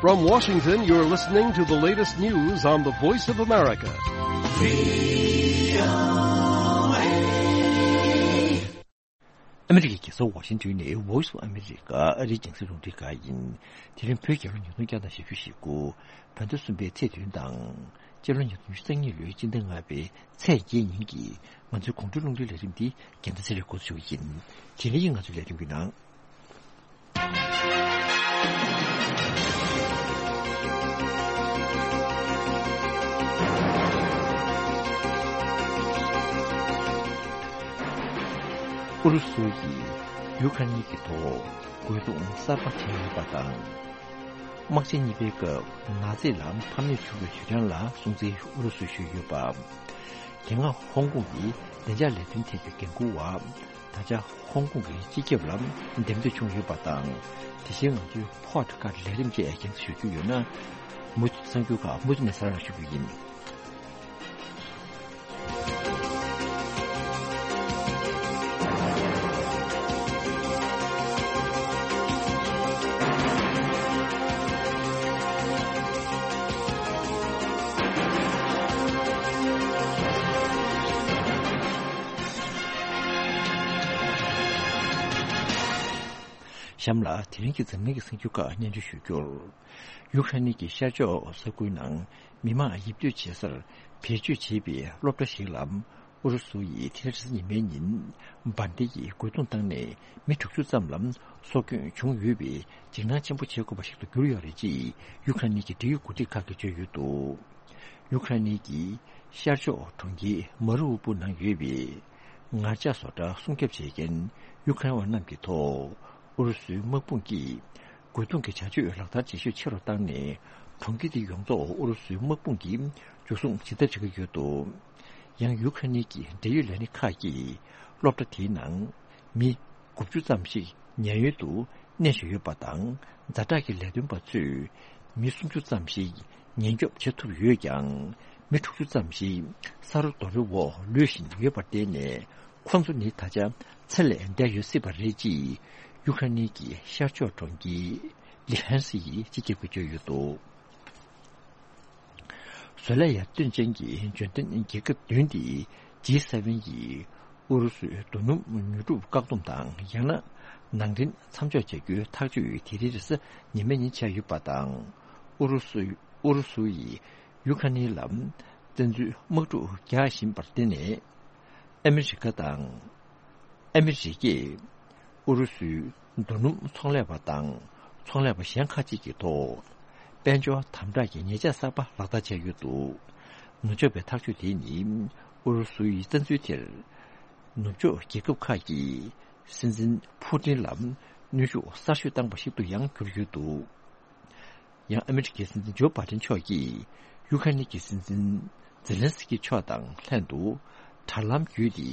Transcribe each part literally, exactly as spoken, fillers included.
From Washington, you're listening to the latest news on the Voice of America. ཨ་མི་རི་ཀའི་རྒྱལ་ས་ཝ་ཤིང་ཏོན་ནས་Voice of America ཨ་རིའི་རྒྱང་སྲིང་རླུང་འཕྲིན་ཁང་ཡིན། དེ་རིང་བོད་རྒྱལ་ལོ་ཉིས་སྟོང་བརྒྱ་དང་བཞི་བཅུ་ཞེ་དགུ། བོད་ཟླ་གསུམ་པའི་ཚེས་བདུན་དང་། སྤྱི་ལོ་ཉིས་སྟོང་ཉི་ཤུ་རྩ་གཉིས་ལོའི་སྤྱི་ཟླ་ལྔ་པའི་ཚེས་བརྒྱད་ཉིན་གྱི་ང་ཚོའི་དགོང་དྲོའི་རླུང་འཕྲིན་ལས་རིམ་འདི་རྒན་ཟླ་ཚེ་རིང་འགོ་འཛུགས་ཞུ་གི་ཡིན། དེ་རིང་ང་ཚོའི་ལས་རིམ་གྱི་ནང་། ཨུ་རུ་སུ་ཡིས་ཡུ་ཁ་ནི་གི་ཐོག་རྒོལ་རྡུང་གསར་པ་བྱས་ཡོད་པ་དང་། དམག་ཆེན་གཉིས་པའི་སྐབས་ནཱ་ཛི་ལ་ཕམ་ཉེས་བྱུང་བའི་དུས་དྲན་ལ་སྲུང་བརྩི་ཨུ་རུ་སུས་ཞུས་ཡོད་པ། དེ་སྔ་ཧོང་ཀོང་གི་བདེ་འཇགས་ལས་དོན་ཐད་ཀྱི་འགན་འཁུར་བ། ད་ཆ་ཧོང་ཀོང་གི་སྤྱི་ཁྱབ་ལ་འདེམས་ཐོན་བྱུང་ཡོད་པ་དང་། དེ་བཞིན་ང་ཚོའི་Podcast ལས་རིམ་བཅས་རྒྱང་སྲིང་ཞུ་རྒྱུ་ཡོད་ན། མུ་མཐུད་གསར་འགྱུར་ཁག་མུ་མཐུད་ནས་གསར་བསྐྲུན་ཞུ་རྒྱུ་ཡིན། གཤམ་ལ་དེ་རིང་གི་འཛམ་གླིང་གི་གསར་འགྱུར་ཁག་སྙན་སྒྲོན་ཞུ་རྒྱུར། ཡུ་ཁ་རེན་གྱི་ཤར་ཕྱོགས་ས་ཁུལ་ནང་མི་མང་ཡིབ་སྡོད་བྱེད་སར་བེད་སྤྱོད་བྱེད་པའི་སློབ་གྲྭ་ཞིག་ལ་ཨུ་རུ་སུ་ཡིས་དེ་རིང་རེས་གཟའ་ཉི་མའི་ཉིན་འབར་མདེལ་གྱིས་རྒོལ་རྡུང་བཏང་ནས་མི་དྲུག་ཅུ་ཙམ་ལ་སྲོག་སྐྱོན་བྱུང་ཡོད་པས་འཇིགས་སྣང་ཆེན་པོ་བྱེད་དགོས་པ་ཞིག་ཏུ་གྱུར་ཡོད་རེད་ཅེས་ཡུ་ཁ་རེན་གྱི་འབྲེལ་ཡོད་འགོ་ཁྲིད་ཁག་གིས་བརྗོད་ཡོད་འདུག་ཡུ་ཁ་རེན་གྱི་ཤར་ཕྱོགས་གྲོང་ཁྱེར་མ་རི་ཨུ་པུ་ནང་ཡོད་པའི་ངར་ལྕགས་བཟོ་གྲྭ་སྲུང་སྐྱོབ་བྱེད་མཁན་ཡུ་ཁ་རེན་བ་རྣམས་ཀྱི་ཐོག་ཨུ་རུ་སུའི་དམག་དཔུང་གིས་རྒོལ་རྡུང་གི་བྱ་སྤྱོད་ལག་བསྟར་བྱེད་ཤུགས་ཆེ་རུ་བཏང་ནས། གྲོང་ཁྱེར་དེ་ཡོངས་རྫོགས་ཨུ་རུ་སུའི་དམག་དཔུང་གིས་འཇུ་བཟུང་བྱེད་ཐབས་བྱེད་ཀྱི་ཡོད་འདུག་ཡང་ཡུ་ཁ་རེན་གྱི་འབྲེལ་ཡོད་ལས་སྣེ་ཁག་གིས་སློབ་གྲྭ་དེའི་ནང་མི་དགུ་བཅུ་ཙམ་ཞིག་ཉེན་གཡོལ་དུ་གནས་བཞིན་ཡོད་པ་དང་། ཛ་དྲག་གི་ལས་དོན་པ་ཚོས་མི་སུམ་ཅུ་ཙམ་ཞིག་ཉེན་སྐྱོབ་བྱེད་ཐུབ་ཡོད་ཀྱང་། མི་དྲུག་ཅུ་ཙམ་ཞིག་ས་རོ་རྡོ་རོའི་འོག་ལུས་བཞིན་ཡོད་པར་བརྟེན་ནས། ཁོ་ཚོ་ནི་ད་ཆ་ཚེ་ལས་འདས་ཡོད་སྲིད་པ་རེད་ཅེས་ཡུ་ཁ་རེན་གྱི་ཤར་ཕྱོགས་གྲོང་ཁྱེར་ལི་ཧན་སི་ཡི་སྤྱི་ཁྱབ་ཀྱིས་བརྗོད་ཡོད་འདུག་བཟོ་ལས་ཡར་ཐོན་ཅན་གྱི་འབྱོར་ལྡན་རྒྱལ་ཁབ་བདུན་ཏེ་ཇི་སེ་ཝེན་ཡིས་ཨུ་རུ་སུའི་རྡོ་སྣུམ་ཉོ་སྒྲུབ་བཀག་སྡོམ་དང་། ཡང་ན་ནང་འདྲེན་མཚམས་འཇོག་བྱ་རྒྱུའི་ཐག་གཅོད་དེ་རིང་རེས་གཟའ་ཉི་མའི་ཉིན་བྱས་ཡོད་པ་དང་། ཨུ་རུ་སུ་ཨུ་རུ་སུ་ཡིས་ཡུ་ཁ་ནི་ལ་བཙན་འཛུལ་དམག་འཁྲུག་རྒྱག་བཞིན་པར་བརྟེན་ནས། ཨ་མི་རི་ཀ་དང་། ཨ་མི་རི་ཀས་ཨུ་རུ་སུའི་རྡོ་སྣུམ་ཚོང་ལས་པ་དང་ཚོང་ལས་པ་གཞན་ཁག་ཅིག་གི་ཐོག་དཔལ་འབྱོར་དམ་དྲག་གི་ཉེས་ཆད་གསར་པ་ལག་བསྟར་བྱས་ཡོད་འདུག་ནུབ་ཕྱོགས་པའི་ཐག་གཅོད་དེ་ནི་ཨུ་རུ་སུའི་བཙན་འཛུལ་དེར་ནུབ་ཕྱོགས་རྒྱལ་ཁབ་ཁག་གིས་སྲིད་འཛིན་ཕུ་ཏིན་ལ་གནོན་ཤུགས་གསར་ཤོས་བཏང་པ་ཞིག་ཏུ་ཡང་གྱུར་ཡོད་འདུག་ཡང་ཨ་མི་རི་ཀའི་སྲིད་འཛིན་ཇོ་བྷའི་ཏིན་མཆོག་གིས་ཡུ་ཁ་ནི་གི་སྲིད་འཛིན་ཛེ་ལན་སི་ཀི་མཆོག་དང་ལྷན་དུ་དྲ་ལམ་བརྒྱུད་དེ་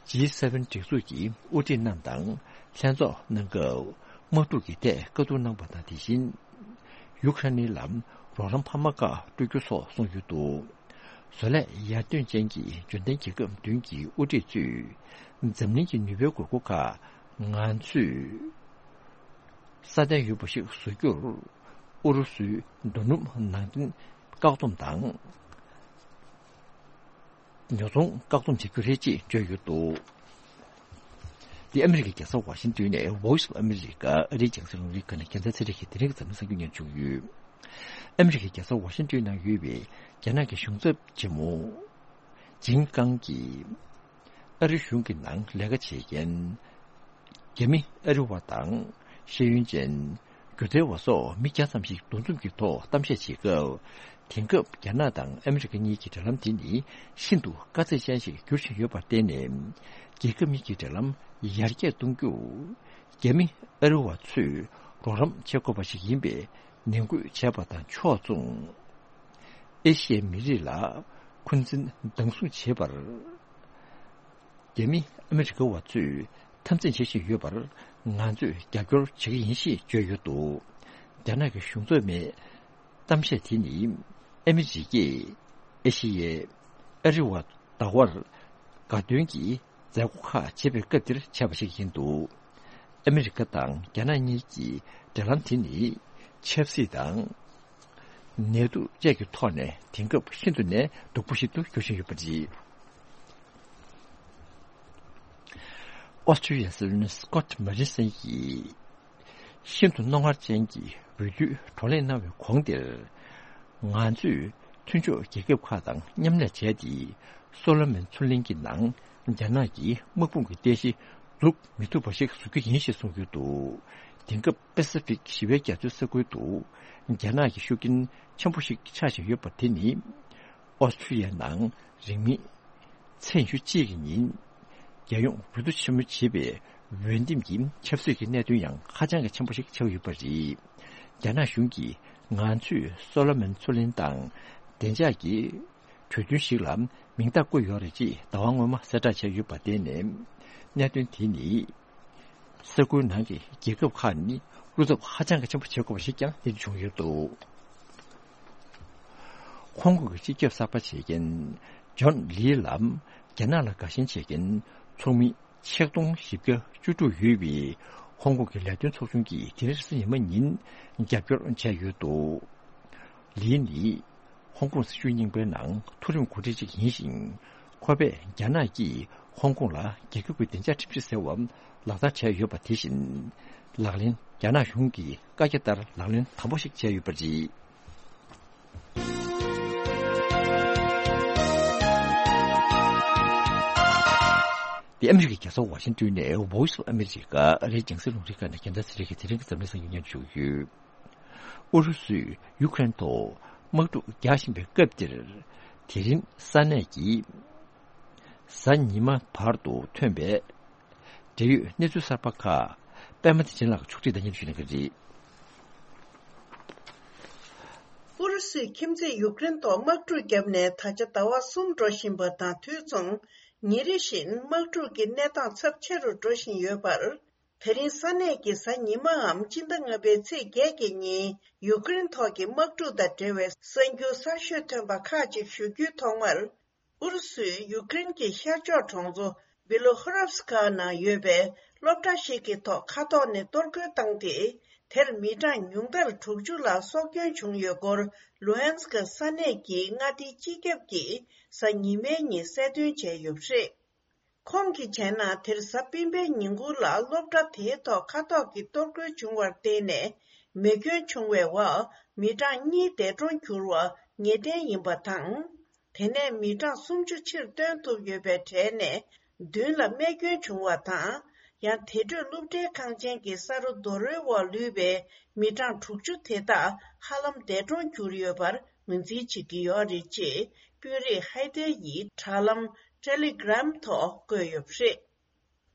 ཇི་སེ་ཝེན་སྒྲིག་འཛུགས་ཀྱི་དབུ་ཁྲིད་རྣམས་དང་ལྷན་ཚོགས་གནང་སྐབས་དམག་འཁྲུག་གི་ཐད་བཀའ་བསྡུར་གནང་བ་དང་། དེ་བཞིན་ཡུ་ཁ་ནི་ལ་རོགས་རམ་འཕར་མ་ཁག་སྤྲོད་རྒྱུ་སོགས་གསུངས་ཡོད་འདུག་བཟོ་ལས་ཡར་ཐོན་ཅན་གྱི་འབྱོར་ལྡན་རྒྱལ་ཁབ་བདུན་གྱི་དབུ་ཁྲིད་ཚོས་འཛམ་གླིང་གི་ནུས་པའི་དགོས་མཁོ་ཁག་ང་ཚོས་སྲ་བརྟན་ཡོད་པ་ཞིག་བཟོ་རྒྱུར། ཨུ་རུ་སུའི་རྡོ་སྣུམ་ནང་འདྲེན་བཀག་སྡོམ་དང་ཉོ་ཚོང་བཀག་སྡོམ་བྱེད་རྒྱུ་རེད་ཅེས་བརྗོད་ཡོད་འདུག་འདི་ཨ་མི་རི་ཀའི་རྒྱལ་ས་ཝ་ཤིང་ཏོན་ནས་Voice of America ཨ་རིའི་རྒྱང་སྲིང་རླུང་འཕྲིན་ཁང་ནས་རྒན་ཚ་ཚེ་རིང་གིས་དེ་རིང་གི་འཛམ་གླིང་གསར་འགྱུར་སྙན་སྒྲོན་ཞུ་གི་ཡོད། ཨ་མི་རི་ཀའི་རྒྱལ་ས་ཝ་ཤིང་ཏོན་ནང་ཡོད་པའི་རྒྱ་ནག་གི་གཞུང་ཚབ་ཆེན་མོ་ཇིན་ཀང་གིས། ཨ་རི་གཞུང་གི་ནང་ལས་ཀ་བྱེད་མཁན་རྒྱ་མི་ཨ་རི་བ་དང་ཤེས་ཡོན་ཅན་སྒྱུ་རྩལ་བ་སོགས་མི་བརྒྱ་ཙམ་ཞིག་འདུ་འཛོམས་ཀྱི་ཐོག་གཏམ་བཤད་བྱེད་སྐབས། དེང་སྐབས་རྒྱ་ནག་དང་ཨ་མི་རི་ཀ་གཉིས་ཀྱི་འབྲེལ་ལམ་དེ་ནི་ཤིན་ཏུ་དཀའ་ཚེགས་ཅན་ཞིག་འགྱུར་བཞིན་ཡོད་པར་བརྟེན་ནས། རྒྱལ་ཁབ་གཉིས་ཀྱི་འབྲེལ་ལམ་ཡར་རྒྱས་གཏོང་རྒྱུར་རྒྱ་མི་ཨ་རི་བ་ཚོས་རོགས་རམ་བྱེད་དགོས་པ་ཞིག་ཡིན་པའི་ནན་སྐུལ་བྱས་པ་དང་ཕྱོགས་མཚུངས། ཨེ་ཤི་ཡའི་མི་རིགས་ལ་འཁོན་འཛིན་སྡང་ཟུག་བྱེད་པར། རྒྱ་མི་ཨ་མི་རི་ཀ་བ་ཚོས་འཐབ་འཛིང་བྱེད་བཞིན་ཡོད་པར་ང་ཚོས་རྒྱབ་སྐྱོར་བྱེད་ཀྱི་ཡིན་ཞེས་བརྗོད་ཡོད་འདུག་རྒྱ་ནག་གི་གཞུང་ཚབ་མའི་གཏམ་བཤད་དེ་ནི་ཨ་མི་རི་ཀས་ཨེ་ཤི་ཡའི་ཨ་རི་བ་བདག་པོར་དགའ་སྟོན་གྱི་མཛད་སྒོ་ཁག་བྱེད་པའི་སྐབས་འདིར་བྱས་པ་ཞིག་ཡིན་འདུག་ཨ་མི་རི་ཀ་དང་རྒྱ་ནག་གཉིས་ཀྱི་འབྲེལ་ལམ་དེ་ནི་ཆབ་སྲིད་དང་ ནད་དུག་བཅས་ཀྱི་ཐོག་ནས་དེང་སྐབས་ཤིན་ཏུ་ནས་སྡུག་པོ་ཞིག་ཏུ་འགྱུར་བཞིན་ཡོད་པ་རེད། ཨོ་སི་ཀྲི་ཡའི་སྲིད་བློན་སི་ཀོཊ་མོ་རི་སན་གྱིས་ཤིན་ཏུ་རྣོ་ངར་ཅན་གྱི་འོས་བསྡུའི་བགྲོ་གླེང་གནང་བའི་གོང་དེར། ང་ཚོས་མཐུན་ཕྱོགས་རྒྱལ་ཁབ་ཁག་དང་མཉམ་ལས་བྱས་ཏེ། སོ་ལོ་མོན་མཚོ་གླིང་གི་ནང་རྒྱ་ནག་གི་དམག་དཔུང་གི་རྟེན་གཞི་འཛུགས་མི་ཐུབ་པ་ཞིག་བཟོ་རྒྱུ་ཡིན་ཞེས་གསུངས་ཡོད་འདུག་དེང་སྐབས་པེ་སི་ཕིག་ཞི་བའི་རྒྱ་མཚོའི་ས་ཁུལ་དུ་རྒྱ་ནག་གི་ཤུགས་རྐྱེན་ཆེན་པོ་ཞིག་ཆགས་བཞིན་ཡོད་པ་དེ་ནི། ཨོ་སི་ཀྲི་ཡའི་ནང་རིང་མིན་ཚེས་ཉི་ཤུ་གཅིག་གི་ཉིན། རྒྱལ་ཡོངས་འོས་བསྡུ་ཆེན་མོ་བྱེད་པའི་འོས་འདེམས་ཀྱི་ཆབ་སྲིད་ཀྱི་གནད་དོན་ཡང་ཧ་ཅང་གི་ཆེན་པོ་ཞིག་ཆགས་ཡོད་པ་རེད། རྒྱ་ནག་གཞུང་གིས་ང་ཚོས་སོ་ལོ་མོན་མཚོ་གླིང་དང་བདེ་འཇགས་ཀྱི་གྲོས་མཐུན་ཞིག་ལ་མིང་རྟགས་བཀོད་ཡོད་རེད་ཅེས་ཟླ་བ་སྔོན་མ་གསལ་བསྒྲགས་བྱས་ཡོད་པ་དེ་ནས། གནད་དོན་དེ་ནི། ས་ཁུལ་ནང་གི་རྒྱལ་ཁབ་ཁག་ནི་བློ་འཚབ་ཧ་ཅང་གི་ཆེན་པོ་བྱེད་དགོས་པ་ཞིག་ཀྱང་གནས་ཚུལ་བྱུང་ཡོད་འདུག་ཧོང་ཀོང་གི་སྤྱི་ཁྱབ་གསར་པ་བྱེད་མཁན་ཇོན་ལི་ལམ་རྒྱ་ནག་ལ་དགའ་ཞེན་བྱེད་མཁན་ཚོགས་མི་ཆིག་སྟོང་བཞི་བརྒྱ་བཅུ་དྲུག་ཡོད་པའི་ཧོང་ཀོང་གི་ལས་དོན་ཚོགས་ཆུང་གིས་དེ་རིང་རེས་གཟའ་ཉི་མ་ཉིན་རྒྱབ་སྐྱོར་བྱས་ཡོད་འདུག་ལི་ནི་ཧོང་ཀོང་སྲིད་བྱུས་རྙིང་པའི་ནང་མཐོ་རིམ་འགོ་ཁྲིད་ཅིག་ཡིན་ཞིང་། ཁོ་པས་རྒྱ་ནག་གིས་ཧོང་ཀོང་ལ་རྒྱལ་ཁབ་ཀྱི་བདེ་འཇགས་ཁྲིམས་གཞི་ཟེར་བ་ལག་བསྟར་བྱས་ཡོད་པ་དེ་བཞིན་ལག་ལེན། རྒྱ་ནག་གཞུང་གི་བཀའ་རྒྱ་ལྟར་ལག་ལེན་དམ་པོ་ཞིག་བྱས་ཡོད་པ་རེད། འདི་ཨ་མི་རི་ཀའི་རྒྱལ་ས་ཝ་ཤིང་ཏོན་ནས་Voice of America ཨ་རིའི་རྒྱང་སྲིང་རླུང་འཕྲིན་ཁང་ནས་རྒྱལ་ས་ཚེ་རིང་གི་དེ་རིང་གི་འཛམ་གླིང་གསར་འགྱུར་སྙན་ཞུ་ཞུ། ཨུ་རུ་སུས་ཡུ་ཀེ་རེན་ཐོག་དམག་འཁྲུག་རྒྱག་བཞིན་པའི་སྐབས་འདིར། དེ་རིང་ས་གནས་ཀྱི་གཟའ་ཉི་མ་བར་དུ་ཐོན་པའི་འབྲེལ་ཡོད་གནས་ཚུལ་གསར་པ་ཁག་པད་མ་བདེ་ཆེན་ལགས་ཕྱོགས་སྒྲིག་དང་སྙན་ཞུ་གནང་གི་རེད། ཨུ་རུ་སུས་ཁྱིམ་མཚེས་ཡུཀ་རེན་ཐོག་དམག་འཁྲུག་བརྒྱབ་ནས་ད་ཆ་ཟླ་བ་གསུམ་འགྲོ་བཞིན་པ་དང་དུས་མཚུངས། ཉིན་རེ་བཞིན་དམག་འཁྲུག་གི་གནས་སྟངས་ཚབས་ཆེ་རུ་འགྲོ་བཞིན་ཡོད་པར། དེ་རིང་ས་གནས་ཀྱི་གཟའ་ཉི་མའམ་སྤྱི་ཟླ་ལྔ་པའི་ཚེས་བརྒྱད་ཀྱི་ཉིན་ཡུཀ་རེན་ཐོག་གི་དམག་འཁྲུག་དང་འབྲེལ་བའི་གསར་འགྱུར་གསར་ཤོས་ཐོན་པ་ཁག་ཅིག་ཞུ་རྒྱུའི་ཐོག་མར། ཨུ་རུ་སུས་ཡུཀ་རེན་གྱི་ཤར་ཕྱོགས་གྲོང་ཚོ་བི་ལོ་ཧོ་རབ་སི་ཀ་ནང་ཡོད་པའི་སློབ་གྲྭ་ཞིག་གི་ཐོག་མཁའ་ཐོག་ནས་གཏོར་རྒོལ་བཏང་སྟེ། དེར་མི་གྲངས་ཉུང་མཐར་དྲུག་ཅུ་ལ་སྲོག་སྐྱོན་བྱུང་ཡོད་སྐོར། ལུ་ཧན་སི་ཀ་ས་གནས་ཀྱི་མངའ་སྡེའི་སྤྱི་ཁྱབ་ཀྱིས་གཟའ་ཉི་མའི་ཉིན་གསལ་སྟོན་བྱས་ཡོད་པ་རེད། ཁོང་གིས་བྱས་ན། དེར་གཟའ་སྤེན་པའི་ཉིན་གུང་ལ་སློབ་གྲྭ་དེའི་ཐོག་མཁའ་ཐོག་གི་གཏོར་རྒོལ་བྱུང་བར་བརྟེན་ནས། མེ་སྐྱོན་བྱུང་བའི་འོག་མི་གྲངས་གཉིས་འདས་གྲོངས་གྱུར་བ་ངེས་གཏན་ཡིན་པ་དང་། དེ་ནས་མི་གྲངས་སུམ་ཅུ་ཕྱིར་བཏོན་ཐུབ་ཡོད་པའི་གྲས་ནས། བདུན་ལ་རྨས་སྐྱོན་བྱུང་བ་དང་། ཡང་དེ་འཕྲོས་སློབ་གྲྭའི་ཁང་ཆེན་གྱི་ས་རོ་རྡོ་རོའི་འོག་ལུས་པའི་མི་གྲངས་དྲུག་ཅུ་དེ་དག་ཧ་ལམ་འདས་གྲོངས་གྱུར་ཡོད་པར་ངོས་འཛིན་བྱེད་ཀྱི་ཡོད་རེད་ཅེས། དཔོན་རིགས་ཧའེ་ཏེ་ཡིས་དྲ་ལམ་Telegram་ཐོག་བཀོད་ཡོད་པ་རེད།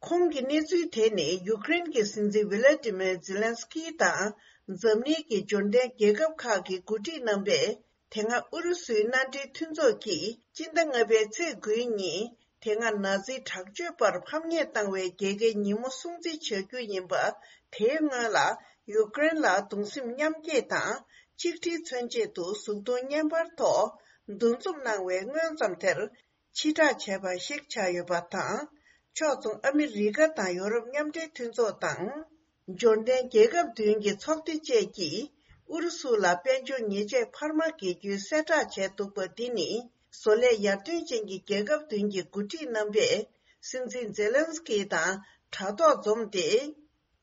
ཁོང་གི་གནས་ཚུལ་དེ་ནི་ཡུཀ་རེན་གྱི་སྲིད་འཛིན་ཝི་ལ་ཏི་མེར་ཛེ་ལན་སི་ཀི་དང་། འཛམ་གླིང་གི་འབྱོར་ལྡན་རྒྱལ་ཁབ་ཁག་གི་འགོ་ཁྲིད་རྣམ་པས། དེ་སྔ་ཨུ་རུ་སུའི་མནའ་འབྲེལ་མཐུན་ཚོགས་ཀྱིས་སྤྱི་ཟླ་ལྔ་པའི་ཚེས་དགུའི་ཉིན། དེ་སྔ་ན་ཛི་དྲག་སྤྱོད་པར་ཕམ་ཉེས་བཏང་བའི་རྒྱལ་ཁའི་ཉིན་མོ་སྲུང་བརྩི་བྱ་རྒྱུ་ཡིན་པ། དེའི་སྔོན་ལ་ཡུཀ་རེན་ལ་གདུང་སེམས་མཉམ་སྐྱེད་དང་། ཆིག་སྒྲིལ་མཚོན་ཆེད་དུ་གཟུགས་མཐོང་བརྙན་པར་ཐོག་འདུ་འཛོམས་གནང་བའི་སྔོན་ཙམ་དེར། ཕྱིར་བསྒྲགས་བྱས་པ་ཞིག་ཆགས་ཡོད་པ་དང་། ཕྱོགས་མཚུངས་ཨ་མི་རི་ཀ་དང་ཡོ་རོབ་མཉམ་འབྲེལ་མཐུན་ཚོགས་དང་། འབྱོར་ལྡན་རྒྱལ་ཁབ་བདུན་གྱི་ཚོགས་སྡེ་བཅས་ཀྱིས་ཨུ་རུ་སུ་ལ་དཔལ་འབྱོར་ཉེས་ཆད་འཕར་མ་འགེལ་རྒྱུའི་གསལ་བསྒྲགས་བྱས་འདུག་པ་འདི་ནི། བཟོ་ལས་ཡར་ཐོན་ཅན་གྱི་རྒྱལ་ཁབ་བདུན་གྱི་འགོ་ཁྲིད་རྣམ་པས་སྲིད་འཛིན་ཛེ་ལན་སི་ཀི་དང་དྲ་ཐོག་འཛོམས་ཏེ།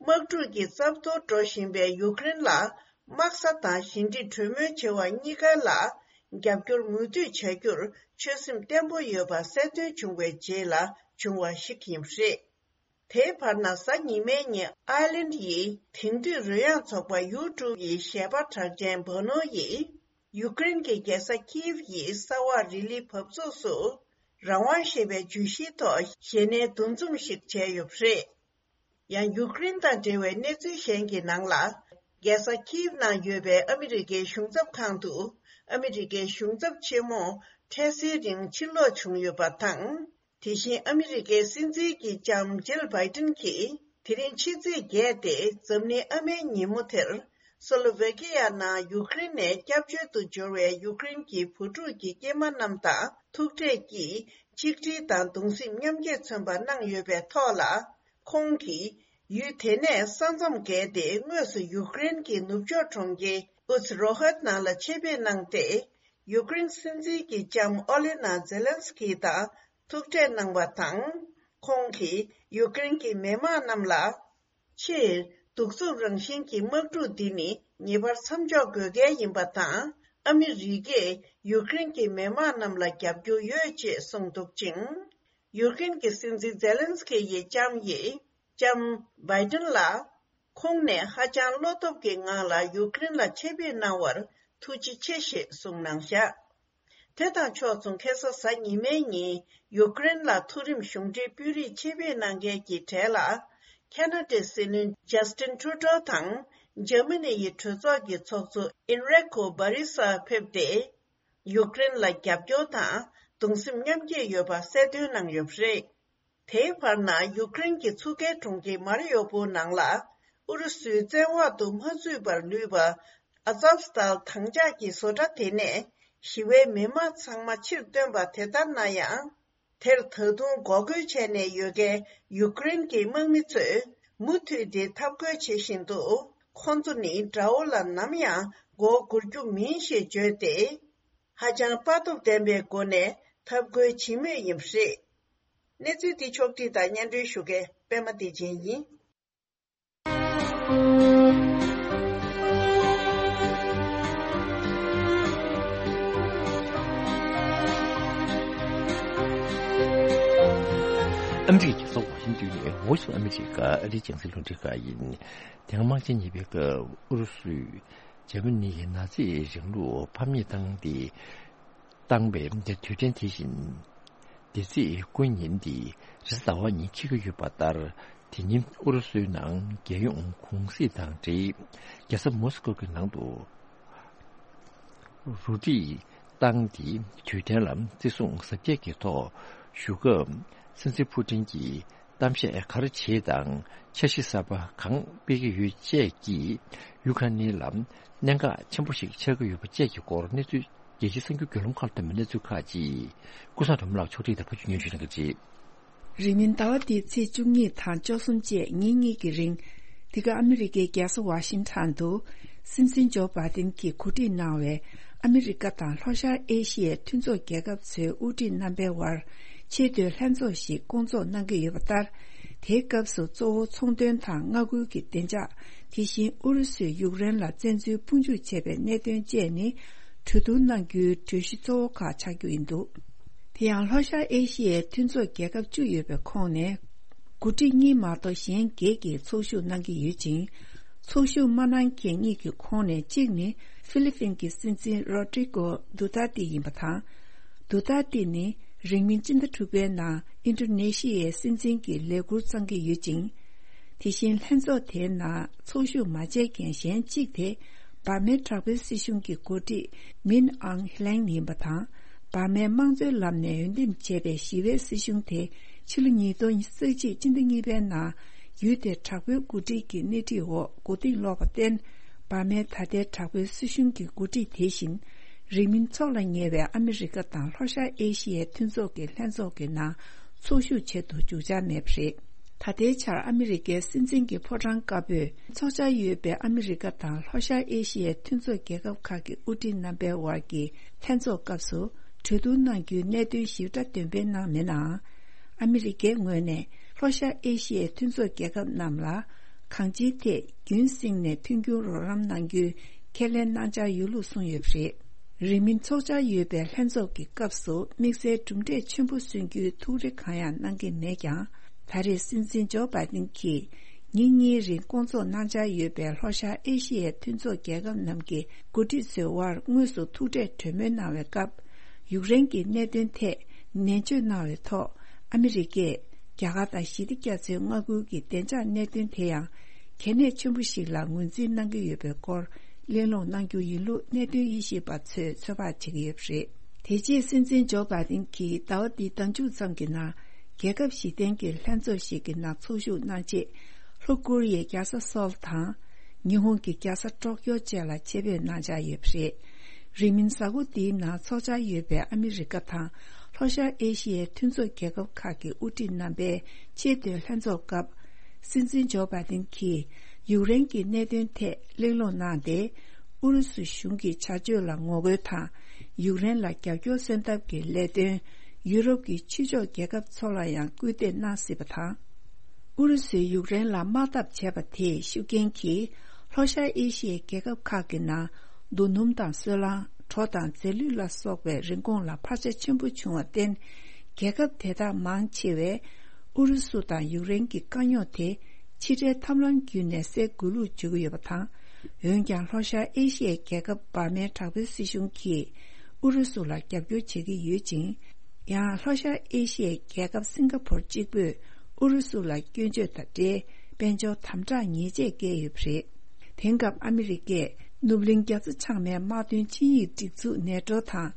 དམག་འཁྲུག་གི་རྩབ་ཏོར་འགྲོ་བཞིན་པའི་ཡུཀ་རེན་ལ་དམག་ས་དང་ཞི་འགྲིག་གྲོས་མོལ་བྱེད་པ་གཉིས་ཀ་ལ་རྒྱབ་སྐྱོར་མུ་མཐུད་བྱ་རྒྱུར་ཆོད་སེམས་བརྟན་པོ་ཡོད་པ་གསལ་སྟོན་བྱུང་བའི་རྗེས་ལ་བྱུང་བ་ཞིག་ཡིན་པ་རེད། དེའི་བར་ན་གཟའ་ཉི་མའི་ཉིན་ཨའི་ལན་ཡི་དེང་དུས་རོལ་དབྱངས་ཚོགས་པ་ཡུ་ཊུབ་ཡི་གཞས་པ་གྲགས་ཅན་བྷོ་ནོ་ཡིས་ཡུཀ་རེན་གྱི་རྒྱལ་ས་ཁིབ་ཡི་ས་འོག་རི་ལི་བབས་ཚུགས་སུ་རང་དབང་ཞེས་པའི་བརྗོད་གཞིའི་ཐོག་གཞས་སྣའི་འདུ་འཛོམས་ཤིག་བྱས་ཡོད་པ་རེད། ཡང་ཡུཀ་རེན་དང་འབྲེལ་བའི་གནས་ཚུལ་གཞན་གྱི་ནང་ལ། རྒྱལ་ས་ཁིབ་ནང་ཡོད་པའི་ཨ་མི་རི་ཀའི་གཞུང་ཚབ་ཁང་དུ་ཨ་མི་རི་ཀའི་གཞུང་ཚབ་ཆེན་མོ་འཕྲལ་སེལ་རིང་ཕྱིར་ལོག་བྱུང་ཡོད་པ་དང་། དེ་བཞིན་ཨ་མི་རི་ཀའི་སྲིད་འཛིན་གྱི་ལྕམ་ཇིལ་བྷའི་ཏིན་གྱིས་དེ་རིང་ཕྱི་ཚེས་བརྒྱད་དེ་འཛམ་གླིང་ཨ་མའི་ཉིན་མོ་དེར། སོ་ལོ་ཝེ་ཀི་ཡ་ནང་ཡུཀ་རེན་ནས་སྐྱབས་བཅོལ་དུ་འབྱོར་བའི་ཡུཀ་རེན་གྱི་བུ་ཕྲུག་གི་སྐྱེས་མ་རྣམས་དང་ཐུག་འཕྲད་ཀྱིས་ཆིག་སྒྲིལ་དང་གདུང་སེམས་མཉམ་སྐྱེད་མཚོན་པ་གནང་ཡོད་པའི་ཐོག་ལ། ཁོང་གིས་ཡུལ་དེ་ནས་ས་མཚམས་བརྒལ་ཏེ་དངོས་སུ་ཡུཀ་རེན་གྱི་ནུབ་ཕྱོགས་གྲོང་ཁྱེར་ ཨུ་ཛི་རོ་ཧད་ནང་ལ་ཆེད་ཕེབས་གནང་སྟེ། ཡུཀ་རེན་སྲིད་འཛིན་གྱི་ལྕམ་ཨོ་ལེ་ན་ཛེ་ལན་སི་ཀི་དང་ཐུག་འཕྲད་གནང་བ་དང་། ཁོང་གིས་ཡུཀ་རེན་གྱི་མི་དམངས་རྣམས་ལ། ཕྱིར་གདུག་རྩུབ་རང་བཞིན་གྱི་དམག་འཁྲུག་འདི་ནི་ངེས་པར་མཚམས་འཇོག་དགོས་གལ་ཡིན་པ་དང་། ཨ་མི་རི་ཀས་ཡུཀ་རེན་གྱི་མི་དམངས་རྣམས་ལ་རྒྱབ་སྐྱོར་ཡོད་ཅེས་གསུངས་འདུག་ཅིང་། ཡུཀ་རེན་གྱི་སྲིད་འཛིན་ཛེ་ལན་སི་ཀི་ཡི་ལྕམ་ཡིས་ལྕམ་བྷའི་ཏིན་ལ། ཁོང་ནས་ཧ་ཅང་བློ་སྟོབས་ཀྱི་ངང་ལ་ཡུཀ་རེན་ལ་ཆེད་ཕེབས་གནང་བར་ཐུགས་རྗེ་ཆེ་ཞེས་གསུངས་གནང་བཞག་དེ་དང་ཕྱོགས་མཚུངས་ཁ་སང་གཟའ་ཉི་མའི་ཉིན་ཡུཀ་རེན་ལ་མཐོ་རིམ་གཞུང་འབྲེལ་དཔོན་རིགས་ཆེད་ཕེབས་གནང་མཁན་གྱི་གྲས་ལ། ཁ་ན་ཌའི་སྲིད་བློན་ཇ་སི་ཏིན་ཊུ་ཌོ་དང་འཇར་མ་ནི་ཡི་གྲོས་ཚོགས་ཀྱི་ཚོགས་གཙོ་ཨེན་རི་ཀོ་བྷ་རི་ས་ཕེབས་ཏེ། ཡུཀ་རེན་ལ་རྒྱབ་སྐྱོར་དང་གདུང་སེམས་མཉམ་སྐྱེད་ཡོད་པ་གསལ་སྟོན་གནང་ཡོད་པ་རེད། དེའི་བར་ན་ཡུཀ་རེན་གྱི་མཚོ་ཁའི་གྲོང་ཁྱེར་མ་རི་ཡོ་པོལ་ནང་ལ་ཨུ་རུ་སུའི་བཙན་འོག་ཏུ་མ་ཚུད་པར་ལུས་པ་ཨ་ཛབ་སྟཱལ་དྭངས་ལྕགས་ཀྱི་བཟོ་གྲྭ་དེ་ནས་ཞི་བའི་མི་མང་ཚང་མ་ཕྱིར་བཏོན་པ་དེ་ལྟར་ན་ཡང་། དེར་ད་དུང་འགོག་རྒོལ་བྱས་ནས་ཡོད་མཁན་ཡུཀ་རེན་གྱི་དམག་མི་ཚོས་མུ་མཐུད་དེ་འཐབ་རྒོལ་བྱེད་བཞིན་འདུག་ཁོང་ཚོ་ནི་དགྲ་བོ་ལ་ནམ་ཡང་མགོ་སྒུར་རྒྱུ་མིན་ཞེས་བརྗོད་དེ། ཧ་ཅང་དཔའ་སྟོབས་ལྡན་པའི་སྒོ་ནས་འཐབ་རྒོལ་བྱེད་མུས་ཡིན་པ་རེད། གནས་ཚུལ་འདི་ཕྱོགས་བསྒྲིགས་དང་སྙན་སྒྲོན་ཞུ་མཁན་པད་མ་བདེ་ཆེན་ཡིན། ཨ་མི་རི་ཀའི་རྒྱལ་ས་ཝ་ཤིང་ཏོན་ནས་Voice of America ཨ་རིའི་རྒྱང་སྲིང་རླུང་འཕྲིན་ཁང་ཡིན། དེ་སྔ་དམག་ཆེན་གཉིས་པའི་སྐབས་ཨུ་རུ་སུས་འཇར་མ་ནི་ཡི་ན་ཛི་རིང་ལུགས་ཕམ་ཉེས་བཏང་སྟེ། བཏང་བའི་དུས་དྲན་དེ་བཞིན། འདས་ཚེས་དགུ་ཉིན་ཏེ་རེས་གཟའ་ཟླ་བ་ཉིན་འཁེལ་གྱི་ཡོད་པ་ལྟར། དེ་ཉིན་ཨུ་རུ་སུའི་ནང་རྒྱལ་ཡོངས་གུང་གསེང་དང་འབྲེལ། རྒྱལ་ས་མོ་སི་ཀོ་གི་ནང་དུ་རུ་སྒྲིག་བཏང་སྟེ་དུས་དྲན་ལ་བརྩི་སྲུང་གཟབ་རྒྱས་ཀྱི་ཐོག་ཞུ་སྐབས། སྲིད་འཛིན་ཕུ་ཏིན་གྱིས་གཏམ་བཤད་ག་རེ་བྱས་དང་འཆར་གཞི་གསར་པ་གང་སྤེལ་གྱི་ཡོད་བཅས་ཀྱིས་ཡུ་ཁ་ནི་ལ་གནད་འགག་ཆེན་པོ་ཞིག་ཆགས་ཀྱི་ཡོད་པ་བཅས་ཀྱི་སྐོར་གནས་ཚུལ། རྒྱལ་སྤྱིའི་གསར་འགྱུར་བརྒྱུད་ལམ་ཁག་ལ་ཐོན་པའི་གནས་ཚུལ་ཁག་ཅིག་ཀུན་བཟང་སྒྲོལ་མ་ལགས་ཕྱོགས་སྒྲིག་དང་ཕབ་སྒྱུར་སྙན་ཞུ་གནང་གི་རེད། རིང་མིན་ཟླ་བ་འདིའི་ཚེས་བཅུ་གཉིས་དང་བཅུ་གསུམ་བཅས་ཉིན་གཉིས་ཀྱི་རིང་། འདི་ག་ཨ་མི་རི་ཀའི་རྒྱལ་ས་ཝ་ཤིང་ཊོན་དུ། སྲིད་འཛིན་ཇོ་བྷའི་ཏིན་གྱིས་གོ་སྒྲིག་གནང་བའི་ཨ་མི་རི་ཀ་དང་ལྷོ་ཤར་ཨེ་ཤི་ཡའི་མཐུན་ཚོགས་རྒྱལ་ཁབ་ཚོའི་དབུ་ཁྲིད་རྣམ་པའི་དབར་ཆེས་མཐོའི་ལྷན་ཚོགས་ཤིག་བསྐོང་ཚོགས་གནང་གི་ཡོད་པ་ལྟར། དེའི་སྐབས་སུ་གཙོ་བོ་ཚོང་དོན་དང་མངའ་ཁུལ་གྱི་བདེ་འཇགས། དེ་བཞིན་ཨུ་རུ་སུས་ཡུཀ་རེན་ལ་བཙན་འཛུལ་དཔུང་འཇུག་བྱས་པའི་གནད་དོན་བཅས་ནི་གྲོས་བསྡུར་གནང་རྒྱུའི་གྲོས་གཞི་གཙོ་བོ་ཁག་ཆགས་རྒྱུ་ཡིན་འདུག་དེ་ཡང་ལྷོ་ཤར་ཨེ་ཤི་ཡའི་མཐུན་ཚོགས་རྒྱལ་ཁབ་བཅུ་ཡོད་པའི་ཁོངས་ནས། འགོ་ཁྲིད་གཉིས་མ་གཏོགས་གཞན་བརྒྱད་ཀྱིས་ཚོགས་ཞུགས་གནང་གི་ཡོད་ཅིང་། ཚོགས་ཞུགས་མ་གནང་མཁན་གཉིས་ཀྱི་ཁོངས་ནས་གཅིག་ནི་ཧྥི་ལི་ཕིན་གྱི་སྲིད་འཛིན་རོ་ཏྲི་ཀོ་དུ་ཏར་ཏི་ཡིན་པ་དང་། དུ་ཏར་ཏི་ནི་རིང་མིན་སྤྱི་ཟླ་དྲུག་པའི་ནང་ཨིན་ཌོ་ནེ་ཤི་ཡའི་སྲིད་འཛིན་གྱི་ལས་འཁུར་བསྩང་གི་ཡོད་ཅིང་། དེ་བཞིན་ལྷན་ཚོགས་དེའི་ནང་ཚོགས་ཞུགས་མ་བྱས་མཁན་གཞན་གཅིག་དེ་འབར་མའི་དྲག་པོའི་སྲིད་གཞུང་གི་འགོ་ཁྲིད་མིན་ཨང་ཧི་ལེང་ཡིན་པ་དང་། འབར་མའི་དམངས་གཙོའི་ལམ་ནས་འོས་འདེམས་བྱས་པའི་ཞི་བའི་སྲིད་གཞུང་དེ་ཕྱི་ལོ་ཉིས་སྟོང་ཉེར་གཅིག་སྤྱི་ཟླ་གཉིས་པའི་ནང་ཡུལ་དེར་དྲག་པོའི་འགོ་ཁྲིད་ཀྱི་སྣེ་ཁྲིད་འོག་མགོ་རྟིང་སློག་པར་བརྟེན། འབར་མའི་ད་ལྟའི་དྲག་པོའི་སྲིད་གཞུང་གི་འགོ་ཁྲིད་དེ་བཞིན། རིང་མིན་འཚོགས་ལ་ཉེ་བའི་ཨ་མི་རི་ཀ་དང་ལྷོ་ཤར་ཨེ་ཤི་ཡའི་མཐུན་ཚོགས་ཀྱི་ལྷན་ཚོགས་ཀྱི་ནང་ཚོགས་ཞུགས་བྱེད་དུ་འཇུག་འཆར་མེད་པ་རེད། ད་ལྟའི་ཆར་ཨ་མི་རི་ཀའི་སྲིད་འཛིན་གྱི་ཕོ་བྲང་དཀར་པོས་འཚོགས་འཆར་ཡོད་པའི་ཨ་མི་རི་ཀ་དང་ལྷོ་ཤར་ཨེ་ཤི་ཡའི་མཐུན་ཚོགས་རྒྱལ་ཁབ་ཁག་གི་དབུ་ཁྲིད་རྣམ་པའི་དབར་གྱི་ལྷན་ཚོགས་སྐབས་སུ་གྲོས་བསྡུར་གནང་རྒྱུའི་གནད་དོན་ཞིབ་ཕྲ་འདོན་སྤེལ་གནང་མེད་ནའང་། ཨ་མི་རི་ཀའི་ངོས་ནས་ལྷོ་ཤར་ཨེ་ཤི་ཡའི་མཐུན་ཚོགས་རྒྱལ་ཁབ་རྣམས་ལ་གང་ཅིའི་ཐད་རྒྱུན་བསྲིངས་ནས་མཐུན་འགྱུར་རོགས་རམ་གནང་རྒྱུའི་ཁས་ལེན་གནང་འཆར་ཡོད་ལུགས་གསུངས་ཡོད་པ་རེད། རིང་མིན་འཚོགས་འཆར་ཡོད་པའི་ལྷན་ཚོགས་ཀྱི་སྐབས་སུ་དམིགས་བསལ་གྲུབ་འབྲས་ཆེན་པོ་སོན་རྒྱུའི་ཐུགས་རེ་གང་ཡང་གནང་གི་མེད་ཀྱང་། ད་རེས་སྲིད་འཛིན་ཇོ་བྷའི་ཏིན་གྱིས་ཉིན་གཉིས་རིང་བསྐོང་ཚོགས་གནང་འཆར་ཡོད་པའི་ལྷོ་ཤར་ཨེ་ཤི་ཡའི་མཐུན་ཚོགས་རྒྱལ་ཁབ་རྣམས་ཀྱི་འགོ་ཁྲིད་ཚོའི་དབར་དངོས་སུ་ཐུག་འཕྲད་གྲོས་མོལ་གནང་བའི་སྐབས། ཡུཀ་རེན་གྱི་གནད་དོན་ཐད་ནན་བརྗོད་གནང་བའི་ཐོག་ཨ་མི་རི་ཀས་རྒྱ་གར་དང་ཞི་བདེ་རྒྱ་མཚོའི་མངའ་ཁུལ་གྱི་བདེ་འཇགས་གནད་དོན་དེ་ཡང་གལ་གནད་ཆེན་པོ་ཞིག་ལ་ངོས་འཛིན་གནང་གི་ཡོད་པའི་སྐོར་གླེང་སློང་གནང་རྒྱུ་ཡིན་ལུགས་གནད་དོན་དབྱེ་ཞིབ་པ་ཚོས་ཚོད་དཔག་བྱེད་ཀྱི་ཡོད་པ་རེད། དེ་རྗེས་སྲིད་འཛིན་ཇོ་བྷའི་ཏིན་གྱིས་ཟླ་བ་འདིའི་ཟླ་མཇུག་ཙམ་གྱི་ནང་རྒྱལ་ཁབ་བཞི་ལྡན་གྱི་ལྷན་ཚོགས་ཤིག་གི་ནང་ཚོགས་ཞུགས་གནང་རྗེས། ལྷོ་ཀོ་རི་ཡའི་རྒྱལ་ས་སོལ་དང་། ཉི་ཧོང་གི་རྒྱལ་ས་ཀྲོག་ཀྱོ་བཅས་ལ་ཆེད་ཕེབས་གནང་འཆར་ཡོད་པ་རེད། རིང་མིན་གཟའ་འཁོར་འདིའི་ནང་འཚོགས་འཆར་ཡོད་པའི་ཨ་མི་རི་ཀ་དང་ལྷོ་ཤར་ཨེ་ཤི་ཡའི་མཐུན་ཚོགས་རྒྱལ་ཁབ་ཁག་གི་དབུ་ཁྲིད་རྣམ་པའི་ཆེས་མཐོའི་ལྷན་ཚོགས་སྐབས། སྲིད་འཛིན་ཇོ་བྷའི་ཏིན་གྱིས་ཡུཀ་རེན་གྱི་གནད་དོན་ཐད་གླེང་སློང་གནང་སྟེ། ཨུ་རུ་སུ་གཞུང་གི་བྱ་སྤྱོད་ལ་ངོ་རྒོལ་དང་། ཡུཀ་རེན་ལ་རྒྱབ་སྐྱོར་སེལ་ཐབས་ཀྱི་ལས་དོན། ཡུ་རོབ་ཀྱི་ཕྱི་ཕྱོགས་རྒྱལ་ཁབ་ཚོ་ལ་ཡང་སྐུལ་འདེད་གནང་སྲིད་པ་དང་། ཨུ་རུ་སུས་ཡུཀ་རེན་ལ་དམག་འཐབ་བྱས་པ་དེའི་ཤུགས་རྐྱེན་གྱིས། ལྷོ་ཤར་ཨེ་ཤི་ཡའི་རྒྱལ་ཁབ་ཁག་གི་ནང་། རྡོ་སྣུམ་དང་སོལ་རླངས། གྲོ་དང་རྫས་ལུད་ལ་སོགས་པའི་རིན་གོང་ལ་འཕར་ཆ་ཆེན་པོ་བྱུང་བར་བརྟེན། རྒྱལ་ཁབ་དེ་དག་མང་ཆེ་བས། ཨུ་རུ་སུ་དང་ཡུཀ་རེན་གྱི་དཀའ་རྙོག་དེ། ཕྱི་འབྲེལ་ཐབས་ལམ་བརྒྱུད་ནས་སེལ་དགོས་ལུགས་བརྗོད་ཀྱི་ཡོད་པ་དང་། འོན་ཀྱང་། ལྷོ་ཤར་ཨེ་ཤི་ཡའི་རྒྱལ་ཁབ་འབར་མའི་དྲག་པོའི་སྲིད་གཞུང་གིས། ཨུ་རུ་སུ་ལ་རྒྱབ་སྐྱོར་བྱེད་ཀྱི་ཡོད་ཅིང་། ཡང་། ལྷོ་ཤར་ཨེ་ཤི་ཡའི་རྒྱལ་ཁབ་སིང་ག་ཕོར་གཅིག་པུས། ཨུ་རུ་སུ་ལ་སྐྱོན་བརྗོད་དང་འབྲེལ། དཔལ་འབྱོར་དམ་དྲག་ཉེས་ཆད་བཀལ་ཡོད་པ་རེད། དེང་སྐབས་ཨ་མི་རི་ཀས་ནུབ་གླིང་རྒྱ་མཚོ་བྱང་མའི་དམག་དོན་ཆིངས་ཡིག་སྒྲིག་འཛུགས་ནེ་ཊོ་དང་།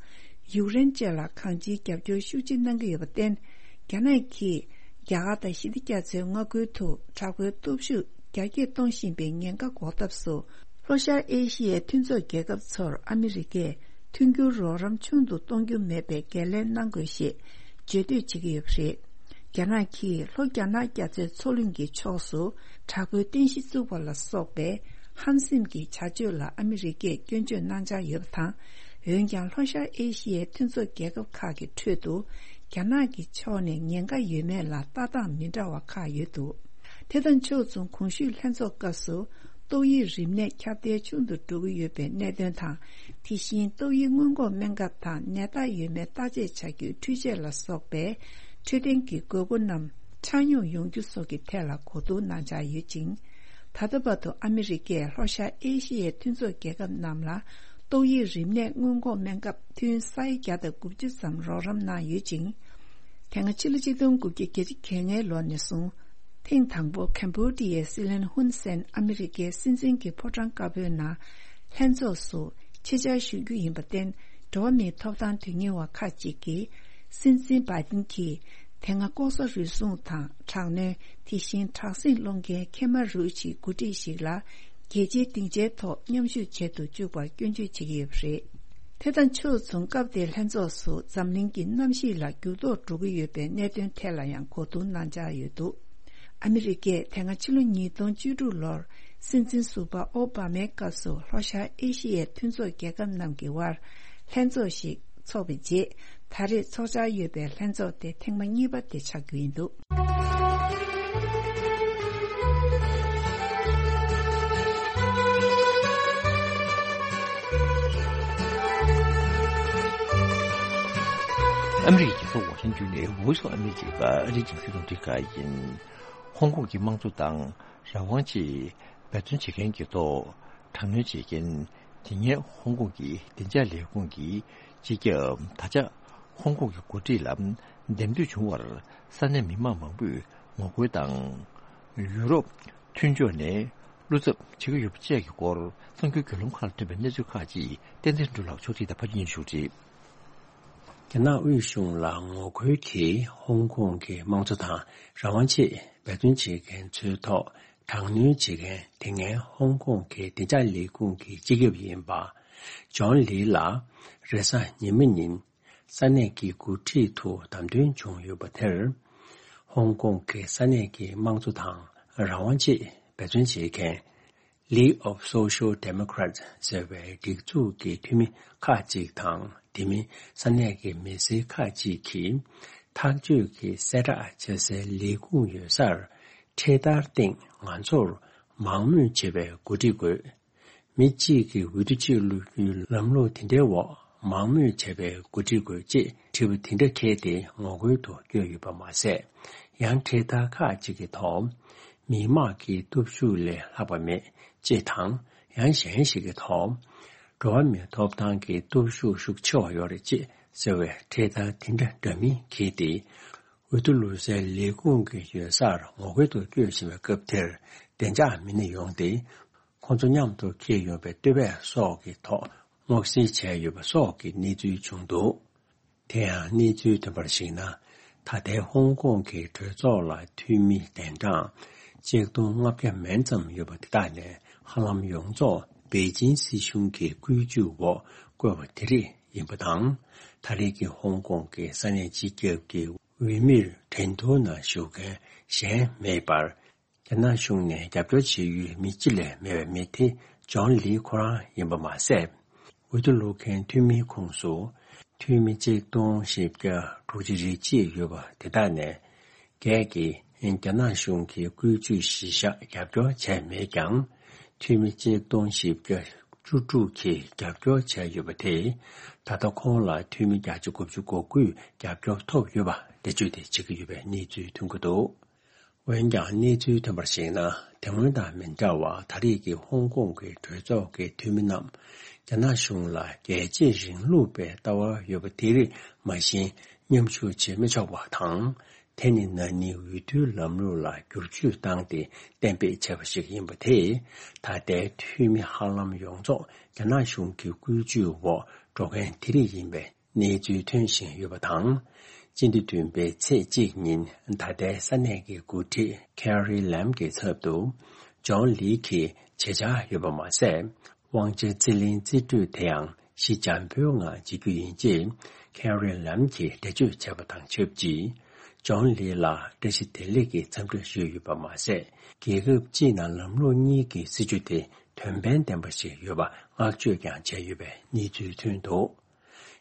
ཡུཀ་རེན་བཅས་ལ་གང་ཅིའི་རྒྱབ་སྐྱོར་ཤུགས་ཆེ་གནང་གི་ཡོད་པར་བརྟེན། རྒྱ་ནག་གིས་རྒྱ་གར་དང་ཞི་བདེ་རྒྱ་མཚོའི་མངའ་ཁུལ་དུ་དྲག་པོའི་སྟོབས་ཤུགས་རྒྱ་སྐྱེད་གཏོང་བཞིན་པའི་ཉེན་ཁ་འགོག་ཐབས་སུ། ལྷོ་ཤར་ཨེ་ཤི་ཡའི་མཐུན་ཚོགས་རྒྱལ་ཁབ་ཚོར་ཨ་མི་རི་ཀས་མཐུན་འགྱུར་རོགས་རམ་ཆུང་དུ་གཏོང་རྒྱུ་མེད་པའི་འགན་ལེན་གནང་དགོས་ཞེས་བརྗོད་འདོད་བྱེད་ཀྱི་ཡོད་པ་རེད། རྒྱ་ནག་གིས་ལྷོ་རྒྱ་ནག་རྒྱ་མཚོའི་མཚོ་གླིང་གི་ཕྱོགས་སུ་དྲག་པོའི་རྟེན་གཞི་བཙུགས་པ་ལ་སོགས་པའི་ཧམ་སེམས་ཀྱི་བྱ་སྤྱོད་ལ་ཨ་མི་རི་ཀས་སྐྱོན་བརྗོད་གནང་འཆར་ཡོད་པ་དང་། འོན་ཀྱང་། ལྷོ་ཤར་ཨེ་ཤི་ཡའི་མཐུན་ཚོགས་རྒྱལ་ཁབ་ཁག་གི་ཁྲོད་དུ། རྒྱ་ནག་གི་ཕྱོགས་ནས་ཉེན་ཁ་ཡོད་མེད་ལ་ལྟ་སྟངས་མི་འདྲ་བ་ཁག་ཡོད་འདུག་དེ་དང་ཕྱོགས་མཚུངས། གོང་ཞུས་ལྷན་ཚོགས་སྐབས་སུ། ཏོག་དབྱིབས་རིམས་ནད་ཁྱབ་གདལ་ཆུང་དུ་འགྲོ་གི་ཡོད་པའི་གནད་དོན་དང་། དེ་བཞིན། ཏོག་དབྱིབས་སྔོན་འགོག་སྨན་ཁབ་དང་ནད་རྟགས་ཡོད་མེད་བརྟག་དཔྱད་བྱ་རྒྱུའི་འཕྲུལ་ཆས་ལ་སོགས་པའི་འཕྲོད་བསྟེན་གྱི་དགོས་མཁོ་རྣམས་ཆ་སྙོམས་ཡོང་རྒྱུ་སོགས་ཀྱི་ཐད་ལ་གོ་བསྡུར་གནང་འཆར་ཡོད་ཅིང་། ད་ལྟ་བར་དུ་ཨ་མི་རི་ཀས་ལྷོ་ཤར་ཨེ་ཤི་ཡའི་མཐུན་ཚོགས་རྒྱལ་ཁབ་རྣམས་ལ་ཏོག་དབྱིབས་རིམས་ནད་སྔོན་འགོག་སྨན་ཁབ་ཐུན་ས་ཡ་བརྒྱ་དང་དགུ་བཅུ་ཙམ་རོགས་རམ་གནང་ཡོད་ཅིང་། དེ་སྔ་ཕྱི་ལོ་ཆིག་སྟོང་དགུ་བརྒྱ་བརྒྱད་ཅུ་གྱ་ལྔའི་ལོ་ནས་བཟུང་། ཐེངས་དང་པོ་ཁེམ་བྷོ་ཌི་ཡའི་སྲིད་བློན་ཧུན་སེན་ཨ་མི་རི་ཀའི་སྲིད་འཛིན་གྱི་ཕོ་བྲང་དཀར་པོའི་ནང་ལྷན་ཚོགས་སུ་ཆེད་བཅར་ཞུ་རྒྱུ་ཡིན་པར་བརྟེན། འགྲོ་བ་མིའི་ཐོབ་ཐང་དོན་གཉེར་བ་ཁག་ཅིག་གིས། སྲིད་འཛིན་བྷའི་ཏིན་གྱིས་དེ་སྔ་ལྐོག་ཟ་རུལ་སུངས་དང་དྲག་གནོན། དེ་བཞིན་དྲག་ཟིང་སློང་མཁན་ཁེ་མ་རུ་ཆིའི་འགོ་ཁྲིད་ཞིག་ལ། རྒྱལ་སྤྱིའི་སྡིངས་ཆའི་ཐོག་མཉམ་ཞུགས་བྱེད་དུ་བཅུག་པར་སྐྱོན་བརྗོད་བྱེད་ཀྱི་ཡོད་པ་རེད། དེ་དང་ཕྱོགས་མཚུངས། སྐབས་དེའི་ལྷན་ཚོགས་སུ་འཛམ་གླིང་གི་གནམ་གཤིས་ལ་འགྱུར་ལྡོག་འགྲོ་གི་ཡོད་པའི་གནད་དོན་ཐད་ལ་ཡང་གོ་བསྡུར་གནང་འཆར་ཡོད་འདུག་ཨ་མི་རི་ཀས་དེ་སྔ་ཕྱི་ལོ་ཉིས་སྟོང་བཅུ་དྲུག་ལོར་སྲིད་འཛིན་ཟུར་པ་ཨོ་བྷ་མའི་སྐབས་སུ་ལྷོ་ཤར་ཨེ་ཤི་ཡའི་མཐུན་ཚོགས་རྒྱལ་ཁབ་རྣམས་ཀྱི་དབར་ལྷན་ཚོགས་ཤིག་འཚོགས་པའི་རྗེས། ད་རེས་འཚོགས་འཆར་ཡོད་པའི་ལྷན་ཚོགས་དེ་ཐེངས་མ་གཉིས་པ་དེ་ཆགས་རྒྱུ་ཡིན་འདུག་ཨ་མི་རི་ཀའི་རྒྱལ་ས་ཝ་ཤིང་ཏོན་ནས་Voice of America ཨ་རིའི་རྒྱང་སྲིང་རླུང་འཕྲིན་ཁང་ཡིན། ཧོང་ཀོང་གི་དམངས་གཙོ་དང་རང་དབང་ཆེད་འབད་བརྩོན་བྱེད་མཁན་གྱི་ཐོག་དྲག་གནོན་བྱེད་མཁན་དེ་སྔའི་ཧོང་ཀོང་གི་བདེ་འཇགས་ལས་ཁུངས་ཀྱི་སྤྱི་ཁྱབ། ད་ཆ་ཧོང་ཀོང་གི་འགོ་ཁྲིད་ལ་འདེམས་ཐོན་བྱུང་བར་ས་གནས་མི་མང་མང་པོས་ངོ་རྒོལ་དང་། ཡུ་རོབ་མཐུན་ཕྱོགས་ནས་བློ་འཚབ་བྱེད་ཀྱི་ཡོད་པ་བཅས་ཀྱི་སྐོར་གསར་འགྱུར་བརྒྱུད་ལམ་ཁག་ལ་ཐོན་པའི་གནས་ཚུལ་ཁག་ཅིག་བསྟན་འཛིན་སྒྲོལ་ལགས་ཕྱོགས་སྒྲིག་དང་ཕབ་སྒྱུར་ཞུ་རྒྱུ་རེད། རྒྱ་ནག་དབུས་གཞུང་ལ་ངོ་རྒོལ་གྱིས་ཧོང་ཀོང་གི་དམངས་གཙོ་དང་རང་དབང་ཆེད་འབད་བརྩོན་བྱེད་མཁན་ཚོའི་ཐོག་དྲག་གནོན་བྱེད་མཁན་དེ་སྔའི་ཧོང་ཀོང་གི་བདེ་འཇགས་ལས་ཁུངས་ཀྱི་སྤྱི་ཁྱབ་ཡིན་པ། ཇོན་ལི་ལགས་རེས་གཟའ་ཉི་མ་ཉིན་ས་གནས་ཀྱི་འགོ་ཁྲིད་དུ་བདམས་ཐོན་བྱུང་ཡོད་པ་དེར། ཧོང་ཀོང་གི་ས་གནས་ཀྱི་དམངས་གཙོ་དང་རང་དབང་ཆེད་འབད་བརྩོན་བྱེད་མཁན། League of Social Democrats ཟེར་བའི་སྒྲིག་འཛུགས་ཀྱི་འཐུས་མི་ཁག་ཅིག་དང་། དེ་མིན་ས་གནས་ཀྱི་མི་སེར་ཁག་ཅིག་གིས་ཐག་གཅོད་ཀྱི་གསལ་བསྒྲགས་བྱ་སའི་ལས་ཁུངས་ཡོད་སར་འཕྲེད་དར་སྟེང་ང་ཚོར་མང་མོས་བྱས་པའི་གོ་སྒྲིག་དགོས། མི་གཅིག་གིས་འོས་བསྡུ་གཅིག་བླུག་རྒྱུའི་ལམ་ལུགས་དེ་འདྲའི་འོག་མང་མོས་བྱས་པའི་གོ་སྒྲིག་དགོས་ཅེས་དྲི་བ་དེ་འདྲ་འཁྱེར་ཏེ་ངོ་རྒོལ་དུ་བསྐྱོད་ཡོད་པ་མ་ཟད། ཡང་འཕྲེད་དར་ཁག་ཅིག་གི་ཐོག་མི་དམངས་ཀྱི་སྟོབས་ཤུགས་ལས་ལྷག་པ་མེད་ཅེས་དང་། ཡང་གཞན་ཞིག་གི་ཐོག་འགྲོ་བ་མིའི་ཐོབ་ཐང་གི་སྟོབས་ཤུགས་ཤུགས་ཆེ་བ་ཡོད་རེད་ཅེས་ཟེར་བའི་འཕྲེད་དར་དེ་འདྲ་འདྲ་མིན་འཁྱེར་ཏེ། འོས་བསྡུ་བླུག་སའི་ལས་ཁུངས་ཀྱི་ཡོད་སར་ངོ་རྒོལ་དུ་བསྐྱོད་བཞིན་པའི་སྐབས་དེར། བདེ་འཇགས་མི་སྣ་ཡོང་སྟེ། ཁོང་ཚོ་མཉམ་དུ་འཁྱེར་ཡོང་བའི་ལྟེ་བ་སོགས་ཀྱི་ཐོག་སྔོག་བཤེར་བྱས་ཡོད་པ་སོགས་ཀྱི་གནས་ཚུལ་བྱུང་འདུག་དེ་ཡང་གནས་ཚུལ་ཐོན་པར་གཞིགས་ན། ད་ལྟའི་ཧོང་ཀོང་གི་གྲོས་ཚོགས་ལ་འཐུས་མི་གདན་གྲངས་ཆིག་སྟོང་ལྔ་བརྒྱ་མན་ཙམ་ཡོད་པ་དེ་དག་ནས་ཧ་ལམ་ཡོངས་རྫོགས་པེ་ཅིན་སྲིད་གཞུང་གི་བཀོད་ཇུས་འོག་བསྐོས་པ་དེ་རིགས་ཡིན་པ་དང་། ད་རེས་ཀྱི་ཧོང་ཀོང་གི་ས་གནས་སྤྱི་ཁྱབ་ཀྱི་འོས་མིར་འགྲན་བསྡུར་ནང་ཞུགས་མཁན་གཞན་མེད་པར། རྒྱ་ནག་གཞུང་ནས་རྒྱབ་སྐྱོར་བྱེད་ཡུལ་མི་སྤྱི་ལས་མེད་པའི་མི་དེ་ ཇོན་ལི་ཁོ་རང་ཡིན་པ་མ་ཟད། འོས་བསྡུ་བླུག་མཁན་འཐུས་མིའི་ཁོངས་སུ་འཐུས་མི་གཅིག་སྟོང་བཞི་བརྒྱ་དྲུག་ཅུ་རེ་གཅིག་ཡོད་པ་དེ་དག་ནས། སྒེར་གྱིས་རྒྱ་ནག་གཞུང་གི་བཀོད་ཇུས་གཞི་བཞག་རྒྱབ་སྐྱོར་བྱས་མེད་ཀྱང་། འཐུས་མི་གཅིག་སྟོང་བཞི་བརྒྱ་བཅུ་དྲུག་གིས་རྒྱབ་སྐྱོར་བྱས་ཡོད་པ་དེས། ད་ལྟ་ཁོང་ལ་འཐུས་མི་བརྒྱ་ཆ་དགུ་བཅུ་གོ་དགུས་རྒྱབ་སྐྱོར་ཐོབ་ཡོད་པ་འགྲེལ་བརྗོད་དེ་བྱེད་ཀྱི་ཡོད་པའི་གནས་ཚུལ་ཐོན་གྱི་འདུག། འོན་ཀྱང་གནས་ཚུལ་ཐོན་པར་གཞིགས་ན། དེ་སྔོན་དང་མི་འདྲ་བར་ད་རེས་ཀྱི་ཧོང་ཀོང་གི་གྲོས་ཚོགས་ཀྱི་འཐུས་མི་རྣམས་རྒྱ་ནག་གཞུང་ལ་རྒྱལ་གཅེས་རིང་ལུགས་པའི་ལྟ་བ་ཡོད་པ་དེ་རིགས་མ་བཞིན་མཉམ་ཞུགས་བྱེད་མི་ཆོག་པ་དང་། དེ་ནི་ན་ནིང་འོས་བསྡུའི་ལམ་ལུགས་ལ་བསྒྱུར་བཅོས་བཏང་སྟེ་གཏན་འབེབས་བྱས་པ་ཞིག་ཡིན་པ་དེས། ད་ལྟའི་འཐུས་མི་ཧ་ལམ་ཡོངས་རྫོགས་རྒྱ་ནག་གཞུང་གི་བཀོད་ཇུས་འོག་འགྲོ་མཁན་དེ་རིགས་ཡིན་པའི་གནས་ཚུལ་ཐོན་བཞིན་ཡོད་པ་དང་། སྤྱི་ཟླ་བདུན་པའི་ཚེས་གཅིག་ཉིན་ད་ལྟའི་ས་གནས་ཀྱི་འགོ་ཁྲིད་ཁེ་རི་ལམ་གྱི་ཚབ་ཏུ་ཇོན་ལི་གིས་ཆེད་བཅར་ཡོད་པ་མ་ཟད། དབང་ཆ་རྩིས་ལེན་རྩིས་སྤྲོད་དེའང་གཞི་འཇམ་པོའི་ངང་བྱེད་རྒྱུ་ཡིན་ཅེས་ཁེ་རི་ལམ་གྱིས་འགྲེལ་བརྗོད་བྱས་པ་དང་ཆབས་ཅིག། ཇོན་ལི་ལ་བཀྲ་ཤིས་བདེ་ལེགས་ཀྱི་འཚམས་འདྲི་ཞུས་ཡོད་པ་མ་ཟད། རྒྱལ་ཁབ་སྤྱིའི་ནང་ལམ་ལུགས་གཉིས་ཀྱི་སྲིད་བྱུས་དེ་དོན་ཕན་ལྡན་པ་ཞིག་ཡོད་པ་བསྔགས་བརྗོད་ཀྱང་བྱས་ཡོད་པའི་གནས་ཚུལ་ཐོན་འདུག།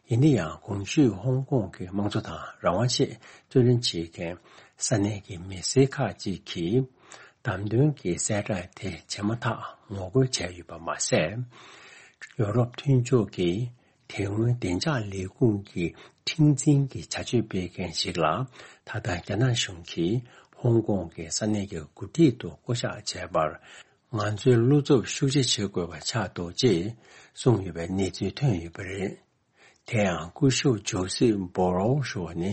ཡིན་ན་ཡང་གོང་ཞུས་ཧོང་ཀོང་གི་དམངས་གཙོ་དང་རང་དབང་ཆེད་རྩོད་ལེན་བྱེད་མཁན་ས་གནས་ཀྱི་མི་སེར་ཁག་ཅིག་གིས་བདམས་ཐོན་གྱི་གསལ་བསྒྲགས་དེ་བྱས་མ་ཐག་ངོ་རྒོལ་བྱས་ཡོད་པ་མ་ཟད། ཡོ་རོབ་མཐུན་ཕྱོགས་ཀྱིས་དེ་སྔོན་བདེ་འཇགས་ལས་ཁུངས་ཀྱི་ཁྲིམས་འཛིན་གྱི་བྱ་སྤྱོད་སྤེལ་མཁན་ཞིག་ལ། ད་ལྟ་རྒྱ་ནག་གཞུང་གིས་ཧོང་ཀོང་གི་ས་གནས་ཀྱི་འགོ་ཁྲིད་དུ་བསྐོ་གཞག་བྱས་པར། ང་ཚོའི་བློ་འཚབ་ཤུགས་ཆེ་བྱེད་དགོས་པ་ཆགས་འདུག་ཅེས་གསུངས་ཡོད་པའི་གནས་ཚུལ་ཐོན་ཡོད་པ་རེད། དེ་ཡང་སྐུ་ཞབས་ཇོ་སེབ་བྷོ་རོལ་ཞུ་བ་ནི་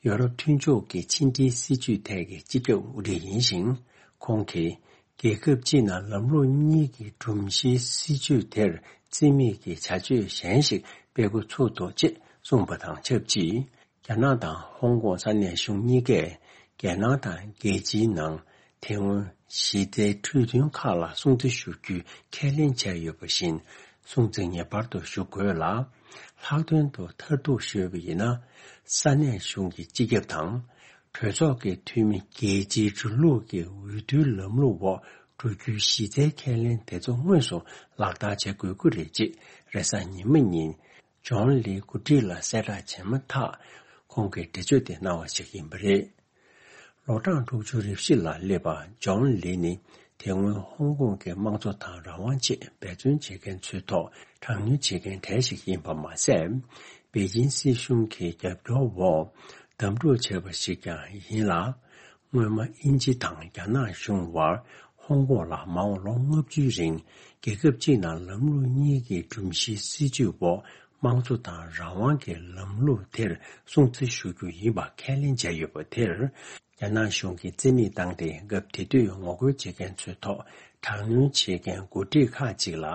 ཡོ་རོབ་མཐུན་ཕྱོགས་ཀྱི་ཕྱི་འབྲེལ་སྲིད་བྱུས་ཐད་ཀྱི་སྤྱི་ཁྱབ་དབུ་ཁྲིད་ཡིན་ཞིང་། ཁོང་གིས་རྒྱལ་ཁབ་སྤྱིའི་ནང་ལམ་ལུགས་གཉིས་ཀྱི་སྒྲོམ་གཞིའི་སྲིད་བྱུས་དེར་རྩིས་མེད་ཀྱི་བྱ་སྤྱོད་གཞན་ཞིག་སྤེལ་འགོ་ཚུགས་འདུག་ཅེས་གསུངས་པ་དང་ཆབས་ཅིག། རྒྱ་ནག་དང་ཧོང་ཀོང་ས་གནས་གཞུང་གཉིས་ཀས་རྒྱལ་ནང་དང་རྒྱལ་སྤྱིའི་ནང་དེ་སྔོན་གཞི་རྩའི་གྲོས་མཐུན་ཁག་ལ་སྲུང་བརྩི་ཞུ་རྒྱུའི་ཁས་ལེན་བྱས་ཡོད་པ་བཞིན་སྲུང་བརྩི་ངེས་པར་དུ་ཞུ་དགོས་ལ། ལྷག་དོན་དུ་མཐར་གཏུགས་ཞུས་པ་ཡིན་ན། ས་གནས་གཞུང་གི་སྤྱི་ཁྱབ་དང་། གྲོས་ཚོགས་ཀྱི་འཐུས་མི་རྒྱལ་སྤྱིའི་འགྲོ་ལུགས་ཀྱི་འོས་བསྡུའི་ལམ་ལུགས་འོག་འགྲོ་རྒྱུའི་གཞི་རྩའི་ཁས་ལེན་དེ་ཚོ་དངོས་སུ་ལག་བསྟར་བྱེད་དགོས་ཀྱི་རེད་ཅེས་རེས་གཟའ་ཉི་མ་ཉིན། ཇོན་ལི་འགོ་ཁྲིད་ལ་གསལ་བསྒྲགས་བྱས་མ་ཐག་ཁོང་གིས་འགྲེལ་བརྗོད་དེ་གནང་བ་ཞིག་ཡིན་པ་རེད། ལོ་གྲངས་དྲུག་ཅུ་རེ་བཞི་ལ་སླེབས་པ་ཇོན་ལི་ནི་དེ་སྔོན་ཧོང་ཀོང་གི་དམངས་གཙོ་དང་རང་དབང་ཆེད་འབད་བརྩོན་བྱེད་མཁན་ཚོའི་ཐོག་དྲག་གནོན་བྱེད་མཁན་གྲས་ཤིག་ཡིན་པ་མ་ཟད། པེ་ཅིན་སྲིད་གཞུང་གི་རྒྱབ་སྐྱོར་འོག་བདམས་ཐོན་བྱས་པ་ཞིག་ཀྱང་ཡིན་ལ། སྔོན་མ་དབྱིན་ཇི་དང་རྒྱ་ནག་གཞུང་དབར་ཧོང་ཀོང་ལ་མ་འོངས་ལོ་ལྔ་བཅུའི་རིང་རྒྱལ་ཁབ་གཅིག་ནང་ལམ་ལུགས་གཉིས་ཀྱི་སྒྲོམ་གཞིའི་སྲིད་བྱུས་འོག་དམངས་གཙོ་དང་རང་དབང་གི་ལམ་ལུགས་དེར་སྲུང་བརྩི་ཞུ་རྒྱུ་ཡིན་པ་ཁས་ལེན་བྱས་ཡོད་པ་དེར། རྒྱ་ནག་གཞུང་གིས་རྩིས་མེད་བཏང་སྟེ། སྐབས་དེ་དུས་ངོ་རྒོལ་བྱེད་མཁན་ཚོའི་ཐོག་དྲག་གནོན་བྱེད་མཁན་འགོ་ཁྲིད་ཁག་ཅིག་ལ་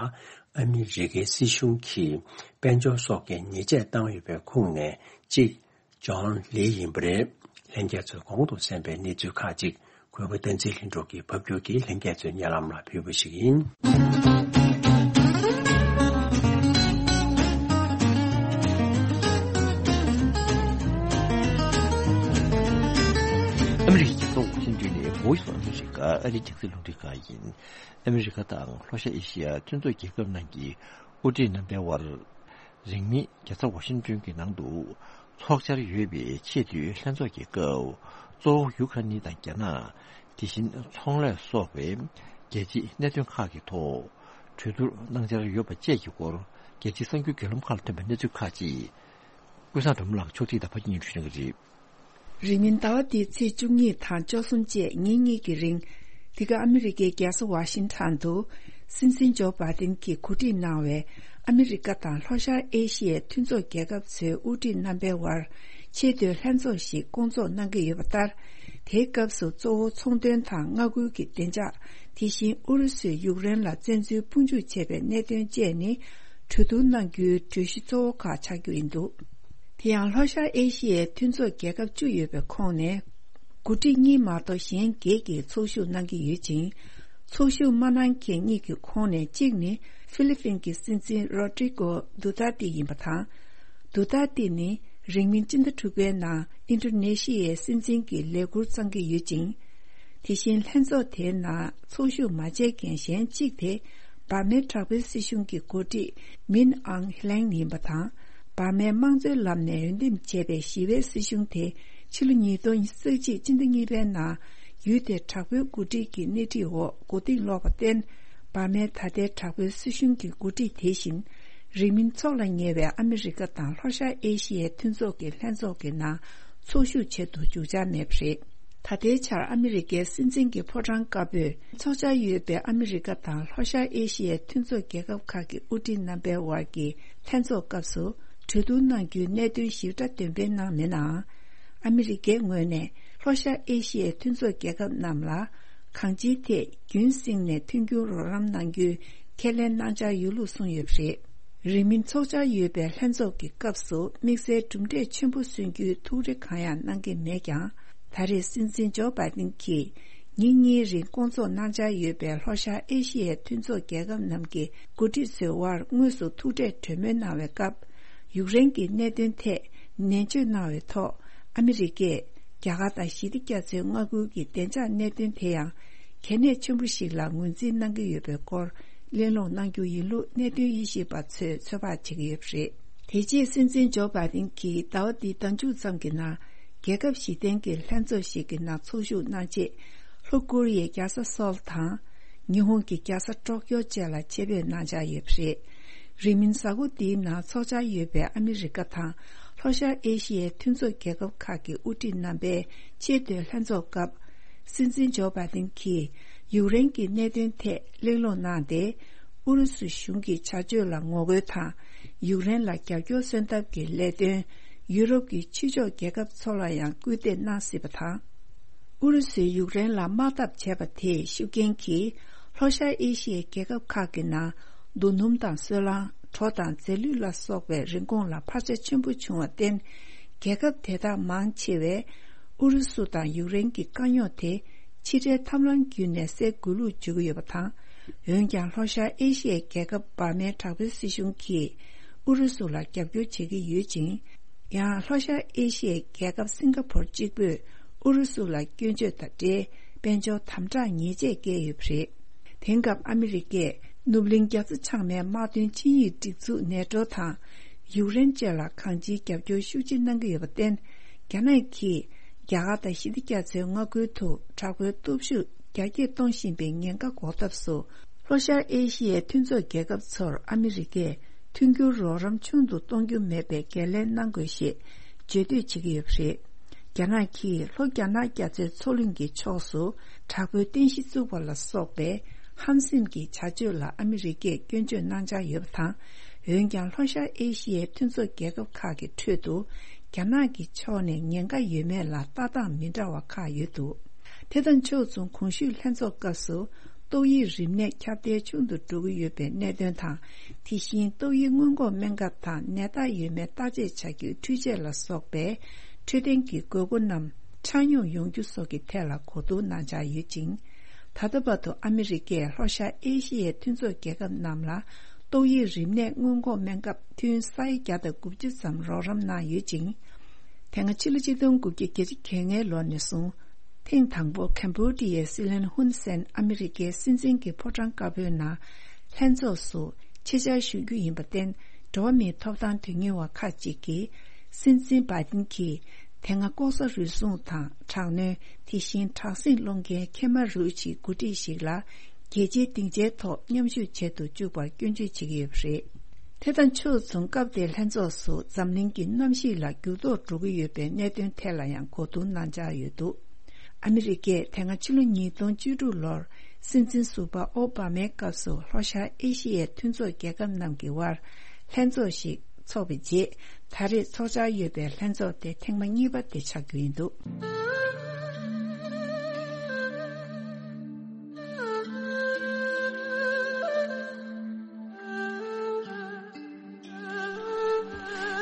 ཨ་མི་རི་ཀའི་སྲིད་གཞུང་གིས་དཔལ་འབྱོར་སོགས་ཀྱི་ཉེས་ཆད་བཏང་ཡོད་པའི་ཁོངས་ནས་གཅིག། ཇོན་ལི་ཡིན་པ་རེད། ལྷན་རྒྱས་ཚོས་གོང་དུ་གསན་པའི་གནས་ཚུལ་ཁག་ཅིག་གུས་པ་བསྟན་འཛིན་ལྷུན་གྲུབ་ཀྱིས་ཕབ་སྒྱུར་གྱིས་ལྷན་རྒྱས་ཚོའི་སྙན་ལམ་ལ་ཕུལ་བ་ཞིག་ཡིན། ཨ་མི་རི་ཀའི་རྒྱལ་ས་ཝ་ཤིང་ཏོན་ནས་Voice of America ཨ་རིའི་རྒྱང་སྲིང་རླུང་འཕྲིན་ཁང་ཡིན། ཨ་མི་རི་ཀ་དང་ལྷོ་ཤར་ཨེ་ཤི་ཡ་མཐུན་ཚོགས་རྒྱལ་ཁབ་རྣམས་ཀྱི་དབུ་ཁྲིད་རྣམ་པའི་དབར། རིང་མིན་རྒྱལ་ས་ཝ་ཤིང་ཏོན་གྱི་ནང་དུ་འཚོགས་འཆར་ཡོད་པའི་ཆེས་མཐོའི་ལྷན་ཚོགས་ཀྱི་སྐབས། གཙོ་བོ་ཡུ་ཁ་རན་ནི་དང་རྒྱ་ནག་དེ་བཞིན་ཚོང་ལས་སོགས་པའི་རྒྱལ་སྤྱིའི་གནད་དོན་ཁག་གི་ཐོག་གྲོས་བསྡུར་གནང་འཆར་ཡོད་པ་བཅས་ཀྱི་སྐོར། རྒྱལ་སྤྱིའི་གསར་འགྱུར་བརྒྱུད་ལམ་ཁག་ལ་ཐོན་པའི་གནས་ཚུལ་ཁག་ཅིག་ཀུན་བཟང་སྒྲོལ་མ་ལགས་ཕྱོགས་སྒྲིག་དང་ཕབ་སྒྱུར་གཉིས་སྒྲོག་གནང་གི་རེད། རིང་མིན་ཟླ་བ་འདིའི་ཚེས་བཅུ་གཉིས་དང་བཅུ་གསུམ་བཅས་ཉིན་གཉིས་ཀྱི་རིང་། འདི་ག་ཨ་མི་རི་ཀའི་རྒྱལ་ས་ཝ་ཤིང་ཊོན་དུ། སྲིད་འཛིན་ཇོ་བྷའི་ཏིན་གྱིས་གོ་སྒྲིག་གནང་བའི་ཨ་མི་རི་ཀ་དང་ལྷོ་ཤར་ཨེ་ཤི་ཡའི་མཐུན་ཚོགས་རྒྱལ་ཁབ་ཚོའི་དབུ་ཁྲིད་རྣམ་པའི་དབར་ཆེས་མཐོའི་ལྷན་ཚོགས་ཤིག་བསྐོང་ཚོགས་གནང་གི་ཡོད་པ་ལྟར། དེའི་སྐབས་སུ་གཙོ་བོ་ཚོང་དོན་དང་མངའ་ཁུལ་གྱི་བདེ་འཇགས། དེ་བཞིན་ཨུ་རུ་སུས་ཡུཀ་རེན་ལ་བཙན་འཛུལ་དཔུང་འཇུག་བྱས་པའི་གནད་དོན་བཅས་ནི་གྲོས་བསྡུར་གནང་རྒྱུའི་གྲོས་གཞི་གཙོ་བོ་ཁག་ཆགས་རྒྱུ་ཡིན་འདུག། དེ་ཡང་ལྷོ་ཤར་ཨེ་ཤི་ཡའི་མཐུན་ཚོགས་རྒྱལ་ཁབ་བཅུ་ཡོད་པའི་ཁོངས་ནས། འགོ་ཁྲིད་གཉིས་མ་གཏོགས་གཞན་བརྒྱད་ཀྱིས་ཚོགས་ཞུགས་གནང་གི་ཡོད་ཅིང་། ཚོགས་ཞུགས་མ་གནང་མཁན་གཉིས་ཀྱི་ཁོངས་ནས་གཅིག་ནི་ཧྥི་ལི་ཕིན་གྱི་སྲིད་འཛིན་རོ་ཏྲི་གོ་དུ་ཏར་ཏི་ཡིན་པ་དང་། དུ་ཏར་ཏི་ནི་རིང་མིན་སྤྱི་ཟླ་དྲུག་པའི་ནང་ཨིན་ཌོ་ནེ་ཤི་ཡའི་སྲིད་འཛིན་གྱི་ལས་འཁུར་བསྩང་གི་ཡོད་ཅིང་། དེ་བཞིན་ལྷན་ཚོགས་དེའི་ནང་ཚོགས་ཞུགས་མ་བྱས་མཁན་གཞན་གཅིག་དེ། འབར་མའི་དྲག་པོའི་སྲིད་གཞུང་གི་འགོ་ཁྲིད་མིན་ཨང་ཧི་ལེང་ཡིན་པ་དང་། འབར་མའི་དམངས་གཙོའི་ལམ་ནས་འོས་འདེམས་བྱས་པའི་ཞི་བའི་སྲིད་གཞུང་དེ་ཕྱི་ལོ་ཉིས་སྟོང་ཉེར་གཅིག་སྤྱི་ཟླ་གཉིས་པའི་ནང་ཡུལ་དེའི་དྲག་པོའི་འགོ་ཁྲིད་ཀྱི་སྣེ་ཁྲིད་འོག་མགོ་རྟིང་སློག་པར་བརྟེན། འབར་མའི་ད་ལྟའི་དྲག་པོའི་སྲིད་གཞུང་གི་འགོ་ཁྲིད་དེ་བཞིན་རིང་མིན་ཚོགས་ལ་ཉེ་བའི་ཨ་མི་རི་ཀ་དང་ལྷོ་ཤར་ཨེ་ཤི་ཡའི་མཐུན་ཚོགས་ཀྱི་ལྷན་ཚོགས་ཀྱི་ནང་ཚོགས་ཞུགས་བྱེད་དུ་འཇུག་འཆར་མེད་པ་རེད། ད་ལྟའི་ཆར་ཨ་མི་རི་ཀའི་སྲིད་འཛིན་གྱི་ཕོ་བྲང་དཀར་པོས་ཚོགས་འཆར་ཡོད་པའི་ཨ་མི་རི་ཀ་དང་ལྷོ་ཤར་ཨེ་ཤི་ཡའི་མཐུན་ཚོགས་རྒྱལ་ཁབ་ཁག་གི་དབུ་ཁྲིད་རྣམ་པའི་དབར་གྱི་ལྷན་ཚོགས་སྐབས་སུ་གྲོས་བསྡུར་གནང་རྒྱུའི་གནད་དོན་ཞིབ་ཕྲ་འདོན་སྤེལ་གནང་མེད་ནའང་། ཨ་མི་རི་ཀའི་ངོས་ནས་ལྷོ་ཤར་ཨེ་ཤི་ཡའི་མཐུན་ཚོགས་རྒྱལ་ཁབ་རྣམས་ལ་གང་ཅིའི་ཐད་རྒྱུན་བསྲིངས་ནས་མཐུན་འགྱུར་རོགས་རམ་གནང་རྒྱུའི་ཁས་ལེན་གནང་འཆར་ཡོད་ལུགས་གསུངས་ཡོད་པ་རེད། རིང་མིན་ཚོགས་འཆར་ཡོད་པའི་ལྷན་ཚོགས་ཀྱི་སྐབས་སུ་དམིགས་བསལ་གྲུབ་འབྲས་ཆེན་པོ་སོན་རྒྱུའི་ཐུགས་རེ་གང་ཡང་གནང་གི་མེད་ཀྱང་། ད་རེས་སྲིད་འཛིན་ཇོ་བྷའི་ཏིན་གྱིས་ཉིན་གཉིས་རིང་བསྐོང་ཚོགས་གནང་འཆར་ཡོད་པའི་ལྷོ་ཤར་ཨེ་ཤི་ཡའི་མཐུན་ཚོགས་རྒྱལ་ཁབ་རྣམས་ཀྱི་འགོ་ཁྲིད་ཚོའི་དབར་དངོས་སུ་ཐུག་འཕྲད་གྲོས་མོལ་གནང་བའི་སྐབས། ཡུཀ་རེན་གྱི་གནད་དོན་ཐད་ནན་བརྗོད་གནང་བའི་ཐོག་ཨ་མི་རི་ཀས་རྒྱ་གར་དང་ཞི་བདེ་རྒྱ་མཚོའི་མངའ་ཁུལ་གྱི་བདེ་འཇགས་གནད་དོན་དེ་ཡང་གལ་གནད་ཆེན་པོ་ཞིག་ལ་ངོས་འཛིན་གནང་གི་ཡོད་པའི་སྐོར་གླེང་སློང་གནང་རྒྱུ་ཡིན་ལུགས་གནད་དོན་དབྱེ་ཞིབ་པ་ཚོས་ཚོད་དཔག་བྱེད་ཀྱི་ཡོད་པ་རེད། དེ་རྗེས་སྲིད་འཛིན་ཇོ་བྷའི་ཏིན་གྱིས་ཟླ་བ་འདིའི་ཟླ་མཇུག་ཙམ་གྱི་ནང་རྒྱལ་ཁབ་བཞི་ལྡན་གྱི་ལྷན་ཚོགས་ཤིག་གི་ནང་ཚོགས་ཞུགས་གནང་རྗེས། ལྷོ་ཀོ་རི་ཡའི་རྒྱལ་ས་སོལ་དང་། ཉི་ཧོང་གི་རྒྱལ་ས་ཀྲོ་ཀྱོ་བཅས་ལ་ཆེད་ཕེབས་གནང་འཆར་ཡོད་པ་རེད། རིང་མིན་གཟའ་འཁོར་འདིའི་ནང་ཚོགས་འཆར་ཡོད་པའི་ཨ་མི་རི་ཀ་དང་ལྷོ་ཤར་ཨེ་ཤི་ཡའི་མཐུན་ཚོགས་རྒྱལ་ཁབ་ཁག་གི་དབུ་ཁྲིད་རྣམ་པའི་ཆེས་མཐོའི་ལྷན་ཚོགས་སྐབས། སྲིད་འཛིན་ཇོ་བྷའི་ཏིན་གྱིས་ཡུཀ་རེན་གྱི་གནད་དོན་ཐད་གླེང་སློང་གནང་སྟེ། ཨུ་རུ་སུ་གཞུང་གི་བྱ་སྤྱོད་ལ་ངོ་རྒོལ་དང་། ཡུཀ་རེན་ལ་རྒྱབ་སྐྱོར་སོན་ཐབས་ཀྱི་ལས་དོན། ཡུ་རོབ་ཀྱི་ཕྱི་ཕྱོགས་རྒྱལ་ཁབ་ཚོ་ལ་ཡང་སྐུལ་འདེད་གནང་སྲིད་པ་དང་། ཨུ་རུ་སུས་ཡུཀ་རེན་ལ་དམག་འཐབ་བྱས་པ་དེས་ཤུགས་རྐྱེན་གྱིས་ལྷོ་ཤར་ཨེ་ཤི་ཡའི་རྒྱལ་ཁབ་ཁག་གི་ནང་རྡོ་སྣུམ་དང་སོལ་རླངས། གྲོ་དང་རྫས་ལུད་ལ་སོགས་པའི་རིན་གོང་ལ་འཕར་ཆ་ཆེན་པོ་བྱུང་བར་བརྟེན། རྒྱལ་ཁབ་དེ་དག་མང་ཆེ་བས་ཨུ་རུ་སུ་དང་ཡུཀ་རེན་གྱི་དཀའ་རྙོག་དེ་ཕྱི་འབྲེལ་ཐབས་ལམ་བརྒྱུད་ནས་སེལ་དགོས་ལུགས་བརྗོད་ཀྱི་ཡོད་པ་དང་། འོན་ཀྱང་ལྷོ་ཤར་ཨེ་ཤི་ཡའི་རྒྱལ་ཁབ་འབར་མའི་དྲག་པོའི་སྲིད་གཞུང་གིས་ཨུ་རུ་སུ་ལ་རྒྱབ་སྐྱོར་བྱེད་ཀྱི་ཡོད་ཅིང་། ཡང་ལྷོ་ཤར་ཨེ་ཤི་ཡའི་རྒྱལ་ཁབ་སིང་ག་ཕོར་གཅིག་པུས་ཨུ་རུ་སུ་ལ་སྐྱོན་བརྗོད་དང་འབྲེལ་དཔལ་འབྱོར་དམ་དྲག་ཉེས་ཆད་བཀལ་ཡོད་པ་རེད། དེང་སྐབས་ཨ་མི་རི་ཀས་ནུབ་གླིང་རྒྱ་མཚོ་བྱང་མའི་དམག་དོན་ཆིངས་ཡིག་སྒྲིག་འཛུགས་ནེ་ཏྲོ་དང་། ཡུཀ་རེན་བཅས་ལ་གང་ཅིའི་རྒྱབ་སྐྱོར་ཤུགས་ཆེ་གནང་གི་ཡོད་པར་བརྟེན། རྒྱ་ནག་གིས་རྒྱ་གར་དང་ཞི་བདེ་རྒྱ་མཚོའི་མངའ་ཁུལ་དུ་དྲག་པོའི་སྟོབས་ཤུགས་རྒྱ་སྐྱེད་གཏོང་བཞིན་པའི་ཉེན་ཁ་འགོག་ཐབས་སུ། ལྷོ་ཤར་ཨེ་ཤི་ཡའི་མཐུན་ཚོགས་རྒྱལ་ཁབ་ཚོར་ཨ་མི་རི་ཀས་མཐུན་འགྱུར་རོགས་རམ་ཆུང་དུ་གཏོང་རྒྱུ་མེད་པའི་འགན་ལེན་གནང་དགོས་ཞེས་བརྗོད་འདོད་བྱེད་ཀྱི་ཡོད་པ་རེད། རྒྱ་ནག་གིས་ལྷོ་རྒྱ་ནག་རྒྱ་མཚོའི་མཚོ་གླིང་གི་ཕྱོགས་སུ་དྲག་པོའི་རྟེན་གཞི་བཙུགས་པ་ལ་སོགས་པའི་ཧམ་སེམས་ཀྱི་བྱ་སྤྱོད་ལ་ཨ་མི་རི་ཀས་སྐྱོན་བརྗོད་གནང་འཆར་ཡོད་པ་དང་། འོན་ཀྱང་ལྷོ་ཤར་ཨེ་ཤི་ཡའི་མཐུན་ཚོགས་རྒྱལ་ཁབ་ཁག་གི་ཁྲོད་དུ་རྒྱ་ནག་གི་ཕྱོགས་ནས་ཉེན་ཁ་ཡོད་མེད་ལ་ལྟ་སྟངས་མི་འདྲ་བ་ཁག་ཡོད་འདུག་དེ་དང་ཕྱོགས་མཚུངས་གོང་ཞུས་ལྷན་ཚོགས་སྐབས་སུ། ཏོག་དབྱིབས་རིམས་ནད་ཁྱབ་གདལ་ཆུང་དུ་འགྲོ་གི་ཡོད་པའི་གནད་དོན་དང་། དེ་བཞིན་ཏོག་དབྱིབས་སྔོན་འགོག་སྨན་ཁབ་དང་ནད་རྟགས་ཡོད་མེད་བརྟག་དཔྱད་བྱ་རྒྱུའི་འཕྲུལ་ཆས་ལ་སོགས་པའི་འཕྲོད་བསྟེན་གྱི་དགོས་མཁོ་རྣམས་ཆ་སྙོམས་ཡོང་རྒྱུ་སོགས་ཀྱི་ཐད་ལ་གོ་བསྡུར་གནང་འཆར་ཡོད་ཅིང་། ད་ལྟ་བར་དུ་ཨ་མི་རི་ཀས་ལྷོ་ཤར་ཨེ་ཤི་ཡའི་མཐུན་ཚོགས་རྒྱལ་ཁབ་རྣམས་ལ་ཏོག་དབྱིབས་རིམས་ནད་སྔོན་འགོག་སྨན་ཁབ་ཐུན་ས་ཡ་བརྒྱ་དང་དགུ་བཅུ་ཙམ་རོགས་རམ་གནང་ཡོད་ཅིང་། དེ་སྔ་ཕྱི་ལོ་ཆིག་སྟོང་དགུ་བརྒྱ་གྱ་ལྔ་ལོ་ནས་བཟུང་། ཐེངས་དང་པོ་ཁེམ་བྷོ་ཌི་ཡའི་སྲིད་བློན་ཧུན་སེན་ཨ་མི་རི་ཀའི་སྲིད་འཛིན་གྱི་ཕོ་བྲང་དཀར་པོའི་ནང་ལྷན་ཚོགས་སུ་ཆེད་བཅར་ཞུ་རྒྱུ་ཡིན་པར་བརྟེན། འགྲོ་བ་མིའི་ཐོབ་ཐང་དོན་གཉེར་བ་ཁག་ཅིག་གིས་སྲིད་འཛིན་བྷའི་ཏིན་གྱིས་དེ་སྔ་ལྐོག་ཟ་རུལ་སུངས་དང་དྲག་གནོན། དེ་བཞིན་དྲག་ཟིང་སློང་མཁན་ཁེ་མ་རུ་ཆིའི་འགོ་ཁྲིད་ཞིག་ལ་རྒྱལ་སྤྱིའི་སྡིངས་ཆའི་ཐོག་མཉམ་ཞུགས་བྱེད་དུ་བཅུག་པར་སྐྱོན་བརྗོད་བྱེད་ཀྱི་ཡོད་པ་རེད། དེ་དང་ཕྱོགས་མཚུངས་སྐབས་དེའི་ལྷན་ཚོགས་སུ་འཛམ་གླིང་གི་གནམ་གཤིས་ལ་འགྱུར་ལྡོག་འགྲོ་གི་ཡོད་པའི་གནད་དོན་ཐད་ལ་ཡང་གོ་བསྡུར་གནང་འཆར་ཡོད་འདུག་ཨ་མི་རི་ཀས་དེ་སྔ་ཕྱི་ལོ་ཉིས་སྟོང་བཅུ་དྲུག་ལོར་སྲིད་འཛིན་ཟུར་པ་ཨོ་བྷ་མའི་སྐབས་སུ་ལྷོ་ཤར་ཨེ་ཤི་ཡའི་མཐུན་ཚོགས་རྒྱལ་ཁབ་རྣམས་ཀྱི་དབར་ལྷན་ཚོགས་ཤིག་འཚོགས་པའི་རྗེས། ད་རེས་འཚོགས་འཆར་ཡོད་པའི་ལྷན་ཚོགས་དེ་ཐེངས་མ་གཉིས་པ་དེ་ཆགས་རྒྱུ་ཡིན་འདུག་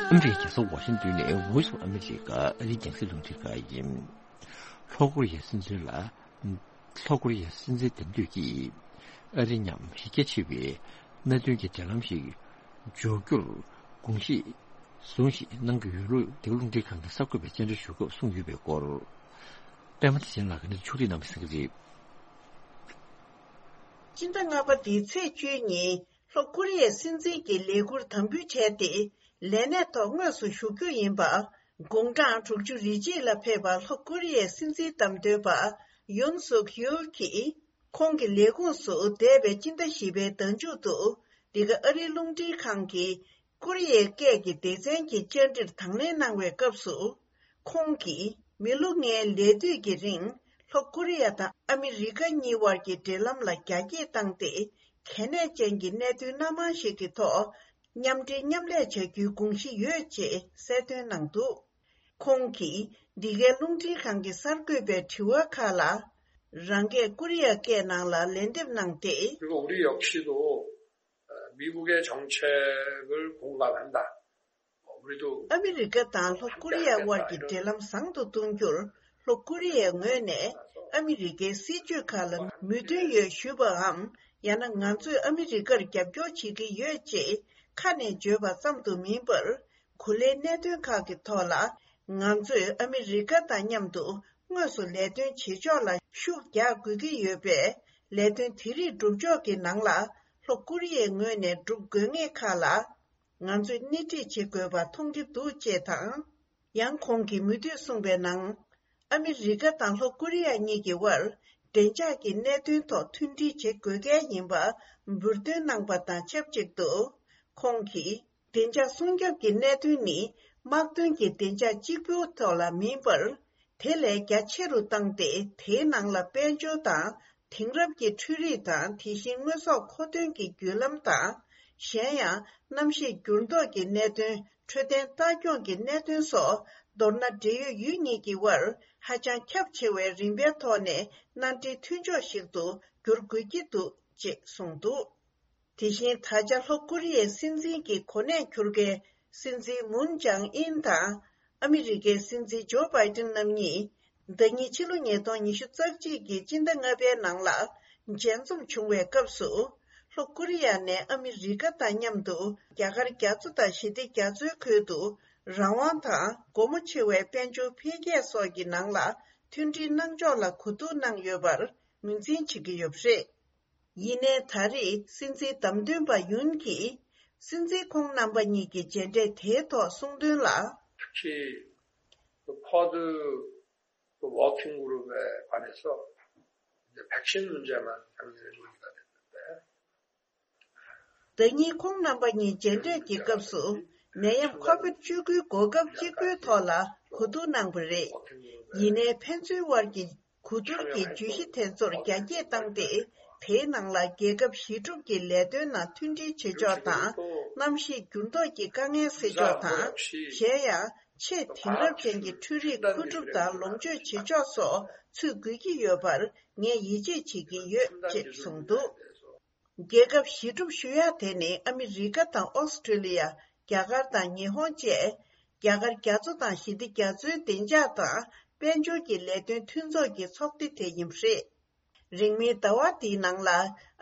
ཨ་མི་རི་ཀའི་རྒྱལ་ས་ཝ་ཤིང་ཏོན་ནས་Voice of America ཨ་རིའི་རྒྱང་སྲིང་རླུང་འཕྲིན་ཁང་ཡིན། ལྷོ་ཀོ་རི་ཡའི་སྲིད་འཛིན་ལ། ལྷོ་ཀོ་རི་ཡའི་སྲིད་འཛིན་དེ་འདོད་ཀྱིས་ཨ་རི་མཉམ་གཞི་རྒྱ་ཆེ་བའི་གནད་དོན་གྱི་འབྲེལ་ལམ་ཞིག་འཇོག་རྒྱུར་དགོངས་བཞེས་བཟུང་ཞིག་གནང་གི་ཡོད་ལུགས་འདི་ག་རླུང་འཕྲིན་ཁང་གི་གསར་འགོད་པས་བཅར་འདྲི་ཞུ་སྐབས་གསུངས་ཡོད་པའི་སྐོར། པད་མ་བདེ་ཆེན་ལགས་ཀྱིས་གནས་ཚུལ་ཕྱོགས་སྒྲིག་གནང་བ་གསན་གྱི་རེད། སྤྱི་ཟླ་ལྔ་པ་འདིའི་ཚེས་བཅུའི་ཉིན་ལྷོ་ཀོ་རི་ཡའི་སྲིད་འཛིན་གྱི་ལས་འཁུར་དམ་འབུལ་བྱས་ཏེ། ལས་གནས་ཐོག་དངོས་སུ་ཞུགས་རྒྱུ་ཡིན་པ། དགུང་གྲངས་དྲུག་ཅུ་རེ་གཅིག་ལ་ཕེབས་པ་ལྷོ་ཀོ་རི་ཡའི་སྲིད་འཛིན་བདམས་ཐོན་པ་ཡོན་སུག་ཡུལ་གྱིས། ཁོང་གི་ལས་ཁུངས་སུ་འདས་པའི་སྤྱི་ཟླ་བཞི་པའི་ཟླ་མཇུག་ཏུ། འདི་ག་ཨ་རིའི་རླུང་འཕྲིན་ཁང་གི་ཀོ་རི་ཡའི་སྐད་ཀྱི་སྡེ་ཚན་གྱི་བཅར་འདྲིར་དང་ལེན་གནང་བའི་སྐབས་སུ། ཁོང་གིས། མི་ལོ་ལྔའི་ལས་དུས་ཀྱི་རིང་ལྷོ་ཀོ་རི་ཡ་དང་ཨ་མི་རི་ཀ་གཉིས་དབར་གྱི་འབྲེལ་ལམ་ལ་རྒྱ་སྐྱེད་བཏང་སྟེ། གལ་གནད་ཅན་གྱི་གནད་དོན་སྣ་མང་ཞིག་གི་ཐོག་མཉམ་འབྲེལ་མཉམ་ལས་བྱ་རྒྱུའི་དགོངས་གཞི་ཡོད་ཅེས་གསལ་སྟོན་གནང་འདུག་ཁོང་གིས་འདི་གའི་རླུང་འཕྲིན་ཁང་གི་གསར་འགོད་པའི་དྲི་བ་ཁག་ལ། རང་སྐད་ཀོ་རི་ཡ་སྐད་ནང་ལ་ལན་འདེབས་གནང་སྟེ། 그리고 우리 역시도 미국의 정책을 공감한다. ཨ་མི་རི་ཀ་དང་ལྷོ་ཀོ་རི་ཡ་དབར་གྱི་འབྲེལ་ལམ་བཟང་དུ་གཏོང་རྒྱུར་ལྷོ་ཀོ་རི་ཡའི་ངོས་ནས་ཨ་མི་རི་ཀའི་སྲིད་ཇུས་ཁག་ལ་མོས་མཐུན་ཡོད་ཞུས་པའམ། ཡང་ན་ང་ཚོས་ཨ་མི་རི་ཀར་རྒྱབ་སྐྱོར་བྱེད་ཀྱི་ཡོད་ཅེས་ཁ་ནས་བརྗོད་པ་ཙམ་དུ་མིན་པར། གོ་ལའི་གནད་དོན་ཁག་གི་ཐོག་ལ་ང་ཚོས་ཨ་མི་རི་ཀ་དང་མཉམ་དུ་དངོས་སུ་ལས་དོན་བྱེད་ཕྱོགས་ལ་ཤུགས་རྒྱག་དགོས་ཀྱི་ཡོད་པས། ལས་དོན་དེ་རིགས་སྒྲུབ་ཕྱོགས་ཀྱི་ནང་ལ་ལྷོ་ཀོ་རི་ཡའི་ངོས་ནས་སྒྲུབ་དགོས་ངེས་ཁག་ལ། ང་ཚོས་སྣེ་ཁྲིད་བྱེད་དགོས་པ་མཐོང་གི་འདུག་ཅེས་དང་། ཡང་ཁོང་གིས་མུ་མཐུད་གསུངས་པའི་ནང་། ཨ་མི་རི་ཀ་དང་ལྷོ་ཀོ་རི་ཡ་གཉིས་ཀྱི་དབར་བདེ་འཇགས་ཀྱི་གནད་དོན་ཐོག་མཐུན་སྒྲིལ་བྱེད་དགོས་གལ་ཡིན་པ་འབུར་འདོན་གནང་པ་དང་ཆབས་ཅིག་ཏུ། ཁོང་གིས། བདེ་འཇགས་སྲུང་སྐྱོབ་ཀྱི་གནད་དོན་ནི་དམག་དོན་གྱི་བདེ་འཇགས་གཅིག་པུའི་ཐོག་ལ་མིན་པར། དེ་ལས་རྒྱ་ཆེ་རུ་བཏང་སྟེ། དེའི་ནང་ལ་དཔལ་འབྱོར་དང་དེང་རབས་ཀྱི་འཕྲུལ་རིག་དང་། དེ་བཞིན་དངོས་ཟོག་མཁོ་འདོན་གྱི་བརྒྱུད་ལམ་དང་། གཞན་ཡང་གནམ་གཤིས་འགྱུར་ལྡོག་གི་གནད་དོན། འཕྲོད་བསྟེན་ལྟ་སྐྱོང་གི་གནད་དོན་སོགས། མདོར་ན་འབྲེལ་ཡོད་ཡུལ་གཉིས་ཀྱི་དབར་ཧ་ཅང་ཁྱབ་ཆེ་བའི་རིམ་པའི་ཐོག་ནས་མནའ་འབྲེལ་མཐུན་ཕྱོགས་ཤིག་ཏུ་འགྱུར་དགོས་ཀྱི་འདུག་ཅེས་གསུངས་འདུག་དེ་བཞིན་ད་ཆ་ལྷོ་ཀོ་རི་ཡའི་སྲིད་འཛིན་གྱི་གོ་གནས་འཁྱུར་མཁན་སྲིད་འཛིན་མུན་ཇང་ཨིན་དང་ཨ་མི་རི་ཀའི་སྲིད་འཛིན་ཇོ་བྷའི་ཏིན་རྣམ་གཉིས་ཟླ་ཉིན་ཕྱི་ལོ་ཉིས་སྟོང་ཉི་ཤུ་རྩ་གཅིག་གི་སྤྱི་ཟླ་ལྔ་པའི་ནང་ལ་མཇལ་འཛོམས་བྱུང་བའི་སྐབས་སུ། ལྷོ་ཀོ་རི་ཡ་ནས་ཨ་མི་རི་ཀ་དང་མཉམ་དུ་རྒྱ་གར་རྒྱ་མཚོ་དང་ཞི་བདེ་རྒྱ་མཚོའི་ཁུལ་དུ་རང་དབང་དང་སྒོ་མོ་ཆེ་བའི་དཔལ་འབྱོར་འཕེལ་རྒྱས་སོགས་ཀྱི་ནང་ལ་མཐུན་སྒྲིལ་གནང་ཕྱོགས་ལ་གོ་བསྡུར་གནང་ཡོད་པར་ངོས་འཛིན་བྱེད་ཀྱི་ཡོད་པ་རེད། ཡིན་ནའི་ད་རེས་སྲིད་འཛིན་བདམས་ཐོན་པ་ཡུན་གྱིས་སྲིད་འཛིན་ཁོང་རྣམ་པ་གཉིས་ཀྱི་མཇལ་འཕྲད་དེའི་ཐོག་གསུངས་དོན་ལ། 특히 그 쿼드 그 워킹 그룹에 관해서 이제 백신 문제만 당면이 논의가 됐는데 ཟླ་ཉིན་ཁོང་རྣམ་པ་གཉིས་མཇལ་འཕྲད་ཀྱི་སྐབས་སུ། ནད་ཡམས་ཁོ་བིད་བཅུ་དགུའི་གོ་སྐབས་གཅིག་པུའི་ཐོག་ལ་གོ་བསྡུར་གནང་བ་རེད། ཡིན་ནའི་ཕན་ཚུན་དབར་གྱི་གོ་བསྡུར་གྱི་བརྗོད་གཞི་དེ་ཚོར་རྒྱ་སྐྱེད་བཏང་སྟེ། དེའི་ནང་ལ་རྒྱལ་ཁབ་གཞི་གྲུབ་ཀྱི་ལས་དོན་ནང་མཐུན་སྒྲིལ་བྱེད་ཕྱོགས་དང་། གནམ་གཤིས་འགྱུར་ལྡོག་གི་དཀའ་ངལ་སེལ་ཕྱོགས་དང་། གཞན་ཡང་ཆེས་དེང་རབས་ཅན་གྱི་འཕྲུལ་རིག་མཁོ་སྒྲུབ་དང་ལོངས་སྤྱོད་བྱེད་ཕྱོགས་སོགས་ཚུད་དགོས་ཀྱི་ཡོད་པར་ངས་ཡིད་ཆེས་བྱེད་ཀྱི་ཡོད་ཅེས་གསུངས་འདུག་རྒྱལ་ཁབ་གཞི་གྲུབ་ཞུ་ཡག་དེ་ནི་ཨ་མི་རི་ཀ་དང་ཨོ་སི་ཀྲི་ལི་ཡ། རྒྱ་གར་དང་ཉི་ཧོང་བཅས་རྒྱ་གར་རྒྱ་མཚོ་དང་ཞི་བདེ་རྒྱ་མཚོའི་བདེ་འཇགས་དང་དཔལ་འབྱོར་གྱི་ལས་དོན་མཐུན་ཚོགས་ཀྱི་ཚོགས་སྡེ་དེ་ཡིན་པ་རེད། རིང་མིན་ཟླ་བ་འདིའི་ནང་ལ་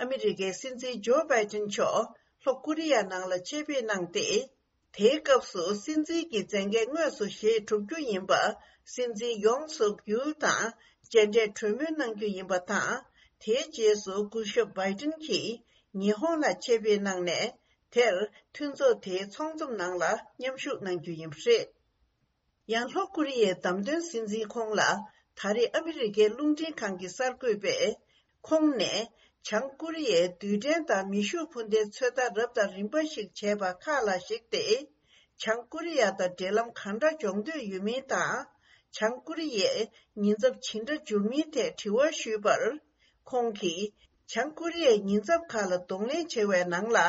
ཨ་མི་རི་ཀའི་སྲིད་འཛིན་ཇོ་བྷའི་ཏིན་མཆོག་ལྷོ་ཀོ་རི་ཡ་ནང་ལ་ཆེད་ཕེབས་གནང་སྟེ། དེའི་སྐབས་སུ་སྲིད་འཛིན་གྱི་མཛད་འགན་དངོས་སུ་བཞེས་གྲུབ་རྒྱུ་ཡིན་པ་སྲིད་འཛིན་ཡོང་སུག་ཡུལ་དང་མཇལ་འཕྲད་གྲོས་མོལ་གནང་རྒྱུ་ཡིན་པ་དང་། དེའི་རྗེས་སུ་སྐུ་ཞབས་བྷའི་ཏིན་གྱིས་ཉི་ཧོང་ལ་ཆེད་ཕེབས་གནང་ནས། དེར་མཐུན་ཚོགས་དེའི་ཚོགས་འཛོམས་ནང་ལ་མཉམ་ཞུགས་གནང་རྒྱུ་ཡིན་པ་རེད། ཡང་ལྷོ་ཀོ་རི་ཡའི་བདམས་ཐོན་སྲིད་འཛིན་ཁོང་ལ་ད་རེས་ཨ་མི་རི་ཀའི་རླུང་འཕྲིན་ཁང་གི་གསར་འགོད་པས། ཁོང་ནས་བྱང་ཀོ་རི་ཡའི་རྡུལ་ཕྲན་དང་མེ་ཤུགས་འཕུར་མདེལ་ཚོད་ལྟ་རབ་དང་རིམ་པ་ཞིག་བྱས་པ་ཁག་ལ་གཞིགས་ཏེ། བྱང་ཀོ་རི་ཡ་དང་འབྲེལ་ལམ་གང་འདྲ་སྦྱོང་འདོད་ཡོད་མིན་དང་། བྱང་ཀོ་རི་ཡས་ཉེན་ཚབས་ཇི་འདྲ་འབྱུང་མིན་ཐད་དྲི་བ་ཞུས་པར། ཁོང་གིས་བྱང་ཀོ་རི་ཡའི་ཉེན་ཚབས་ཁག་ལ་གདོང་ལེན་བྱེད་པའི་ནང་ལ།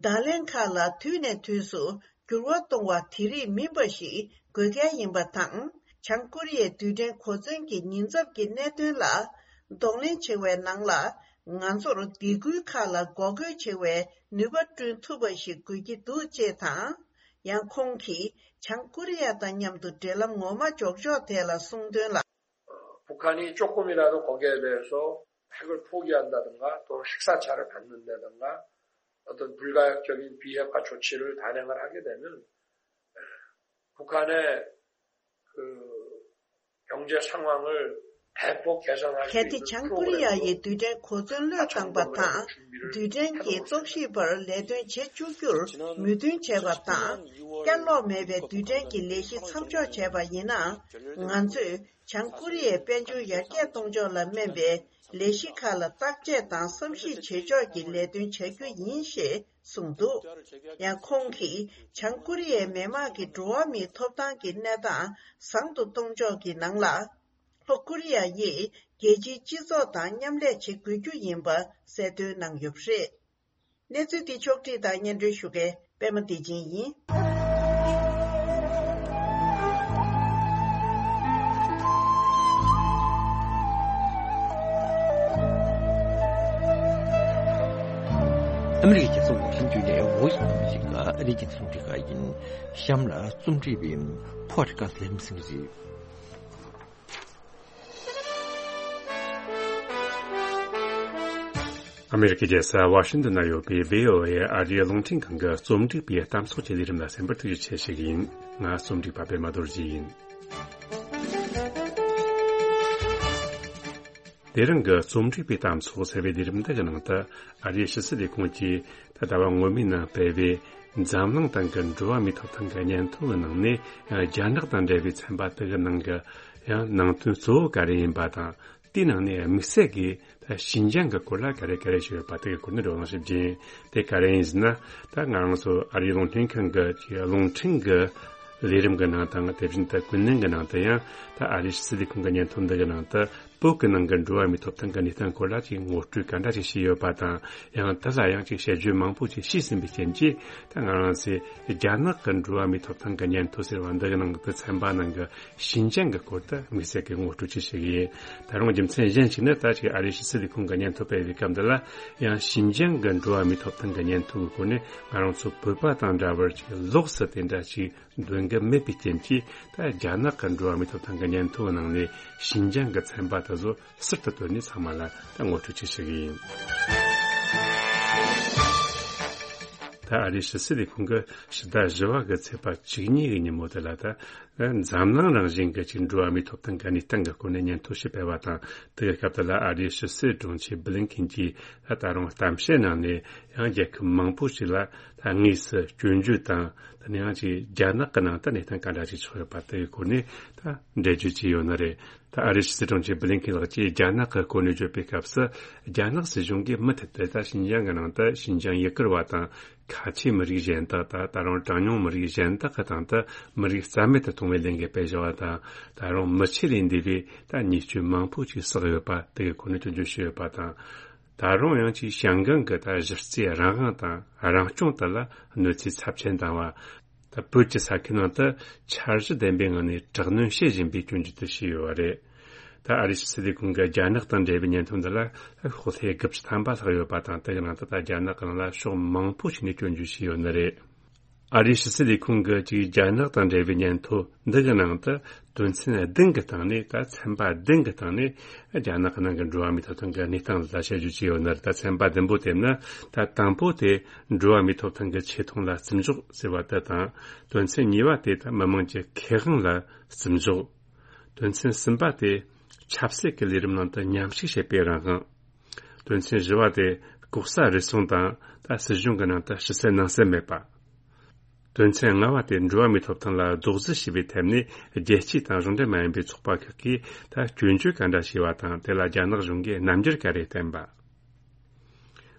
བརྡ་ལན་ཁག་ལ་དུས་ནས་དུས་སུ་འགྱུར་བ་གཏོང་བ་དེ་རིགས་མིན་པ་ཞིག་དགོས་གལ་ཡིན་པ་དང་། བྱང་ཀོ་རི་ཡའི་རྡུལ་ཕྲན་གོ་མཚོན་གྱི་ཉེན་ཚབས་ཀྱི་གནད་དོན་ལ་གདོང་ལེན་བྱེད་པའི་ནང་ལ། ང་ཚོར་སྡིགས་སྐུལ་ཁག་ལ་འགོག་རྒོལ་བྱེད་པའི་ནུས་པ་བསྐྲུན་ཐུབ་པ་ཞིག་དགོས་ཀྱི་འདུག་ཅེས་དང་། ཡང་ཁོང་གིས་བྱང་ཀོ་རི་ཡ་དང་མཉམ་དུ་འབྲེལ་ལམ་ངོ་མ་འཇོག་ཕྱོགས་ཐད་ལ་གསུངས་དོན་ལ། 북한이 조금이라도 거기에 대해서 핵을 포기한다든가 또 핵사찰을 받는다든가 어떤 불가역적인 비핵화 조치를 단행을 하게 되면 북한의 그 경제 상황을 གལ་ཏེ་བྱང་ཀོ་རི་ཡ་ཡིས་རྡུལ་ཕྲན་གོ་མཚོན་བློས་བཏང་པ་དང་། རྡུལ་ཕྲན་གྱི་རྟོག་ཞིབ་པར་ལས་དོན་བྱེད་བཅུག་རྒྱུར་མོས་མཐུན་བྱས་པ་དང་། བསྐྱར་ལོག་མེད་པའི་རྡུལ་ཕྲན་གྱི་ལས་གཞི་མཚམས་འཇོག་བྱས་པ་ཡིན་ན། ང་ཚོས་བྱང་ཀོ་རི་ཡའི་དཔལ་འབྱོར་ཡར་རྒྱས་གཏོང་ཕྱོགས་ལ་སྨན་པའི་ལས་གཞི་ཁག་ལ་བརྟག་དཔྱད་དང་བསམ་གཞིག་བྱེད་ཕྱོགས་ཀྱི་ལས་དོན་བྱ་རྒྱུ་ཡིན་ཞེས་གསུངས་འདུག་ཡང་ཁོང་གིས་བྱང་ཀོ་རི་ཡའི་མི་དམངས་ཀྱི་འགྲོ་བ་མིའི་ཐོབ་ཐང་གི་གནས་སྟངས་བཟང་དུ་གཏོང་ཕྱོགས་ཀྱི་ནང་ལ། ལྷོ་ཀོ་རི་ཡ་ཡིས་རྒྱལ་སྤྱིའི་སྤྱི་ཚོགས་དང་མཉམ་ལས་བྱེད་དགོས་རྒྱུ་ཡིན་པ་གསལ་སྟོན་གནང་ཡོད་པ་རེད། གནས་ཚུལ་འདི་ཕྱོགས་བསྒྲིགས་དང་སྙན་སྒྲོན་ཞུ་མཁན་པད་མ་བདེ་ཆེན་ཡིན། ཨ་མི་རི་ཀའི་རྒྱལ་ས་ཝ་ཤིང་ཏོན་ནས་Voice of America ཨ་རིའི་རྒྱང་སྲིང་རླུང་འཕྲིན་ཁང་ཡིན། གཤམ་ལ་རྩོམ་སྒྲིག་པ་ཕོ་ཊི་ཀ་སི་ལེམ་སིང་རེད། ཨ་མེ་རི་ཀའི་རྒྱལ་ས་ཝ་ཤིང་ཏོན་ན་ཡོད་པའི་བྷི་ཨོ་ཨེ་ཨ་རིའི་རླུང་འཕྲིན་ཁང་གི་རྩོམ་སྒྲིག་པའི་གཏམ་ཚོགས་ཀྱི་ལས་རིམ་ལ་གསན་པར་ཐུགས་རྗེ་ཆེ་ཞུ་གི་ཡིན། ང་རྩོམ་སྒྲིག་པ་པད་མ་རྡོ་རྗེ་ཡིན། དེ་རིང་གི་རྩོམ་སྒྲིག་པའི་གཏམ་ཚོགས་ཟེར་བའི་ལས་རིམ་འདི་གི་ནང་དུ། ཨ་རིའི་ཕྱི་སྲིད་ལས་ཁུངས་ཀྱིས་ད་ཟླ་བ་སྔོན་མའི་ནང་སྤེལ་བའི་འཛམ་གླིང་སྟེང་གི་འགྲོ་བ་མིའི་ཐོབ་ཐང་གི་སྙན་ཐོ་གི་ནང་ནས། རྒྱ་ནག་དང་འབྲེལ་བའི་ཚན་པ་དེ་གི་ནང་གི་ཡང་ནང་དོན་གཙོ་བོ་ག་རེ་ཡིན་པ་དང་། དེའི་ནང་ནས་དམིགས་བསལ་གྱིས་ད་ཞིན་ཅང་གི་སྐོར་ལ་ག་རེ་ག་རེ་ཞིག་ཡོད་པ་དེ་གི་སྐོར་ནས་བགྲོ་གླེང་ཞིག་བྱས། དེ་ག་རེ་ཡིན་ཟེར་ན། ད་ང་རང་ཚོ་ཨ་རིའི་རླུང་འཕྲིན་ཁང་གི་ཅིག་རླུང་འཕྲིན་གི་ལས་རིམ་གྱི་ནང་དང་། དེ་བཞིན་དུ་ཀུན་གླེང་གི་ནང་དུ་ཡང་ད་ཨ་རིའི་ཕྱི་སྲིད་ལས་ཁུངས་ཀྱི་སྙན་ཐོ་འདི་གི་ནང་དུ། བོད་ཀྱི་ནང་གི་འགྲོ་བ་མིའི་ཐོབ་ཐང་གི་གནས་སྟངས་སྐོར་ལ་ཅིག་ངོ་སྤྲོད་ག་འདྲ་ཞིག་བྱས་ཡོད་པ་དང་། ཡང་དེ་ལ་ཡང་ཅིག་དཔྱད་བརྗོད་མང་པོ་ཅིག་བྱས་ཟིན་པའི་རྐྱེན་གྱིས། ད་ང་རང་ཚོས་རྒྱ་ནག་གི་འགྲོ་བ་མིའི་ཐོབ་ཐང་གི་སྙན་ཐོ་ཟེར་བ་འདི་གི་ནང་གི་ཚན་པ་ནང་གི་ཞིན་ཅང་གི་སྐོར་དུ་དམིགས་བསལ་གྱི་ངོ་སྤྲོད་ཅིག་བྱེད་ཀྱི་ཡིན། ད་རུང་རྒྱུ་མཚན་གཞན་ཞིག་ནི། ད་ཅིག་ཨ་རིའི་ཕྱི་སྲིད་ལས་ཁུངས་ཀྱི་སྙན་ཐོ་སྤེལ་བའི་སྐབས་འདི་ལ་ཡང་ཞིན་ཅང་གི་འགྲོ་བ་མིའི་ཐོབ་ཐང་གི་སྙན་ཐོ་གི་སྐོར་ནས་ང་རང་ཚོ་བོད་པ་དང་འདྲ་བར་ཅིག་ལོགས་སུ་དེ་འདྲ་ཅིག་འདོན་གྱི་མེད་པའི་རྐྱེན་གྱིས། ད་རྒྱ་ནག་གི་འགྲོ་བ་མིའི་ཐོབ་ཐང་གི་སྙན་ཐོའི་ནང་ནས་ཞིན་ཅང་གི་ཚན་པ་དེ་ཚོ་ཟུར་དུ་བཏོན་ནས་ཚང་མ་ལ་ད་ངོ་སྤྲོད་ཅིག་ཞུ་གི་ཡིན། ད་ཨ་རིའི་ཕྱི་སྲིད་ལས་ཁུངས་ཀྱིས་ཕྱི་ཟླ་བཞི་པ་གི་ཚེས་པ་བཅུ་གཉིས་ཀྱི་ཉིན་མོ་དེ་ལ། ད་འཛམ་གླིང་རང་བཞིན་གྱི་ཅིག་འགྲོ་བ་མིའི་ཐོབ་ཐང་གི་གནས་སྟངས་ཀྱི་སྐོར་ནས་སྙན་ཐོ་ཞིག་སྤེལ་བ་དང་། དེ་གི་སྐབས་དེ་ལ་ཨ་རིའི་ཕྱི་སྲིད་དྲུང་ཆེ་བྷི་ལིན་ཁིན་གྱིས་ད་ད་རུང་གཏམ་བཤད་ནང་ནས་ཡང་རྒྱལ་ཁབ་མང་པོ་ཞིག་ལ་ད་དངོས་སུ་སྐྱོན་བརྗོད་དང་། དེ་ནས་ཡང་ཅིག་རྒྱ་ནག་གི་ནང་དུ་གནས་སྟངས་ག་འདྲ་ཞིག་ཆགས་ཡོད་པ་དེ་གི་སྐོར་ནས་ད་འགྲེལ་བརྗོད་བྱས་ཡོད་ནི་རེད། ད་ཨ་རིའི་ཕྱི་སྲིད་དྲུང་ཆེ་བྷི་ལིན་ཁིན་ལགས་ཀྱིས་རྒྱ་ནག་གི་སྐོར་ནས་བརྗོད་པའི་སྐབས་སུ། རྒྱ་ནག་སྲིད་གཞུང་གིས་མུ་མཐུད་དུ་ད་ཞིན་ཅང་གི་ནང་དུ་ཞིན་ཅང་ཡུ་གུར་བ་དང་། ཁ་ཆེ་མི་རིགས་གཞན་དག་དང་། ད་རུང་གྲངས་ཉུང་མི་རིགས་གཞན་དག་གི་སྟེང་དུ་མི་རིགས་རྩ་མེད་དུ་གཏོང་བའི་ལས་འགུལ་སྤེལ་བཞག་པ་དང་། ད་རུང་མི་ཆོས་ལས་འདས་པའི་ད་ཉེས་སྐྱོན་མང་པོ་ཅིག་བསགས་ཡོད་པ་དེ་གི་སྐོར་ནས་སྐྱོན་བརྗོད་བྱས་ཡོད་པ་དང་། ད་རུང་ཡང་ཅིག་ཞང་ཀང་གི་ད་གཞི་རྩའི་རང་དབང་དང་རང་སྐྱོང་དེ་ལ་གནོད་འཚེ་ཚབས་ཆེན་བཏང་བ། ད་བོད་ཀྱི་ས་ཁུལ་ནང་དུ་འཆར་གཞི་ལྡན་པའི་ངང་ནས་དྲག་གནོན་བྱེད་བཞིན་པའི་སྐྱོན་བརྗོད་དེ་བྱས་ཡོད་པ་རེད། ད་ཨ་རིའི་ཕྱི་སྲིད་ལས་ཁུངས་ཀྱི་རྒྱ་ནག་དང་འབྲེལ་བའི་སྙན་ཐོ་འདི་ལ་ཤོག་ལྷེ་དགུ་བཅུ་ཐམ་པ་ལྷག་ཡོད་པ་དང་། དེ་གི་ནང་དུ་ད་རྒྱ་ནག་གི་ནང་ལ་ཕྱོགས་མང་པོ་ཞིག་ནས་སྐྱོན་བརྗོད་བྱས་ཡོད་ནི་རེད། ཨ་རིའི་ཕྱི་སྲིད་ལས་ཁུངས་ཀྱིས་ཅིག་རྒྱ་ནག་དང་འབྲེལ་བའི་སྙན་ཐོ་འདི་གི་ནང་དུ་དོན་ཚན་བདུན་གྱི་སྟེང་ནས། ད་ཚན་པ་བདུན་གྱི་སྟེང་ནས་རྒྱ་ནག་གི་ནང་གི་འགྲོ་བ་མིའི་ཐོབ་ཐང་གི་གནས་སྟངས་ལ་དཔྱད་བརྗོད་བྱས་ཡོད་ནི་རེད། ད་ཚན་པ་བདུན་པོ་དེ་ནི། ད་དང་པོ་དེ་འགྲོ་བ་མིའི་ཐོབ་ཐང་གི་ཆེ་མཐོང་ལ་བརྩི་འཇོག་ཟེར་བ་དེ་དང་། དོན་ཚན་གཉིས་པ་དེ་ད་མི་དམངས་ཀྱི་ཁེ་དབང་ལ་བརྩི་འཇོག་དོན་ཚན་གསུམ་པ་དེ་ཆབ་སྲིད་ཀྱི་ལས་རིམ་ནང་དུ་མཉམ་ཞུགས་བྱེད་པའི་རང་དབང་། དོན་ཚན་བཞི་པ་དེ་ལྐོག་ཟ་རུལ་སུངས་དང་། ད་སྲིད་གཞུང་གི་ནང་དུ་ཕྱི་གསལ་ནང་གསལ་མེད་པ། དོན་ཚན་ལྔ་པ་དེ་འགྲོ་བ་མིའི་ཐོབ་ཐང་ལ་རྡོག་རྫིས་བྱས་པའི་ཐད་ནས་རྒྱལ་སྤྱི་དང་གཞུང་འབྲེལ་མ་ཡིན་པའི་ཚོགས་པ་ཁག་གིས་ད་སྐྱོན་བརྗོད་ག་འདྲ་བྱས་པ་དང་། དེ་ལ་རྒྱ་ནག་གཞུང་གིས་རྣམ་འགྱུར་ག་རེ་བསྟན་པ།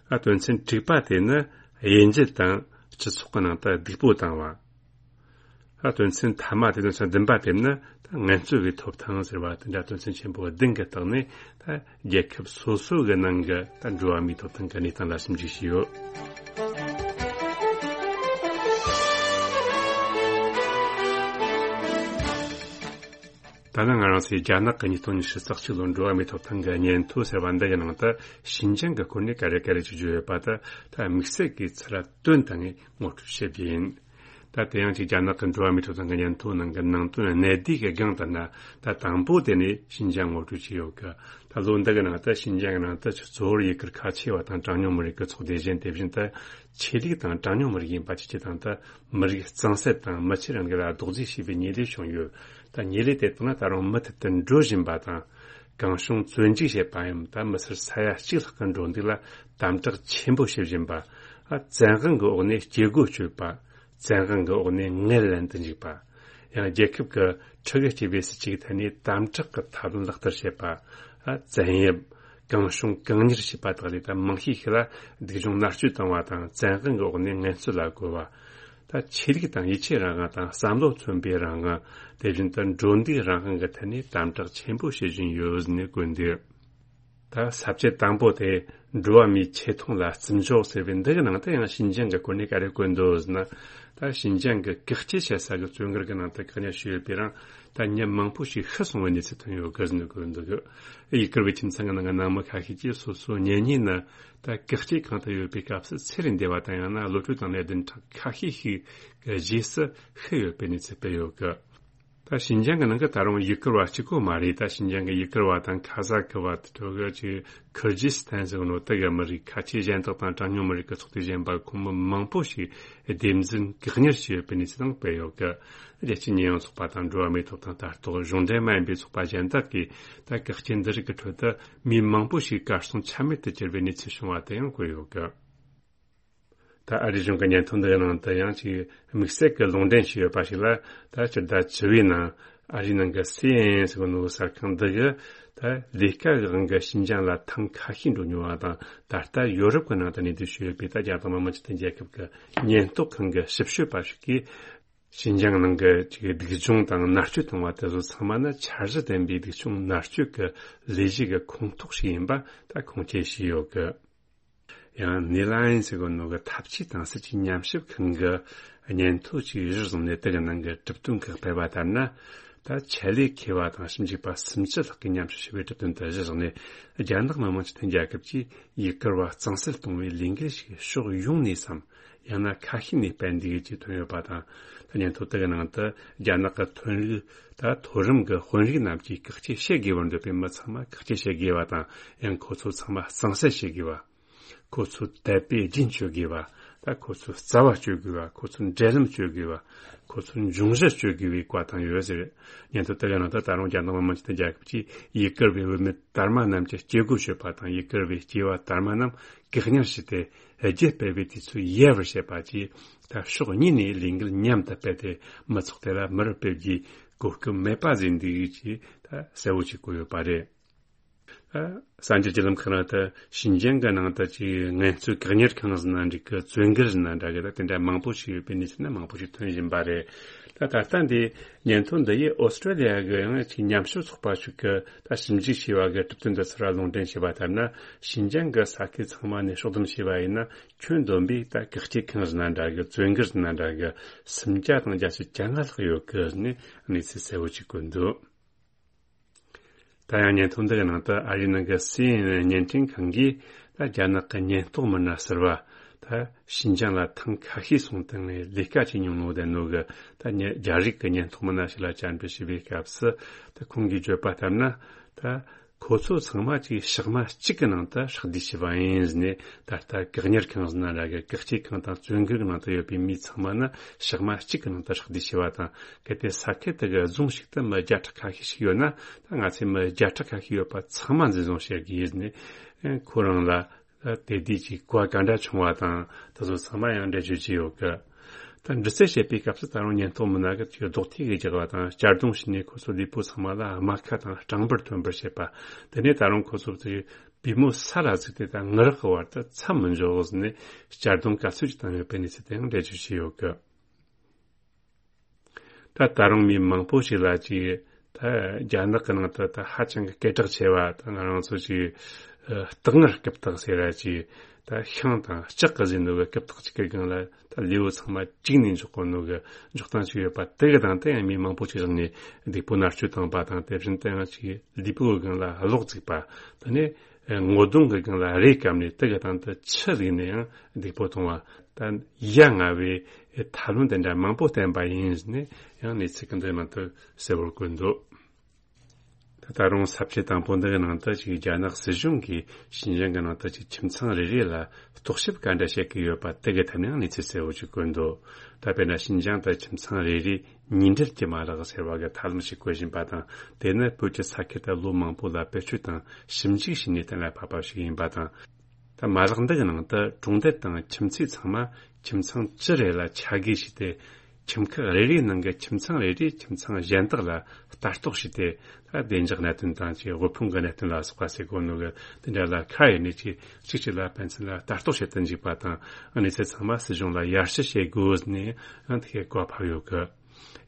ཨ། དོན་ཚན་དྲུག་པ་དེ་ནི་དབྱེ་འབྱེད་དང་སྤྱི་ཚོགས་ཀྱི་ནང་དུ་སྡིགས་པོ་བཏང་བ། ཨ། དོན་ཚན་ཐ་མ་དེ། དོན་ཚན་བདུན་པ་དེ་ནི་ད་ངལ་རྩོལ་བའི་ཐོབ་ཐང་ཟེར་བ་དེ་འདྲ། དོན་ཚན་ཆེན་པོ་བདུན་གྱི་སྟེང་ནས་ད་རྒྱལ་ཁབ་སོ་སོ་གི་ནང་གི་ད་འགྲོ་བ་མིའི་ཐོབ་ཐང་གི་གནས་སྟངས་ལ་ཞིབ་འཇུག་བྱས་ཡོད། ད་ནི་ང་རང་ཚོས་རྒྱ་ནག་གི་ཉིས་སྟོང་ཉི་ཤུ་རྩ་གཅིག་ལོའི་འགྲོ་བ་མིའི་ཐོབ་ཐང་གི་སྙན་ཐོ་ཟེར་བ་འདི་གི་ནང་དུ་ཞིན་ཅང་གི་སྐོར་ནས་ག་རེ་ག་རེ་ཅིག་བརྗོད་ཡོད་པ་དེ་ད་དམིགས་བསལ་གྱིས་ཚུར་བཏོན་བཏང་ངས་ངོ་སྤྲོད་བྱེད་རྒྱུ་ཡིན། ད་དེ་ཡང་ཅིག་རྒྱ་ནག་གི་འགྲོ་བ་མིའི་ཐོབ་ཐང་གི་སྙན་ཐོ་ནང་གི་ནང་དོན་གནད་བསྡུས་ཀྱི་སྒང་དེ་ན། ད་དང་པོ་དེ་ནས་ཞིན་ཅང་ངོ་སྤྲོད་བྱས་ཡོད་གི། ད་ལོ་འདི་གི་ནང་དུ་ཞིན་ཅང་གི་ནང་དུ་ཆུ་གཙོ་བོར་ཡུ་གུར་ཁ་ཆེ་བ་དང་གྲངས་ཉུང་མི་རིགས་ཀྱི་ཚོགས་སྡེ་གཞན། དེ་བཞིན་དུ་ཆོས་ལུགས་དང་གྲངས་ཉུང་མི་རིགས་ཡིན་པ་བཅས་ཀྱི་སྟེང་དུ་མི་རིགས་གཙང་སེལ་དང་མི་ཆོས་རང་གི་ལ་རྡོག་རྫིས་བྱས་པའི་ཉེས་ལས་བྱུང་ཡོད། ད་ཉེས་ལས་དེ་དག་ནི་ད་རུང་མུ་མཐུད་དུ་འགྲོ་བཞིན་པ་དང་། གང་བྱུང་བཙོན་འཇུག་བྱེད་པའམ་ད་མི་སེར་ས་ཡ་གཅིག་ལྷག་གི་འགྲོ་འདུག་ལ་དམ་དྲག་ཆེན་པོ་བྱེད་བཞིན་པ། ཨ། བཙན་དབང་གི་འོག་ནས་སྐྱེ་སྒོ་གཅོད་པ། བཙན་དབང་གི་འོག་ནས་ངལ་ལེན་དུ་འཇུག་པ། ཡང་རྒྱལ་ཁབ་ཀྱི་ཁྲི་གི་སྤྱི་བའི་སྲིད་ཇུས་ཀྱི་ཐད་ནས་དམ་དྲག་གི་ཐབས་ལམ་ལག་བསྟར་བྱེད་པ། ཨ། བཙན་གཡེམ། གང་བྱུང་གང་གཉེར་བྱེད་པ་དག་ལས་ད་མང་ཤས་ཤིག་ལ་སྡིག་སྦྱོང་མནར་གཅོད་བཏང་བ་དང་བཙན་དབང་གི་འོག་ནས་ངལ་རྩོལ་ལ་བཀོལ་བ། ད་ཆོས་ལུགས་དང་ཡིད་ཆེས་རང་དབང་དང་བསམ་བློ་མཚོན་པའི་རང་དབང་། དེ་བཞིན་དུ་འགྲོ་འདུག་རང་དབང་གི་ཐད་ནས་དམ་དྲག་ཆེན་པོ་བྱེད་བཞིན་ཡོད་ཟེར་ནས་བཀོད་འདུག་ད་ས་བཅད་དང་པོ་དེ་འགྲོ་བ་མིའི་ཆེ་མཐོང་ལ་བརྩི་འཇོག་ཟེར་བའི་འདི་གི་ནང་དུ་ཡང་ཞིན་ཅང་གི་སྐོར་ནས་ག་རེ་བཀོད་འདུག་ཟེར་ན། ད་ཞིན་ཅང་གི་བཀག་སྐྱིལ་བྱེད་ས་གི་བཙོན་སྒར་གི་ནང་དུ་བཀག་ཉར་བྱས་ཡོད་པའི་རིང་ད་མི་མང་པོ་ཞིག་ཤི་སོང་བའི་གནས་ཚུལ་ཐོན་ཡོད་གི་ཟེར་ནས་བཀོད་འདུག་ཡུ་གུར་བའི་ཁྱིམ་ཚང་གི་ནང་གི་ནང་མི་ཁ་ཤས་ཀྱིས་སོ་སོའི་གཉེན་ཉེ་ནི་ད་བཀག་སྐྱིལ་ཁང་དུ་ཡོད་པའི་སྐབས་སུ་ཚེ་རིང་བདེ་བ་དང་ཡང་ན་གློད་གྲོལ་དང་ནད་ལྡན་ཁྲག་ཁ་ཤས་ཤིག་གི་རྗེས་སུ་ཤི་ཡོད་པའི་གནས་ཚུལ་སྤེལ་ཡོད་གི། ད་ཞིན་ཅང་གི་ནང་གི་ད་རུང་ཡུ་གུར་བ་གཅིག་པོ་མ་རེད། ད་ཞིན་ཅང་གི་ཡུ་གུར་བ་དང་ཁ་ཟ་གི་བ་དེ་ཚོ་གི་ཅིག་ཁུར་ཇི་སི་ཐན་ཟེར་གི་ནོ་དེ་གི་མི་རིགས་ཁ་ཆེ་གཞན་དག་དང་གྲངས་ཉུང་མི་རིགས་ཀྱི་ཚོགས་སྡེ་གཞན་པ་ཁོང་མི་མང་པོ་ཞིག་སྡེབ་འཛིན་བཀག་ཉར་བྱས་ཡོད་པའི་གནས་ཚུལ་དང་སྤེལ་ཡོད་གི། རྒྱལ་སྤྱིའི་ཉེས་ཡངས་ཚོགས་པ་དང་འགྲོ་བ་མིའི་ཐོབ་ཐང་ལྟ་རྟོག་གཞུང་འབྲེལ་མ་ཡིན་པའི་ཚོགས་པ་གཞན་དག་གིས་ད་བཀག་སྐྱིལ་འདི་རིགས་ཀྱི་ཁྲོད་དུ་མི་མང་པོ་ཞིག་གར་སོང་ཆ་མེད་དུ་གྱུར་བའི་གནས་ཚུལ་བྱུང་བ་དེ་ཡང་བཀོད་ཡོད་གི། ད་ཨ་རིའི་གཞུང་གི་སྙན་ཐོ་འདིའི་ནང་དུ་ཡང་ཅིག་དམིགས་བསལ་གྱི་ལུང་འདྲེན་བྱས་ཡོད་པ་ཞིག་ལ། ད་སྤྱི་ཟླ་བཅུ་བའི་ནང་ཨ་རིའི་ནང་གི་སི་ཨེན་ཨེན་ཟེར་གི་ནོ་གསར་ཁང་འདི་གི་ད་ལས་ཀ་གི་དབང་གིས་ཞིན་ཅང་ལ་ཐེངས་ཁ་ཤས་འགྲོ་མྱོང་བ་དང་། ད་ལྟ་ཡོ་རོབ་ཀྱི་ནང་དུ་གནས་སྡོད་བྱས་ཡོད་པའི་ད་རྒྱ་ནག་མི་དམངས་སྤྱི་མཐུན་རྒྱལ་ཁབ་ཀྱི་ཉེན་རྟོག་ཁང་གི་ཞིབ་དཔྱོད་པ་ཞིག་གིས། ཞིན་ཅང་ནང་གི་ཅིག་སྡིག་སྦྱོང་དང་མནར་གཅོད་བཏང་བ་དེ་ཚོ་ཚང་མ་ནི་འཆར་གཞི་ལྡན་པའི་སྡིག་སྦྱོང་མནར་གཅོད་ཀྱི་ལས་གཞི་གི་ཁོངས་གཏོགས་ཤིག་ཡིན་པ་ད་ཁུངས་སྐྱེལ་བྱས་ཡོད་གི། ཡང་ནི་ལ་ཡན་ཟེར་གོ་ནོ་གི་འཐབ་ཇུས་དང་སྲིད་ཇུས་ཉམས་ཞིབ་ཁང་གི་སྙན་ཐོ་ཅིག་གཞིར་བཟུང་ནས་དེ་གི་ནང་གི་གྲུབ་དོན་ཁག་སྤེལ་བ་ལྟར་ན། ད་ཆེད་ལས་མཁས་པ་དང་ཞིབ་འཇུག་པ་སུམ་ཅུ་ལྷག་གིས་ཉམས་ཞིབ་བྱས་པའི་གྲུབ་དོན་དེ་གཞིར་བཟུང་ནས། རྒྱ་ནག་མི་དམངས་སྤྱི་མཐུན་རྒྱལ་ཁབ་ཀྱིས་ཡུ་གུར་བ་གཙང་སེལ་གཏོང་བའི་ལས་འགུལ་ཞིག་ཕྱོགས་ཡོངས་ནས་སམ། ཡང་ན་ཁ་ཤས་ནས་སྤེལ་འདུག་ཅེས་ཐོན་ཡོད་པ་དང་། ད་སྙན་ཐོ་དེ་གི་ནང་དུ་རྒྱ་ནག་གི་ཐོན་རིགས་ད་མཐོ་རིམ་གྱི་དཔོན་རིགས་རྣམས་ཀྱིས་བཀག་སྐྱིལ་བྱེད་དགོས་པར་འདོད་པའི་མི་ཚང་མ་བཀག་སྐྱིལ་བྱེད་དགོས་པ་དང་། ཡང་ཁོ་ཚོ་ཚང་མ་གཙང་སེལ་བྱེད་དགོས་པ། ཁོ་ཚོ་དད་པས་རྒྱུན་གཅོད་དགོས་པ། ད་ཁོ་ཚོའི་རྩ་བ་གཅོད་དགོས་པ། ཁོ་ཚོའི་འབྲེལ་ལམ་གཅོད་དགོས་པ། ཁོ་ཚོའི་འབྱུང་གཞི་གཅོད་དགོས་པའི་བཀའ་བཏང་ཡོད་ཟེར། སྙན་ཐོ་དེ་གི་ནང་དུ་ད་རུང་རྒྱ་ནག་མི་དམངས་སྤྱི་མཐུན་རྒྱལ་ཁབ་ཀྱིས་ཡུ་གུར་བའི་བུད་མེད་དར་མ་རྣམས་ཀྱི་སྐྱེ་སྒོ་གཅོད་པ་དང་། ཡུ་གུར་བའི་སྐྱེས་པ་དར་མ་རྣམས་བཀག་ཉར་བྱས་ཏེ་རྒྱུད་སྤེལ་བའི་དུས་ཚོད་ཡལ་བར་བྱེད་པ་བཅས། ད་ཕྱོགས་གཉིས་ནས་ལས་འགུལ་མཉམ་དུ་སྤེལ་ཏེ། མི་ཚོགས་དེ་ལ་མི་རུ་སྤེལ་རྒྱུའི་གོ་སྐབས་མེད་པ་བཟོས་འདུག་ཅེས་ད་གསལ་བོ་ཅིག་བཀོད་ཡོད་པ་རེད། ད་གསར་འགྱུར་བརྒྱུད་ལམ་ཁག་ནང་དུ་ཞིན་ཅང་གི་ནང་དུ་ཅིག་ངལ་རྩོལ་བཀག་ཉར་ཁང་ཟེར་ན་འགྲིག་གི། བཙོན་སྒར་ཟེར་ན་འདྲ་གི། ད་དེ་འདྲ་མང་པོ་ཞིག་ཡོད་པའི་གནས་ཚུལ་ནི་མང་པོ་ཞིག་ཐོན་བཞིན་པ་རེད། ད་ད་ལྟ་འདི་སྙན་ཐོ་འདི་ཡིས་ཨོ་སི་ཀྲོ་ལི་ཡ་གི་ཡང་ཅིག་ཉམས་ཞིབ་ཚོགས་པ་ཞིག་གིས་ད་ཞིབ་འཇུག་བྱས་པ་གི་གྲུབ་དོན་འདི་ཚུར་ལུང་འདྲེན་བྱས་པ་ལྟར་ན། ཞིན་ཅང་གི་ས་ཁུལ་ཚང་མ་ནས་ཕྱོགས་བསྡོམས་བྱས་པ་ཡིན་ན། ཁྱོན་བསྡོམས་པས་ད་བཀག་སྐྱིལ་ཁང་ཟེར་ན་འདྲ་གི། བཙོན་སྒར་ཟེར་ན་འདྲ་གི། སུམ་བརྒྱ་དང་བརྒྱད་ཅུ་གྱ་ལྔ་ལྷག་ཡོད་གི་ཟེར་ནས་གནས་ཚུལ་གསལ་བོ་ཅིག་བཀོད་འདུག་ད་ཡང་སྙན་ཐོ་འདི་གི་ནང་དུ་ཨ་རིའི་ནང་གི་སི་ཨེན་ཨེན་བརྙན་འཕྲིན་ཁང་གིས། ད་རྒྱ་ནག་གི་ཉེན་རྟོག་མི་སྣ་ཟུར་པ་ད་ཞིན་ཅང་ལ་ཐེངས་ཁ་ཤས་སོང་སྟེ་ལས་ཀ་བྱེད་མྱོང་ནོ་དེ་ནོ་གི། ད་ཉེ་རྒྱ་རིགས་ཀྱི་ཉེན་རྟོག་མི་སྣ་ཞིག་ལ་བཅར་འདྲི་བྱས་པའི་སྐབས་སུ། ད་ཁོང་གིས་བརྗོད་པ་ལྟར་ན། ད་ཁོ་ཚོ་ཚང་མ་ཅིག་ཞག་མ་གཅིག་གི་ནང་དུ་ཧྲག་བསྡུས་བྱས་པ་ཡིན་ཟེར་ནས། ད་ལྟ་བཀག་ཉར་ཁང་ཟེར་ན་འདྲ་གི། བཀག་སྐྱིལ་ཁང་དང་བཙོན་སྒར་གྱི་ནང་དུ་ཡོད་པའི་མི་ཚང་མ་ནི་ཞག་མ་གཅིག་གི་ནང་དུ་ཧྲག་བསྡུས་བྱས་པ་དང་། གལ་ཏེ་ས་ཁུལ་དེ་གི་རྫོང་ཞིག་ཏུ་མི་བརྒྱ་ཕྲག་ཁ་ཤས་ཤིག་ཡོད་ན། ད་ང་ཚོས་མི་བརྒྱ་ཕྲག་ཁ་ཤས་ཡོད་པ་ཚང་མ་འཛིན་བཟུང་བྱེད་དགོས་ཟེར་ནས། ཁོ་རང་ལ་དེ་དུས་ཀྱི་བཀའ་ག་འདྲ་བྱུང་བ་དང་། དེ་ཚོ་ཚང་མ་ཡང་འགྲེལ་བརྗོད་བྱས་ཡོད་གི། ད་འདྲི་རྩད་བྱེད་པའི་སྐབས་སུ་ད་རུང་ཉེན་རྟོག་མི་སྣ་གིས་ཅིག་རྡོག་ཐིག་གིས་རྒྱག་པ་དང་། གཅར་རྡུང་བྱས་ནས་ཁོ་ཚོའི་ལུས་པོ་ཚང་མ་ལ་རྨ་ཁ་དང་སྐྲངས་འབུར་ཐོན་པར་བྱེད་པ། དེ་ནས་ད་རུང་ཁོ་ཚོ་ཚོའི་པུས་མོ་ས་ལ་ཟུག་སྟེ། ད་ངུ་རག་གི་བར་དུ་མཚམས་མི་འཇོག་ཟེར་ནས་གཅར་རྡུང་ག་ཚོད་ཅིག་བཏང་ཡོད་པའི་གནས་ཚུལ་དེ་ཡང་འགྲེལ་བརྗོད་བྱས་ཡོད་གི། ད་ད་རུང་མི་མང་པོ་ཞིག་ལ་ཅིག་ད་རྒྱ་ནག་གི་ནང་དུ་ད་ཧ་ཅང་གི་སྐད་གྲགས་ཆེ་བ། ད་ང་རང་ཚོ་ཅིག་ཨ་སྟག་ངར་རྐུབ་སྟེགས་ཟེར་ར་ཅིག། ད་ཤིང་དང་ལྕགས་ཀྱིས་བཟོས་ནོ་གི་རྐུབ་སྟེགས་གཅིག་གི་སྒང་ལ་ད་ལུས་པོ་ཚང་མ་བཅུག་ནས་འཇོག་གོ་ནོ་གི་འཇོག་སྟངས་ཅིག་ཡོད་པ། དེ་གི་སྟེང་དུ་ཡང་མི་མང་པོ་ཞིག་བཞག་ནས་སྡིགས་པོ་མནར་གཅོད་བཏང་པ་དང་། དེ་བཞིན་དུ་ཡང་ཅིག་ལུས་པོའི་སྒང་ལ་གློག་བཙུགས་པ། དེ་ནས་ངོ་གདོང་གི་སྒང་ལ་རས་བཀབ་ནས་དེ་གི་སྟེང་དུ་ཆུ་བླུགས་ནས་ཡང་སྡིགས་པོ་བཏང་བ། ད་ཡ་ང་བའི་ཐབས་ལམ་དེ་འདྲ་མང་པོ་བསྟེན་པ་ཡིན་ཟེར་ནས་ཡང་གནས་ཚུལ་གྱི་འདི་ནང་དུ་གསལ་བོར་བཀོད་འདུག་ད་ ད་རུང་ས་བཅད་དང་པོ་འདི་གི་ནང་དུ་ཅིག་རྒྱ་ནག་སྲིད་གཞུང་གིས་ཞིན་ཅང་གི་ནང་དུ་ཅིག་ཁྱིམ་ཚང་རེ་རེ་ལ་རྟོག་ཞིབ་ག་འདྲ་བྱེད་ཀྱི་ཡོད་པ་དེ་གི་ཐད་ནས་ཡང་གནས་ཚུལ་གསལ་བོ་ཅིག་བཀོད་འདུག་ད་དཔེར་ན་ཞིན་ཅང་དུ་ཁྱིམ་ཚང་རེ་རེ་ཉིན་འབྲེལ་གྱི་མ་ལག་ཟེར་བ་གི་ཐབས་ལམ་ཞིག་བཀོད་བཞིན་པ་དང་། དེ་ནི་བོད་ཀྱི་ས་ཁུལ་དུ་ལོ་མང་པོ་ལ་བེད་སྤྱོད་དང་ཞིབ་འཇུག་བྱས་ནས་གཏན་ལ་ཕབ་པ་ཞིག་ཡིན་པ་དང་། ད་མ་ལག་འདི་གི་ནང་དུ་གྲོང་རྡལ་དང་ཁྱིམ་མཚེས་ཚང་མ་ཁྱིམ་ཚང་བཅུ་རེ་ལ་ཆ་བགོས་བྱས་ཏེ། ཁྱིམ་ཁག་རེ་རེའི་ནང་གི་ཁྱིམ་ཚང་རེ་རེའི་ཁྱིམ་ཚང་གཞན་དག་ལ་ལྟ་རྟོག་བྱས་ཏེ། ད་བདེ་འཇགས་གནད་དོན་དང་ཅིག་དབུལ་ཕོངས་ཀྱི་གནད་དོན་ལ་སོགས་པ་ཟེར་གོ་ནོ་གི་དེ་འདྲ་ལ་ཁ་ཡེ་ནས་ཅིག་གཅིག་གཅིག་ལ་ཕན་ཚུན་ལ་ལྟ་རྟོག་བྱེད་དུ་འཇུག་པ་དང་། གནས་ཚུལ་ཚང་མ་སྲིད་གཞུང་ལ་ཡར་ཞུ་བྱེད་དགོས་ནས་ཡང་དེ་གའི་གོ་བ་ཕབ་ཡོད་གི།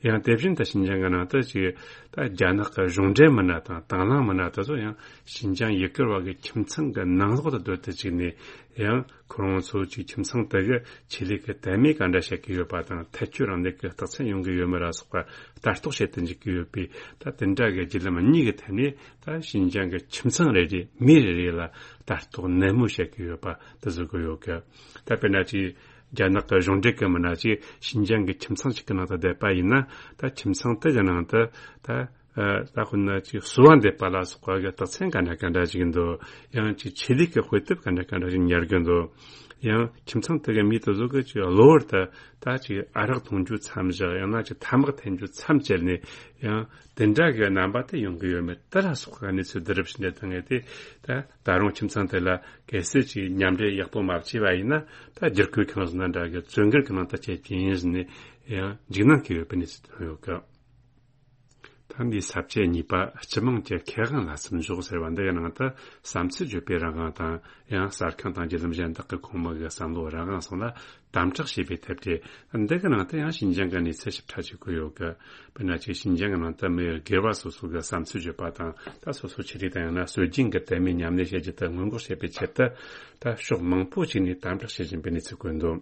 ཡང་དེ་བཞིན་དུ་ཞིན་ཅང་གི་ནང་དུ་ཅིག་ད་རྒྱ་ནག་གི་གཞུང་འབྲེལ་མི་སྣ་དང་དྭང་བླངས་མི་སྣ་དེ་ཚོ་ཡང་ཞིན་ཅང་ཡུ་གུར་བ་གི་ཁྱིམ་ཚང་གི་ནང་ལོགས་དུ་སྡོད་དུ་བཅུག་ནས། ཡང་ཁོ་རང་ཚོ་ཅིག་ཁྱིམ་ཚང་དེ་གི་ཆོས་ལུགས་ཀྱི་དད་མོས་ག་འདྲ་བྱེད་ཀྱི་ཡོད་པ་དང་། ཐལ་སྐྱོད་རང་ལུགས་ཀྱི་རྟགས་མཚན་ཡོང་གི་ཡོད་མེད་ལ་སོགས་པ་ལྟ་རྟོག་བྱེད་དུ་འཇུག་གི་ཡོད་པས། ད་དེ་འདྲ་གི་བརྒྱུད་ལམ་གཉིས་ཀྱི་ཐད་ནས་ད་ཞིན་ཅང་གི་ཁྱིམ་ཚང་རེ་རེ་མི་རེ་རེ་ལ་ལྟ་རྟོག་ནན་མོ་བྱེད་ཀྱི་ཡོད་པ་དེ་བཟོ་གི་ཡོད་གི། ད་དཔེར་ན་ཅིག་རྒྱ་ནག་གི་གཞུང་འབྲེལ་གྱི་མི་སྣ་ཅིག་ཞིན་ཅང་གི་ཁྱིམ་ཚང་ཞིག་གི་ནང་དུ་བསྡད་པ་ཡིན་ན། ད་ཁྱིམ་ཚང་དེ་གི་ནང་དུ་ད་ཨ་ད་དཔེར་ན་ཅིག་གསོ་བ་འདེབས་པ་ལ་སོགས་པ་གི་རྟགས་མཚན་ག་འདྲ་ག་འདྲ་ཞིག་འདུག་ཡང་ཅིག་ཆོས་ལུགས་ཀྱི་དཔེ་དེབ་ག་འདྲ་ག་འདྲ་ཞིག་ཉར་གི་འདུག་ཡང་ཁྱིམ་ཚང་དེ་གི་མི་དེ་ཚོ་གི་ཅིག་གློ་བུར་དུ་ད་ཅིག་ཨ་རག་འཐུང་རྒྱུ་མཚམས་བཞག་ཡང་ན་ཅིག་ཐ་མག་འཐེན་རྒྱུ་མཚམས་བཅད་ནས། ཡང་དེ་འདྲ་གི་རྣམ་པ་དེ་ཡོང་གི་ཡོད་མེད་དེ་ལ་སོགས་པ་གནས་ཚུལ་བསྡུ་རུབ་ཞིག་འདྲ་བཏང་ངེས་ཏེ། ད་ད་རུང་ཁྱིམ་ཚང་དེ་ལ་གལ་སྲིད་ཅིག་མཉམ་འབྲེལ་ཡག་པོ་མ་བྱས་པ་ཡིན་ན། ད་བསྒྱུར་བཀོད་ཁང་ཟིན་ན་འདྲ་གི་བཙོན་སྒར་གྱི་ནང་དུ་བསྐྱལ་རྒྱུ་ཡིན་ཟེར་ནས་ཡང་འཇིགས་སྣང་སྐྱེ་ཡོད་པའི་གནས་ཚུལ་ཐོན་ཡོད་གི། ད་འདིའི་ས་བཅད་གཉིས་པ་སྤྱི་དམངས་ཀྱི་ཁེ་དབང་ལ་སེམས་འཇོག་ཟེར་བ་འདི་ཡི་ནང་དུ་བསམ་ཚུལ་བརྗོད་པའི་རང་དབང་དང་། ཡང་གསར་ཁང་དང་བརྒྱུད་ལམ་གཞན་དག་གི་ཁོངས་མི་གི་བསམ་བློ་རང་དབང་སོགས་ལ་དམ་དྲག་བྱས་པའི་ཐད་དེ། འདི་གི་ནང་དུ་ཡང་ཞིན་ཅང་གི་གནས་ཚུལ་ཞིབ་ཕྲ་ཞིག་བཀོད་ཡོད་གི། དཔེར་ན་ཅིག་ཞིན་ཅང་གི་ནང་དུ་མི་སྒེར་བ་སོ་སོ་གི་བསམ་ཚུལ་བརྗོད་པ་དང་། ད་སོ་སོ་ཆོས་ལུགས་དང་ཡང་ན་སྲོལ་རྒྱུན་གྱི་དད་མོས་ཉམས་ལེན་བྱེད་རྒྱུ་དེ་སྔོན་འགོག་བྱེད་པའི་ཆེད་དུ། ད་ཕྱོགས་མང་པོ་ཞིག་ནས་དམ་དྲག་བྱེད་བཞིན་པའི་གནས་ཚུལ་བཀོད་འདུག་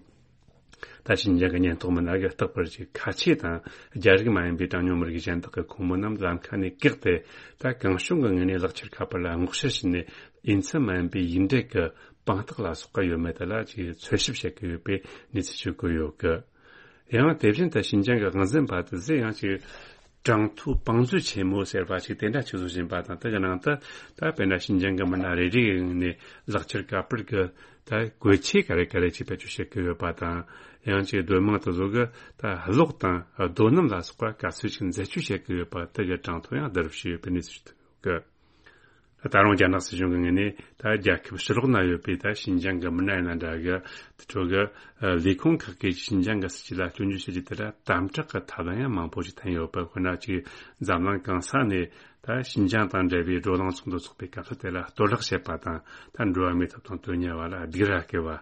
ད་ཞིན་ཅང་གི་ཉེན་རྟོག་མི་སྣ་གིས་རྟག་པར་ཅིག་ཁ་ཆེ་དང་རྒྱ་རིགས་མ་ཡིན་པའི་གྲངས་ཉུང་མི་རིགས་གཞན་དག་གི་ཁོངས་མི་རྣམས་ལམ་ཁ་ནས་བཀག་སྟེ། ད་གང་བྱུང་གི་ངོས་ནས་ལག་ཁྱེར་ཁ་པར་ལ་སྔོག་བཤེར་བྱས་ནས། འོས་འཚམ་མ་ཡིན་པའི་ཡིག་འབྲེལ་གྱི་དཔང་རྟགས་ལ་སོགས་པ་ཡོད་མེད་དེ་ལ་ཅིག་འཚོལ་ཞིབ་བྱེད་ཀྱི་ཡོད་པའི་གནས་ཚུལ་ཞིག་བཀོད་ཡོད་གི། ཡང་དེ་བཞིན་དུ་ཞིན་ཅང་གི་དབང་འཛིན་པ་དེ་ཚོས་ཡང་ཅིག་གྲངས་ཐོ་བང་མཛོད་ཆེན་མོ་ཟེར་བ་ཞིག་དེ་འདྲ་ཅིག་བཟོ་བཞིན་པ་དང་། དེ་གི་ནང་དུ་ད་དཔེར་ན་ཞིན་ཅང་གི་མི་སྣ་རེ་རེ་ཡི་ངོས་ནས་ལག་ཁྱེར་ཁ་པར་གྱི་ད་བཀོལ་ཆས་ག་རེ་ག་རེ་ཅིག་བེད་སྤྱོད་བྱེད་ཀྱི་ཡོད་པ་དང་། ཡང་ཅིག་སྡོད་དམངས་དེ་ཚོ་གི་ད་གློག་དང་རྡོ་སྣུམ་ལ་སོགས་པ་ག་ཚོད་ཅིག་འཛད་སྤྱོད་བྱེད་ཀྱི་ཡོད་པ་དེ་གི་གྲངས་ཐོ་ཡང་བསྡུ་རུབ་བྱས་ཡོད་པའི་གནས་ཚུལ་ཞིག་ཐོན་ཡོད་གི། ད་རུང་རྒྱ་ནག་སྲིད་གཞུང་གི་ངོས་ནས་ད་རྒྱལ་ཁབ་ཕྱི་ལོགས་ན་ཡོད་པའི་ད་ཞིན་ཅང་གི་མི་སྣ་ཡིན་ན་འདྲ་གི། དེ་ཚོ་གི་ལས་ཁུངས་ཁག་གིས་ཞིན་ཅང་གི་སྲིད་ཇུས་ལ་སྐྱོན་བརྗོད་བྱེད་རྒྱུ་དེ་ལ་དམ་དྲག་གི་ཐབས་ལམ་ཡང་མང་པོ་ཞིག་བསྟན་ཡོད་པ། དཔེར་ན་ཅིག་འཛམ་གླིང་གང་ས་ནས་ད་ཞིན་ཅང་དང་འབྲེལ་བའི་བགྲོ་གླེང་ཚོགས་འདུ་ཚོགས་པའི་སྐབས་སུ་དེ་ལ་གཏོར་བརླག་བྱེད་པ་དང་། ད་འགྲོ་བ་མིའི་ཐོབ་ཐང་དོན་གཉེར་བ་ལ་སྡིགས་ར་སྐུལ་བ།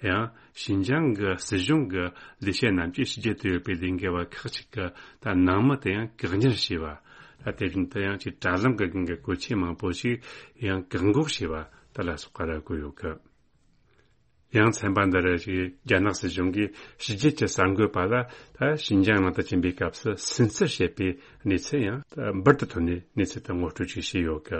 ཡང་ཞིན་ཅང་གི་སྲིད་གཞུང་གི་ལས་བྱེད་རྣམས་ཀྱིས་ཕྱི་རྒྱལ་དུ་ཡོད་པའི་ལས་འགུལ་བ་ཁག་ཅིག་གི་ད་ནང་མི་དེ་ཡང་བཀག་ཉར་བྱས་པ། ད་དེ་བཞིན་དུ་ཡང་ཅིག་དྲ་ལམ་གི་སྒང་གི་བཀོལ་ཆས་མང་པོ་ཞིག་ཡང་བཀག་འགོག་བྱས་པ་དེ་ལ་སོགས་པ་ར་བཀོད་ཡོད་གི། ཡང་ཚན་པ་འདི་རུ་ཅིག་རྒྱ་ནག་སྲིད་གཞུང་གིས་ཕྱི་རྒྱལ་གྱི་གསར་འགོད་པ་ལ་ད་ཞིན་ཅང་ནང་དུ་ཕྱིན་པའི་སྐབས་སུ་སུན་གཙེར་བྱེད་པའི་གནས་ཚུལ་ཡང་ད་འབུར་དུ་ཐོན་ནས་གནས་ཚུལ་དེ་ངོ་སྤྲོད་ཅིག་བྱས་ཡོད་གི།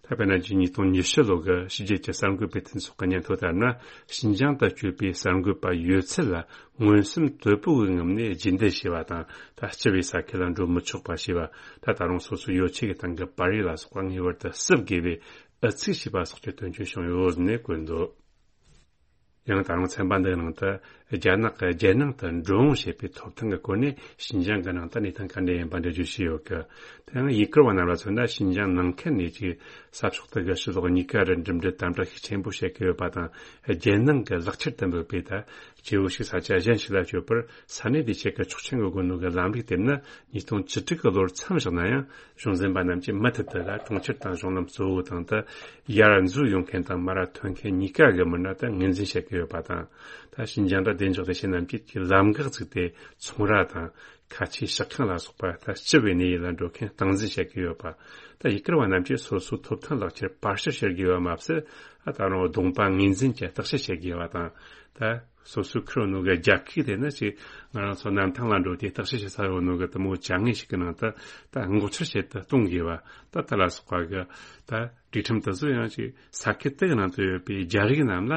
ད་དཔེར་ན་ཉིས་སྟོང་ཉི་ཤུ་ལོ་གི་ཕྱི་རྒྱལ་གྱི་གསར་འགོད་པའི་མཐུན་ཚོགས་ཀྱི་སྙན་ཐོ་ལྟར་ན། ཞིན་ཅང་དུ་བསྐྱོད་པའི་གསར་འགོད་པ་ཡོད་ཚད་ལ་མངོན་སུམ་དོད་པོ་གི་ངང་ནས་རྒྱུན་གཏན་བྱས་པ་དང་། ད་སྤྱི་པའི་ས་ཁུལ་ལ་འགྲོ་མི་ཆོག་པ་བྱས་པ། ད་ད་རུང་སོ་སོའི་ཡོ་ཆས་ཀྱི་སྟེང་གི་པར་རིས་ལ་སོགས་པ་ངེས་པར་དུ་བསུབ་དགོས་པའི་ཨུ་ཚུགས་བྱས་པ་སོགས་ཀྱི་དོན་རྐྱེན་བྱུང་ཡོད་ཟེར་ནས་བཀོད་འདུག་ཡང་ད་རུང་ཚན་པ་འདིའི་ནང་དུ་རྒྱ་ནག་གི་རྒྱལ་ནང་དུ་འགྲོ་འོང་བྱེད་པའི་ཐོབ་ཐང་གི་སྐོར་ནས་ཞིན་ཅང་གི་ནང་དུ་གནས་སྟངས་ག་འདྲ་ཡིན་པ་འགྲེལ་བརྗོད་བྱས་ཡོད་གི། དེ་ཡང་ཡུ་གུར་བ་རྣམས་ལ་མཚོན་ན། ཞིན་ཅང་ནང་ཁུལ་ནས་ཀྱི་ས་ཕྱོགས་དེ་གི་ཕྱི་ལོགས་གཉིས་ཀ་རུ་འགྲིམ་འགྲུལ་དམ་དྲག་ཤུགས་ཆེན་པོ་བྱེད་ཀྱི་ཡོད་པ་དང་། རྒྱལ་ནང་གི་ལག་ཁྱེར་དུ་འབོད་པའི་ད་སྐྱེ་བོ་ཞིག་ས་ཆ་གཞན་ཞིག་ལ་བསྐྱོད་པར་ས་གནས་དེ་ཆེད་ཀྱི་ཆོག་མཆན་གྱི་སྒོ་ནས་གི་ལམ་ལུགས་དེ་ནི་ཉིས་སྟོང་བཅུ་དྲུག་གི་ལོར་མཚམས་བཞག་ན་ཡང་། གཞུང་འཛིན་པ་རྣམས་ཀྱིས་མུ་མཐུད་དུ་ལ་གྲོང་ཁྱེར་དང་གཞུང་ལམ་གཙོ་བོའི་སྟེང་དུ་ཡར་འཛུལ་ཡོང་མཁན་དང་མར་ཐོན་མཁན་གཉིས་ཀ་གི་མི་སྣ་དེ་ངོས་འཛིན་བྱེད་ཀྱི་ཡོད་པ་དང་། ད་ཞིན་ཅང་དུ་བདེ་འཇགས་ལས་བྱེད་རྣམས་ཀྱིས་ཀྱི་ལམ་འགག་བཙུགས་ཏེ་ཚོང་ར་དང་། ཁ་ཆེའི་ཤག་ཁང་ལ་སོགས་པ་ད་སྤྱི་པའི་གནས་ཡུལ་ལ་འགྲོ་མཁན་སྟངས་འཛིན་བྱེད་ཀྱི་ཡོད་པ། ད་ཡུ་གུར་བ་རྣམས་ཀྱིས་སོ་སོའི་ཐོབ་ཐང་ལག་ཁྱེར་པར་ཞིག་བྱེད་དགོས་པ་མ་ཟད། ད་རུང་གདོང་པ་ངོས་འཛིན་གྱི་བརྟག་དཔྱད་བྱེད་དགོས་པ་དང་། ད་སོ་སོའི་ཁུར་ནོ་གི་རྒྱལ་ཁབ་དེ་ནི་ཅིག་ང་རང་ཚོ་གནམ་ཐང་ལ་འགྲོ་དེ་བརྟག་དཔྱད་བྱེད་ས་ཡོད་ནོ་གི་དེ་མོ་བྱ་དངོས་ཤིག་གི་ནང་དུ་ད་འགོག་ཆར་བྱེད་དུ་གཏོང་དགོས་པ། ད་དེ་ལ་སོགས་པ་གི་ད་སྒྲིག་ཁྲིམས་དེ་ཚོ་ཡང་ཅིག་ས་ཁུལ་དེ་གི་ནང་དུ་ཡོད་པའི་རྒྱ་རིགས་རྣམས་ལ་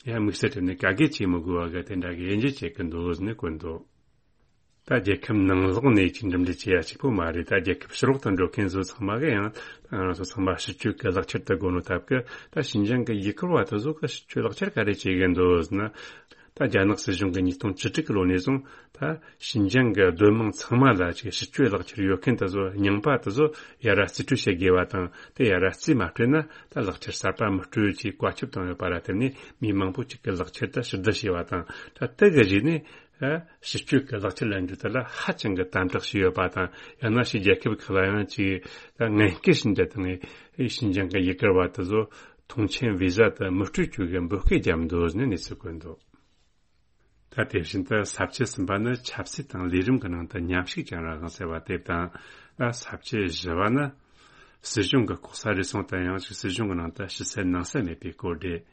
ཡང་དམིགས་བསལ་སྤྲད་ནས་ག་གེ་བྱེད་མི་དགོས་པ་གི་དེ་འདྲ་གི་དབྱེ་འབྱེད་བྱེད་ཀྱི་འདུག་ཟེར་ནས་བཀོད་འདུག་ད་རྒྱལ་ཁབ་ནང་ལོགས་ནས་ཅིག་འགྲིམ་འགྲུལ་བྱེད་ཡ་གཅིག་པོ་མ་རེད། ད་རྒྱལ་ཁབ་ཕྱི་ལོགས་དུ་འགྲོ་མཁན་ཚོ་ཚང་མ་གི་ཡང་ད་ང་རང་ཚོ་ཚང་མ་སྤྱི་སྤྱོད་ཀྱི་ལག་ཁྱེར་དུ་དགོས་ནོ་སྟབས་ཀྱིས། ད་ཞིན་ཅང་གི་ཡུ་གུར་བ་དེ་ཚོ་གི་སྤྱི་སྤྱོད་ལག་ཁྱེར་ག་རེ་བྱེད་གི་འདུག་ཟེར་ན། ད་རྒྱ་ནག་སྲིད་གཞུང་གི་ཉིས་སྟོང་བཅུ་དྲུག་གི་ལོ་ནས་བཟུང་ད་ཞིན་ཅང་གི་སྡོད་དམངས་ཚང་མ་ལ་ཅིག་སྤྱི་སྤྱོད་ལག་ཁྱེར་ཡོད་མཁན་དེ་ཚོ་རྙིང་པ་དེ་ཚོ་ཡར་ར་རྩིས་སྤྲོད་བྱེད་དགོས་པ་དང་། དེ་ཡར་ར་རྩིས་མ་སྤྲོད་ན་ད་ལག་ཁྱེར་གསར་པ་མི་སྤྲོད་ཅེས་བཀའ་ཁྱབ་བཏང་ཡོད་པ་ལ་བརྟེན་ནས། མི་མང་པོ་ཅིག་གི་ལག་ཁྱེར་དེ་ཕྱིར་བསྡུ་བྱས་པ་དང་། ད་དེ་གི་རྗེས་ནས། ཨ། སྤྱི་སྤྱོད་ཀྱི་ལག་ཁྱེར་ལེན་རྒྱུ་དེ་ལ་ཧ་ཅང་གི་དམ་དྲག་བྱས་ཡོད་པ་དང་། ཡང་ན་ཕྱི་རྒྱལ་ཁབ་ཁག་ལ་ཡང་ཅིག་ད་ངན་སྐུལ་བྱས་འདྲ་དང་། ཨེ། ཞིན་ཅང་གི་ཡུ་གུར་བ་དེ་ཚོ་ཐོངས་མཆན་བི་ཟ་དེ་མི་སྤྲོད་རྒྱུ་གི་འབོད་སྐུལ་བརྒྱབ་འདུག་ཟེར་ནས་གནས་ཚུལ་བཀོད་འདུག་ད་དེ་བཞིན་དུ་ས་བཅད་གསུམ་པ་ནི་ཆབ་སྲིད་དང་ལས་རིམ་གྱི་ནང་དུ་མཉམ་ཞུགས་ཀྱང་རང་དབང་ཟེར་བ་དེ་དང་། ཨ། ས་བཅད་བཞི་པ་ནི། སྲིད་གཞུང་གི་ལྐོག་ཟ་རུལ་སུངས་དང་། ཡང་ཅིག་སྲིད་གཞུང་གི་ནང་དུ་ཕྱི་གསལ་ནང་གསལ་མེད་པའི་སྐོར་རེད།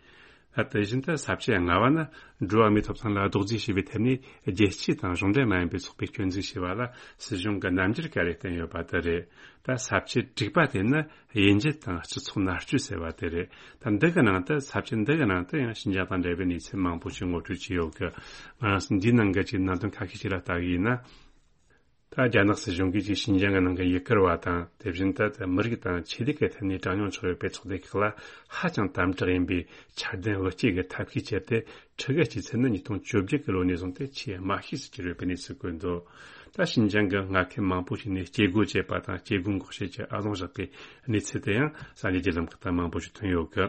ཨ། དེ་བཞིན་དུ་ས་བཅད་ལྔ་པ་ནི། འགྲོ་བ་མིའི་ཐོབ་ཐང་ལ་རྡོག་རྫིས་བྱས་པའི་ཐད་ནས་རྒྱལ་སྤྱི་དང་གཞུང་འབྲེལ་མ་ཡིན་པའི་ཚོགས་པས་སྐྱོན་འཛུགས་བྱས་པ་ལ་སྲིད་གཞུང་གིས་རྣམ་འགྱུར་ག་རེ་བསྟན་ཡོད་པ་དེ་རེད། ད་ས་བཅད་དྲུག་པ་དེ་ནི་དབྱེ་འབྱེད་དང་སྤྱི་ཚོགས་མནར་གཅོད་ཟེར་བ་དེ་རེད། ད་འདི་གི་ནང་དུ། ས་བཅད་འདི་གི་ནང་དུ་ཡང་ཞིན་ཅང་དང་འབྲེལ་བའི་གནས་ཚུལ་མང་པོ་ཞིག་ངོ་སྤྲོད་བྱས་ཡོད་གི། ང་རང་ཚོ་འདིའི་ནང་གི་ཅིག་གནད་དོན་ཁ་ཤས་ཤིག་ལ་ལྟ་གི་ཡིན་ན། ད་རྒྱ་ནག་སྲིད་གཞུང་གིས་ཅིག་ཞིན་ཅང་གི་ནང་གི་ཡུ་གུར་བ་དང་། དེ་བཞིན་དུ་ད་མི་རིགས་དང་ཆོས་ལུགས་ཀྱི་ཐད་ནས་གྲངས་ཉུང་ཆགས་ཡོད་པའི་ཚོགས་སྡེ་ཁག་ལ་ཧ་ཅང་དམ་དྲག་ཡིན་པའི་འཆར་ལྡན་དབུ་སྐྱེས་ཀྱི་ཐབས་ཤེས་སྤྱད་དེ། ཁྲི་གི་སྤྱི་ཚད་ནི་ཉིས་སྟོང་བཅོ་བརྒྱད་ཀྱི་ལོ་ནས་བཟུང་སྟེ་ཆེས་དམའ་ཤོས་སུ་གྱུར་ཡོད་པའི་གནས་ཚུལ་བཀོད་འདུག་ད་ཞིན་ཅང་གི་མངའ་ཁུལ་མང་པོ་ཞིག་ནས་སྐྱེ་སྒོ་བཅད་པ་དང་། སྐྱེ་སྒོ་འགོག་བྱེད་ཀྱི་ཨ་ལོང་བཞག་པའི་གནས་ཚུལ་དེ་ཡང་གསར་འགྱུར་བརྒྱུད་ལམ་ཁག་ཏུ་མང་པོ་ཞིག་ཐོན་ཡོད་གི།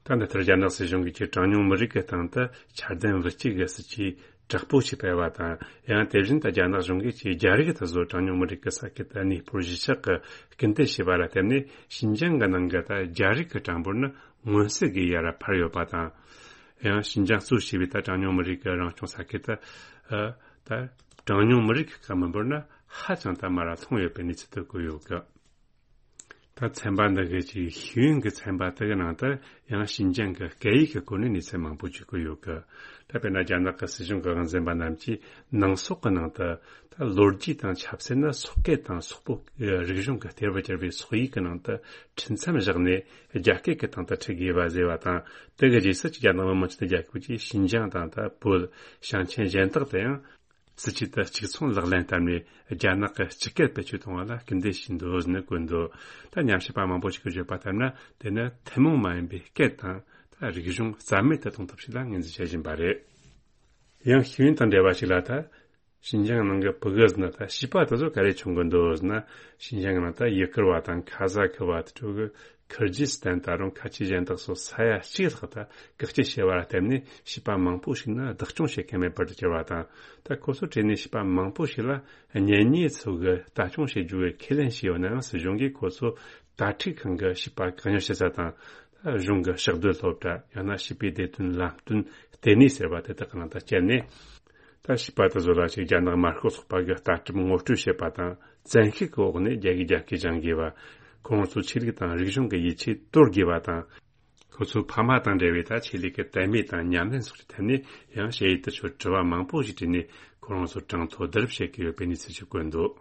ད་འདི་ལྟར་རྒྱ་ནག་སྲིད་གཞུང་གིས་ཀྱི་གྲངས་ཉུང་མི་རིགས་ཀྱི་སྟེང་དུ་འཆར་ལྡན་དབུ་སྐྱེས་ཀྱི་སྲིད་ཇུས་དྲག་པོ་ཞིག་སྤེལ་བ་དང་། ཡང་དེ་བཞིན་དུ་རྒྱ་ནག་གཞུང་གིས་ཀྱི་རྒྱ་རིགས་དེ་ཚོ་གྲངས་ཉུང་མི་རིགས་ཀྱི་ས་ཁུལ་དུ་གནས་སྤོར་གཞིས་ཆགས་ཀྱི་སྐུལ་འདེད་བྱས་པ་ལ་བརྟེན་ནས། ཞིན་ཅང་གི་ནང་གི་ད་རྒྱ་རིགས་ཀྱི་གྲངས་འབོར་ནི་མངོན་གསལ་གྱིས་ཡར་འཕར་ཡོད་པ་དང་། ཡང་ཞིན་ཅང་གཙོ་བྱས་པའི་ད་གྲངས་ཉུང་མི་རིགས་ཀྱི་རང་སྐྱོང་ས་ཁུལ་དུ། ཨ། ད་གྲངས་ཉུང་མི་རིགས་ཀྱི་མི་འབོར་ནི་ཧ་ཅང་དུ་མར་ལྷུང་ཡོད་པའི་གནས་ཚུལ་དེ་བཀོད་ཡོད་གི། ད་ཚན་པ་འདི་གི་ཅིག་ཤེས་ཡོན་གྱི་ཚན་པ་དེ་གི་ནང་དུ་ཡང་ཞིན་ཅང་གི་སྐད་ཡིག་གི་སྐོར་ནས་གནས་ཚུལ་མང་པོ་ཅིག་བཀོད་ཡོད་གི། ད་དཔེར་ན་རྒྱ་ནག་གི་སྲིད་གཞུང་གི་དབང་འཛིན་པ་རྣམས་ཀྱིས་ནང་སོག་གི་ནང་དུ། ད་ལོ་རྒྱུས་དང་ཆབ་སྲིད་ནི་སོག་སྐད་དང་སོག་པོ་རིག་གཞུང་གི་གཏེར་དུ་གྱུར་པའི་སོག་ཡིག་གི་ནང་དུ་ཁྲིད་མཚམས་བཞག་ནས་རྒྱ་སྐད་ཀྱི་སྟེང་དུ་ཁྲིད་དགོས་པ་ཟེར་བ་དང་། དེ་གི་རྗེས་སུ་ཅིག་རྒྱ་ནག་མི་དམངས་སྤྱི་མཐུན་རྒྱལ་ཁབ་ཀྱིས་ཞིན་ཅང་དང་། ད་བོད། ཞིང་ཆེན་གཞན་དག་ཏུ་ཡང་། སྲིད་ཇུས་དེ་གཅིག་མཚུངས་ལག་ལེན་བསྟར་ནས། རྒྱ་ནག་གི་སྤྱི་སྐད་བེད་སྤྱོད་གཏོང་བ་ལ་སྐུལ་འདེད་བྱས་འདུག་ཟེར་ནས་བཀོད་འདུག་ད་ཉམས་ཞིབ་པ་མང་པོ་ཞིག་གིས་བརྗོད་པ་ལྟར་ན། དེ་ནི་ཐུན་མོང་མ་ཡིན་པའི་སྐད་དང་། ད་རིག་གཞུང་རྩ་མེད་དུ་གཏོང་ཐབས་ཤིག་ལ་ངོས་འཛིན་བྱེད་བཞིན་པ་རེད། ཡང་ཤེས་ཡོན་དང་འབྲེལ་བ་ཞིག་ལ། ད་ཞིན་ཅང་ནང་གི་ཕྲུ་གུ་ཟེར་ན། ད་བྱིས་པ་དེ་ཚོ་ག་རེ་བྱུང་གི་འདུག་ཟེར་ན། ཞིན་ཅང་ནང་ད་ཡུ་གུར་བ་དང་ཁ་ཟ་གི་བ། དེ་ཕྲུ་གུ། ཁིར་ཇི་སི་ཐན། ད་རུང་ཁ་ཆེ་གཞན་དག་སོགས་ས་ཡ་གཅིག་ལྷག་ད་བཀག་སྐྱིལ་བྱས་པ་ལ་བརྟེན་ནས། བྱིས་པ་མང་པོ་ཞིག་ནི་བདག་སྐྱོང་བྱེད་མཁན་མེད་པར་གྱུར་བ་དང་། ད་ཁོ་ཚོ་གྲས་ནས་བྱིས་པ་མང་པོ་ཞིག་ལ་གཉེན་ཉེ་ཚོ་གིས་ལྟ་སྐྱོང་བྱེད་རྒྱུ་གི་ཁས་ལེན་བྱས་ཡོད་ནའང་། སྲིད་གཞུང་གིས་ཁོ་ཚོ་དྭ་ཕྲུག་ཁང་གི་བྱིས་པ་བཀག་ཉར་བྱེད་ས་དང་། ད་གཞུང་གི་ཕྱག་སྡོད་སློབ་གྲྭ། ཡང་ན་བྱིས་པའི་བདེ་དོན་ལམ་སྟོན་ལྟེ་གནས་ཟེར་བ་དེ་དག་གི་ནང་དུ་བསྐྱལ་ནས། ད་བྱིས་པ་དེ་ཚོ་ལ་ཅིག་རྒྱ་ནག་དམར་ཤོག་ཚོགས་པ་གི་ལྟ་གྲུབ་ངོ་སྤྲོད་བྱེད་པ་དང་། བཙན་ཤུགས་ཀྱི་འོག་ནས་རྒྱ་གིས་རྒྱ་སྐད་སྦྱང་དགོས་པ། ཁོ་རང་ཚོའི་ཆོས་ལུགས་དང་རིག་གཞུང་གི་ཡིད་ཆེས་དོར་དགོས་པ་དང་། ཁོ་ཚོའི་ཕ་མ་དང་འབྲེལ་བའི་ད་ཆོས་ལུགས་ཀྱི་དད་མོས་དང་ཉམས་ལེན་སོགས་ཀྱི་ཐད་ནས་ཡང་ཞུ་ཡིག་དེ་ཚོར་དྲི་བ་མང་པོ་ཞིག་དྲིས་ནས། ཁོ་རང་ཚོར་གྲངས་ཐོ་བསྡུ་རུབ་བྱེད་ཀྱི་ཡོད་པའི་གནས་ཚུལ་ཞིག་བཀོད་འདུག་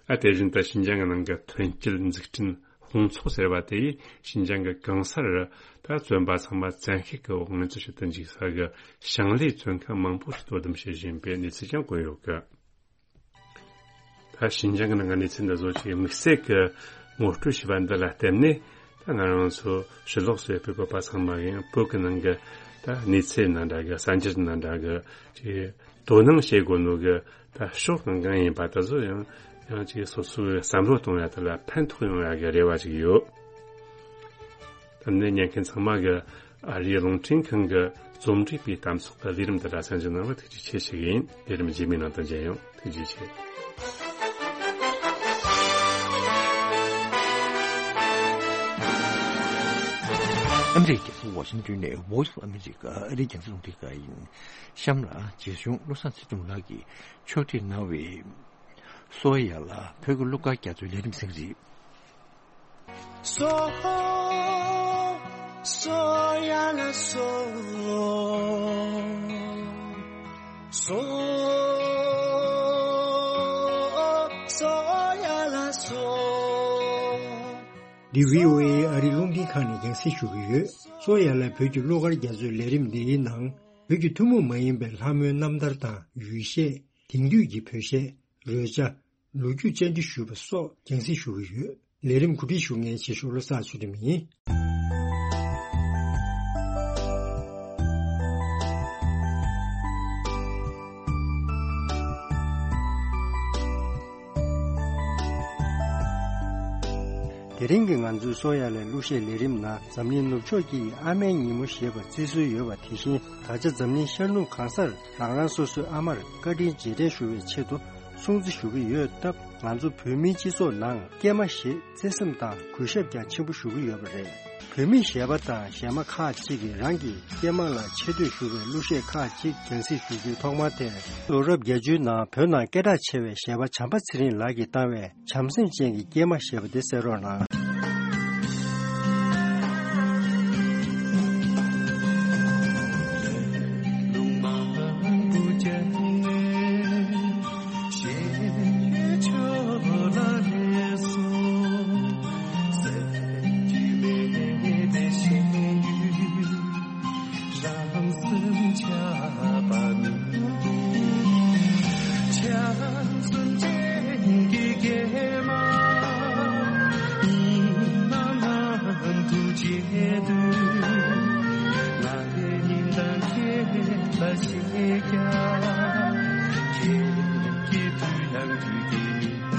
ཨ། དེ་བཞིན་དུ་ཞིན་ཅང་གི་ནང་གི་ཐོན་སྐྱེད་འཛུགས་སྐྲུན་དཔུང་ཚོགས་ཟེར་བ་དེ་ཡིས་ཞིན་ཅང་གི་གང་སར་ད་བཙོན་པ་ཚང་མ་བཙན་ཤེད་ཀྱི་འོག་ངལ་རྩོལ་བྱེད་དུ་འཇུག་ས་གི་ཞིང་ལས་བཙོན་ཁང་མང་པོ་ཞིག་དོ་དམ་བྱེད་བཞིན་པའི་གནས་ཚུལ་ཀྱང་བཀོད་ཡོད་གི། ད་ཞིན་ཅང་གི་ནང་གི་གནས་ཚུལ་འདི་ཚོ་ཅིག་དམིགས་བསལ་གྱི་ངོ་སྤྲོད་བྱས་པ་འདི་ལ་བརྟེན་ནས། ད་ང་རང་ཚོ་ཕྱི་ལོགས་སུ་ཡོད་པའི་བོད་པ་ཚང་མ་གིས་ཡང་བོད་ཀྱི་ནང་གི་ད་གནས་ཚུལ་ནང་འདྲ་གི། གསར་འགྱུར་ནང་འདྲ་གི་ཅིག་དོ་སྣང་བྱེད་དགོས་ནོ་གི། ད་ཕྱོགས་གང་གང་ཡིན་པ་དེ་ཚོ་ཡང་ཡང་ཅིག་སོ་སོའི་བསམ་བློ་གཏོང་ཡ་དེ་ལ་ཕན་ཐོགས་ཡོང་ཡ་གི་རེ་བ་ཅིག་ཡོད། ད་ནི་ཉན་མཁན་ཚང་མ་གི་ཨ་རིའི་རླུང་འཕྲིན་ཁང་གི་རྩོམ་སྒྲིག་པའི་གཏམ་ཚོགས་ཀྱི་ལས་རིམ་འདི་ལ་གསན་གཟིགས་གནང་བར་ཐུགས་རྗེ་ཆེ་ཞུ་གི་ཡིན། ལས་རིམ་རྗེས་མའི་ནང་དུ་མཇལ་ཡོང་། ཐུགས་རྗེ་ཆེ། ཨ་མི་རི་ཀའི་རྒྱལ་ས་ཝ་ཤིང་ཏོན་ནས་Voice of America ཨ་རིའི་རྒྱང་སྲིང་རླུང་འཕྲིན་ཁང་ཡིན། གཤམ་ལ་རྗེ་གཞུང་བློ་བཟང་ཚེ་རིང་ལགས་ཀྱིས་ཕྱོགས་སྒྲིག་གནང་བའི། སོ་ཡ་ལ་བོད་ཀྱི་གླུ་གར་རྒྱ་མཚོའི་ལས་རིམ་ཟིན་རེད། སོ། སོ་ཡ་ལ་སོ། སོ། སོ་ཡ་ལ་སོ། འདི་བྷི་ཨོ་ཨེ་ཨ་རིའི་རླུང་འཕྲིན་ཁང་ནས་རྒྱང་སྲིང་ཞུ་གི་ཡོད། སོ་ཡ་ལ་བོད་ཀྱི་གླུ་གར་རྒྱ་མཚོའི་ལས་རིམ་འདིའི་ནང་། བོད་ཀྱི་ཐུན་མོང་མ་ཡིན་པའི་ལྷ་མོའི་རྣམ་ཐར་དང་ཡུལ་གཞས། དེང་དུས་ཀྱི་བོད་གཞས། རོལ་ཆ། ལོ་རྒྱུས་བཅར་འདྲི་ཞུས་པ་སོགས་རྒྱང་སྲིང་ཞུ་གི་ཡོད། ལས་རིམ་གོ་སྒྲིག་ཞུ་མཁན་ཆེ་ཤོས་བློ་བཟང་ཆོས་སྒྲོན་ཡིན། དེ་རིང་གི་ང་ཚོའི་གསོ་ཡ་ལས་གླུ་གཞས་ལས་རིམ་ནང་འཛམ་གླིང་ནུབ་ཕྱོགས་ཀྱི་ཨ་མའི་ཉིན་མོ་ཞེས་པ་བརྩི་སྲོལ་ཡོད་པ། དེ་བཞིན་ད་ཆ་འཛམ་གླིང་ཤར་ནུབ་གང་སར་རང་རང་སོ་སོའི་ཨ་མར་བཀའ་དྲིན་རྗེས་དྲན་ཞུ་བའི་ཆེད་དུ་སྲུང་བརྩི་ཞུ་གི་ཡོད་སྟབས། ང་ཚོ་བོད་མིའི་སྤྱི་ཚོགས་ནང་སྐྱེས་མ་ཞེས་བརྩི་སེམས་དང་གུས་ཞབས་ཀྱང་ཆེན་པོ་ཞུ་གི་ཡོད་པ་རེད། བོད་མི་གཞས་པ་དང་གཞས་མ་ཁག་ཅིག་གིས་རང་གི་སྐྱེས་མ་ལ་ཆེ་བསྟོད་ཞུ་བའི་གླུ་གཞས་ཁག་ཅིག་རྒྱང་སྲིང་ཞུ་རྒྱུའི་ཐོག་མ་དེར། ལོ་རབས་བརྒྱད་ཅུའི་ནང་བོད་ནང་སྐད་གྲགས་ཆེ་བའི་གཞས་པ་བྱམས་པ་ཚེ་རིང་ལགས་ཀྱིས་བཏང་བའི་བྱམས་སེམས་ཅན་གྱི་སྐྱེས་མ་ཞེས་པ་དེ་གསན་རོགས་གནང་། རང་སེམས་ཆགས་པ་མིན་འདུག་བྱམས་སེམས་ཅན་གྱི་སྐྱེས་མ་ཡིན་ནམ་ལམ་དུ་བརྗེད་དུས། ང་རའི་སྙིང་གཏམ་ཁྱེད་ལ་བཤད་ཀྱང་། ཁྱེད་ཀྱི་དུས་ཡང་དུས་ཀྱི་མི།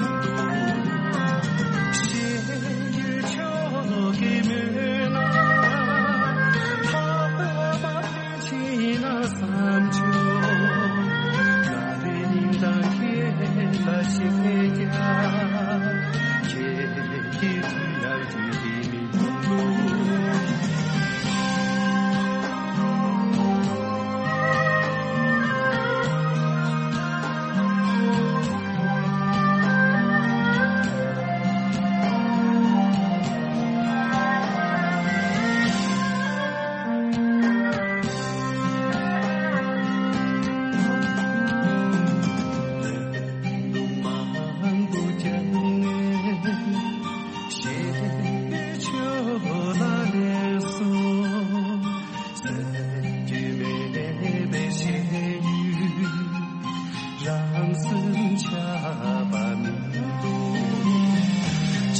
རང་སེམས་ཆགས་པ་མི་འདུག་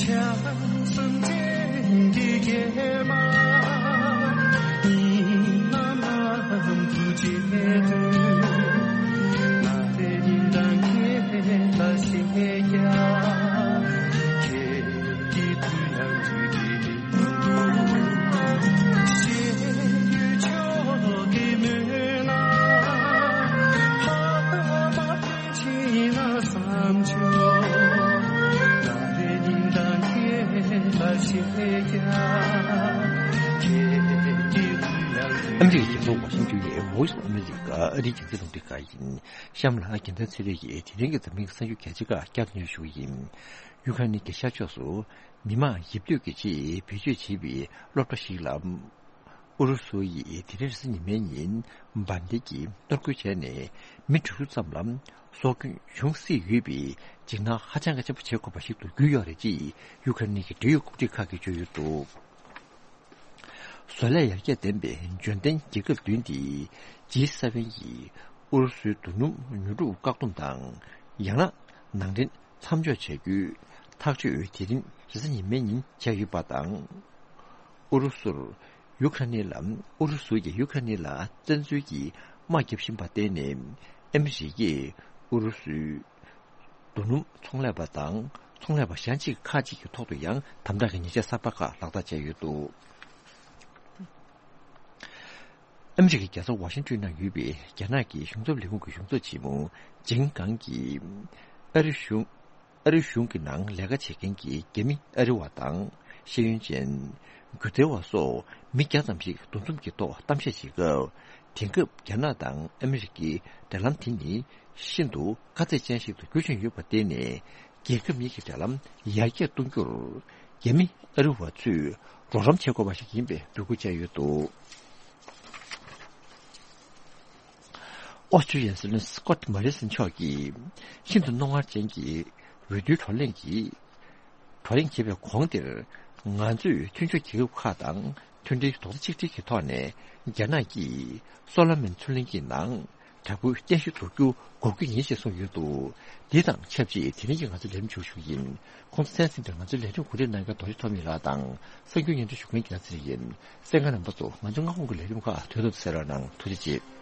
བྱམས་སེམས་ཅན་གྱི་སྐྱེས་མ་ཡིན་ནམ་ལམ་དུ་བརྗེད་དུས། ང་རའི་སྙིང་གཏམ་ཁྱེད་ལ་བཤད་ཀྱང་། ཁྱེད་ཀྱི་དུས་ཡང་དུས་ཀྱི་མི། ཨ་མི་རི་ཀའི་རྒྱལ་ས་ཝ་ཤིང་ཊོན་ཡི་Voice of America ཨ་རིའི་རྒྱང་སྲིང་རླུང་འཕྲིན་ཁང་ཡིན། གཤམ་ལ་རྒྱལ་མཚན་ཚེ་རིང་གིས་དེ་རིང་གི་འཛམ་གླིང་གི་གསར་འགྱུར་གལ་ཆེ་ཁག་བསྐྱར་དུ་སྙན་ཞུ་གི་ཡིན། ཡུ་ཁ་རེན་གྱི་ཤར་ཕྱོགས་སུ་མི་མང་ཡིབ་སྡོད་ཀྱི་ཆེད་བེད་སྤྱོད་བྱེད་པའི་སློབ་གྲྭ་ཞིག་ལ། ཨུ་རུ་སུ་ཡིས་དེ་རིང་རེས་གཟའ་ཉི་མའི་ཉིན་འབར་མདེལ་གྱིས་གཏོར་རྒོལ་བྱས་ནས། མི་དྲུག་ཅུ་ཙམ་ལ་སྲོག་སྐྱོན་བྱུང་སྲིད་ཡོད་པའི་འཇིགས་སྣང་ཧ་ཅང་གི་ཆེན་པོ་བྱེད་དགོས་པ་ཞིག་ཏུ་གྱུར་ཡོད་རེད་ཅེས་ཡུ་ཁ་རེན་གྱི་འབྲེལ་ཡོད་འགོ་ཁྲིད་ཁག་གིས་བརྗོད་ཡོད་འདུག་བཟོ་ལས་ཡར་རྒྱས་ལྡན་པའི་འབྱོར་ལྡན་རྒྱལ་ཁབ་བདུན་ཏེ་ཇི་སེ་ཝེན་ཡིས་ཨུ་རུ་སུའི་རྡོ་སྣུམ་ཉོ་སྒྲུབ་བཀག་སྡོམ་དང་། ཡང་ན་ནང་འདྲེན་མཚམས་འཇོག་བྱ་རྒྱུའི་ཐག་གཅོད་དེ་རིང་རེས་གཟའ་ཉི་མའི་ཉིན་བྱས་ཡོད་པ་དང་། ཨུ་རུ་སུར་ཡུ་ཁ་རེན་ལ། ཨུ་རུ་སུ་ཡིས་ཡུ་ཁ་རེན་ལ་བཙན་འཛུལ་གྱིས་དམག་བརྒྱབ་བཞིན་པར་བརྟེན་ནས། ཨ་མི་རི་ཀས་ཨུ་རུ་སུའི་རྡོ་སྣུམ་ཚོང་ལས་པ་དང་ཚོང་ལས་པ་གཞན་གཅིག་ཁག་ཅིག་གི་ཐོག་ཏུ་ཡང་དམ་དྲག་གི་ཉེས་ཆད་གསར་པ་ཁག་ལག་བསྟར་བྱས་ཡོད་འདུག་ཨ་མི་རི་ཀའི་རྒྱལ་ས་ཝ་ཤིང་ཏོན་ནང་ཡོད་པའི་རྒྱ་ནག་གི་གཞུང་ཚབ་ལས་ཁུངས་ཀྱི་གཞུང་ཚབ་ཆེན་མོ་ཇིང་གང་གིས། ཨ་རི་གཞུང་། ཨ་རི་གཞུང་གི་ནང་ལས་ཀ་བྱེད་མཁན་གྱི་རྒྱ་མི་ཨ་རི་བ་དང་ཤེས་ཡོན་ཅན། སྒྱུ་རྩལ་བ་སོགས་མི་བརྒྱ་ཙམ་ཞིག་འདུ་འཛོམས་ཀྱི་ཐོག་གཏམ་བཤད་བྱེད་སྐབས། དེང་སྐབས་རྒྱ་ནག་དང་ཨ་མི་རི་ཀའི་འབྲེལ་ལམ་དེ་ནི་ཤིན་ཏུ་དཀའ་ཚེགས་ཅན་ཞིག་ཏུ་འགྱུར་བཞིན་ཡོད་པར་བརྟེན་ནས། རྒྱལ་ཁབ་གཉིས་ཀྱི་འབྲེལ་ལམ་ཡར་རྒྱས་གཏོང་རྒྱུར། རྒྱ་མི་ཨ་རི་བ་ཚོས་རོགས་རམ་བྱེད་དགོས་པ་ཞིག་ཡིན་པའི་འབོད་སྐུལ་བྱས་ཡོད་འདུག་ཨོ་སི་ཀྲི་ཡའི་སྲིད་བློན་སི་ཀོཊ་མོ་རི་སན་མཆོག་གིས། ཤིན་ཏུ་རྣོ་ངར་ཅན་གྱི་འོས་བསྡུའི་བགྲོ་གླེང་གིས། བགྲོ་གླེང་བྱེད་པའི་གོང་དེར། ང་ཚོས་མཐུན་ཕྱོགས་རྒྱལ་ཁབ་ཁག་དང་མཐུན་སྒྲིལ་རྡོག་རྩ་གཅིག་སྒྲིལ་གྱི་ཐོག་ནས། རྒྱ་ནག་གིས་སོ་ལོ་མོན་མཚོ་གླིང་གི་ནང་ དྲག་པོའི་བརྟན་བཞུགས་འདོགས་རྒྱུ་འགོག་རྒྱུ་ཡིན་ཞེས་གསུངས་ཡོད་འདུག་འདི་དང་ཆབས་ཅིག་དེ་རིང་གི་ང་ཚོའི་ལས་རིམ་མཇུག་ཞུ་ཡིན། ཁོང་ཚོ་གསན་གཟིགས་དང་ང་ཚོའི་ལས་རིམ་གོ་སྒྲིག་གནང་མཁན་རྡོ་རྗེ་ཐོགས་མེད་ལགས་དང་གསར་འགྱུར་སྙན་སྒྲོན་ཞུ་མཁན་རྒྱལ་ཚེ་རིང་ཡིན། གསན་མཁན་རྣམ་པ་ཚོ་ང་ཚོའི་སྔ་དགོང་གི་ལས་རིམ་ཁག་དོན་དུ་གསན་རོགས་གནང་། ཐུགས་རྗེ་ཆེ།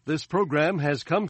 This program has come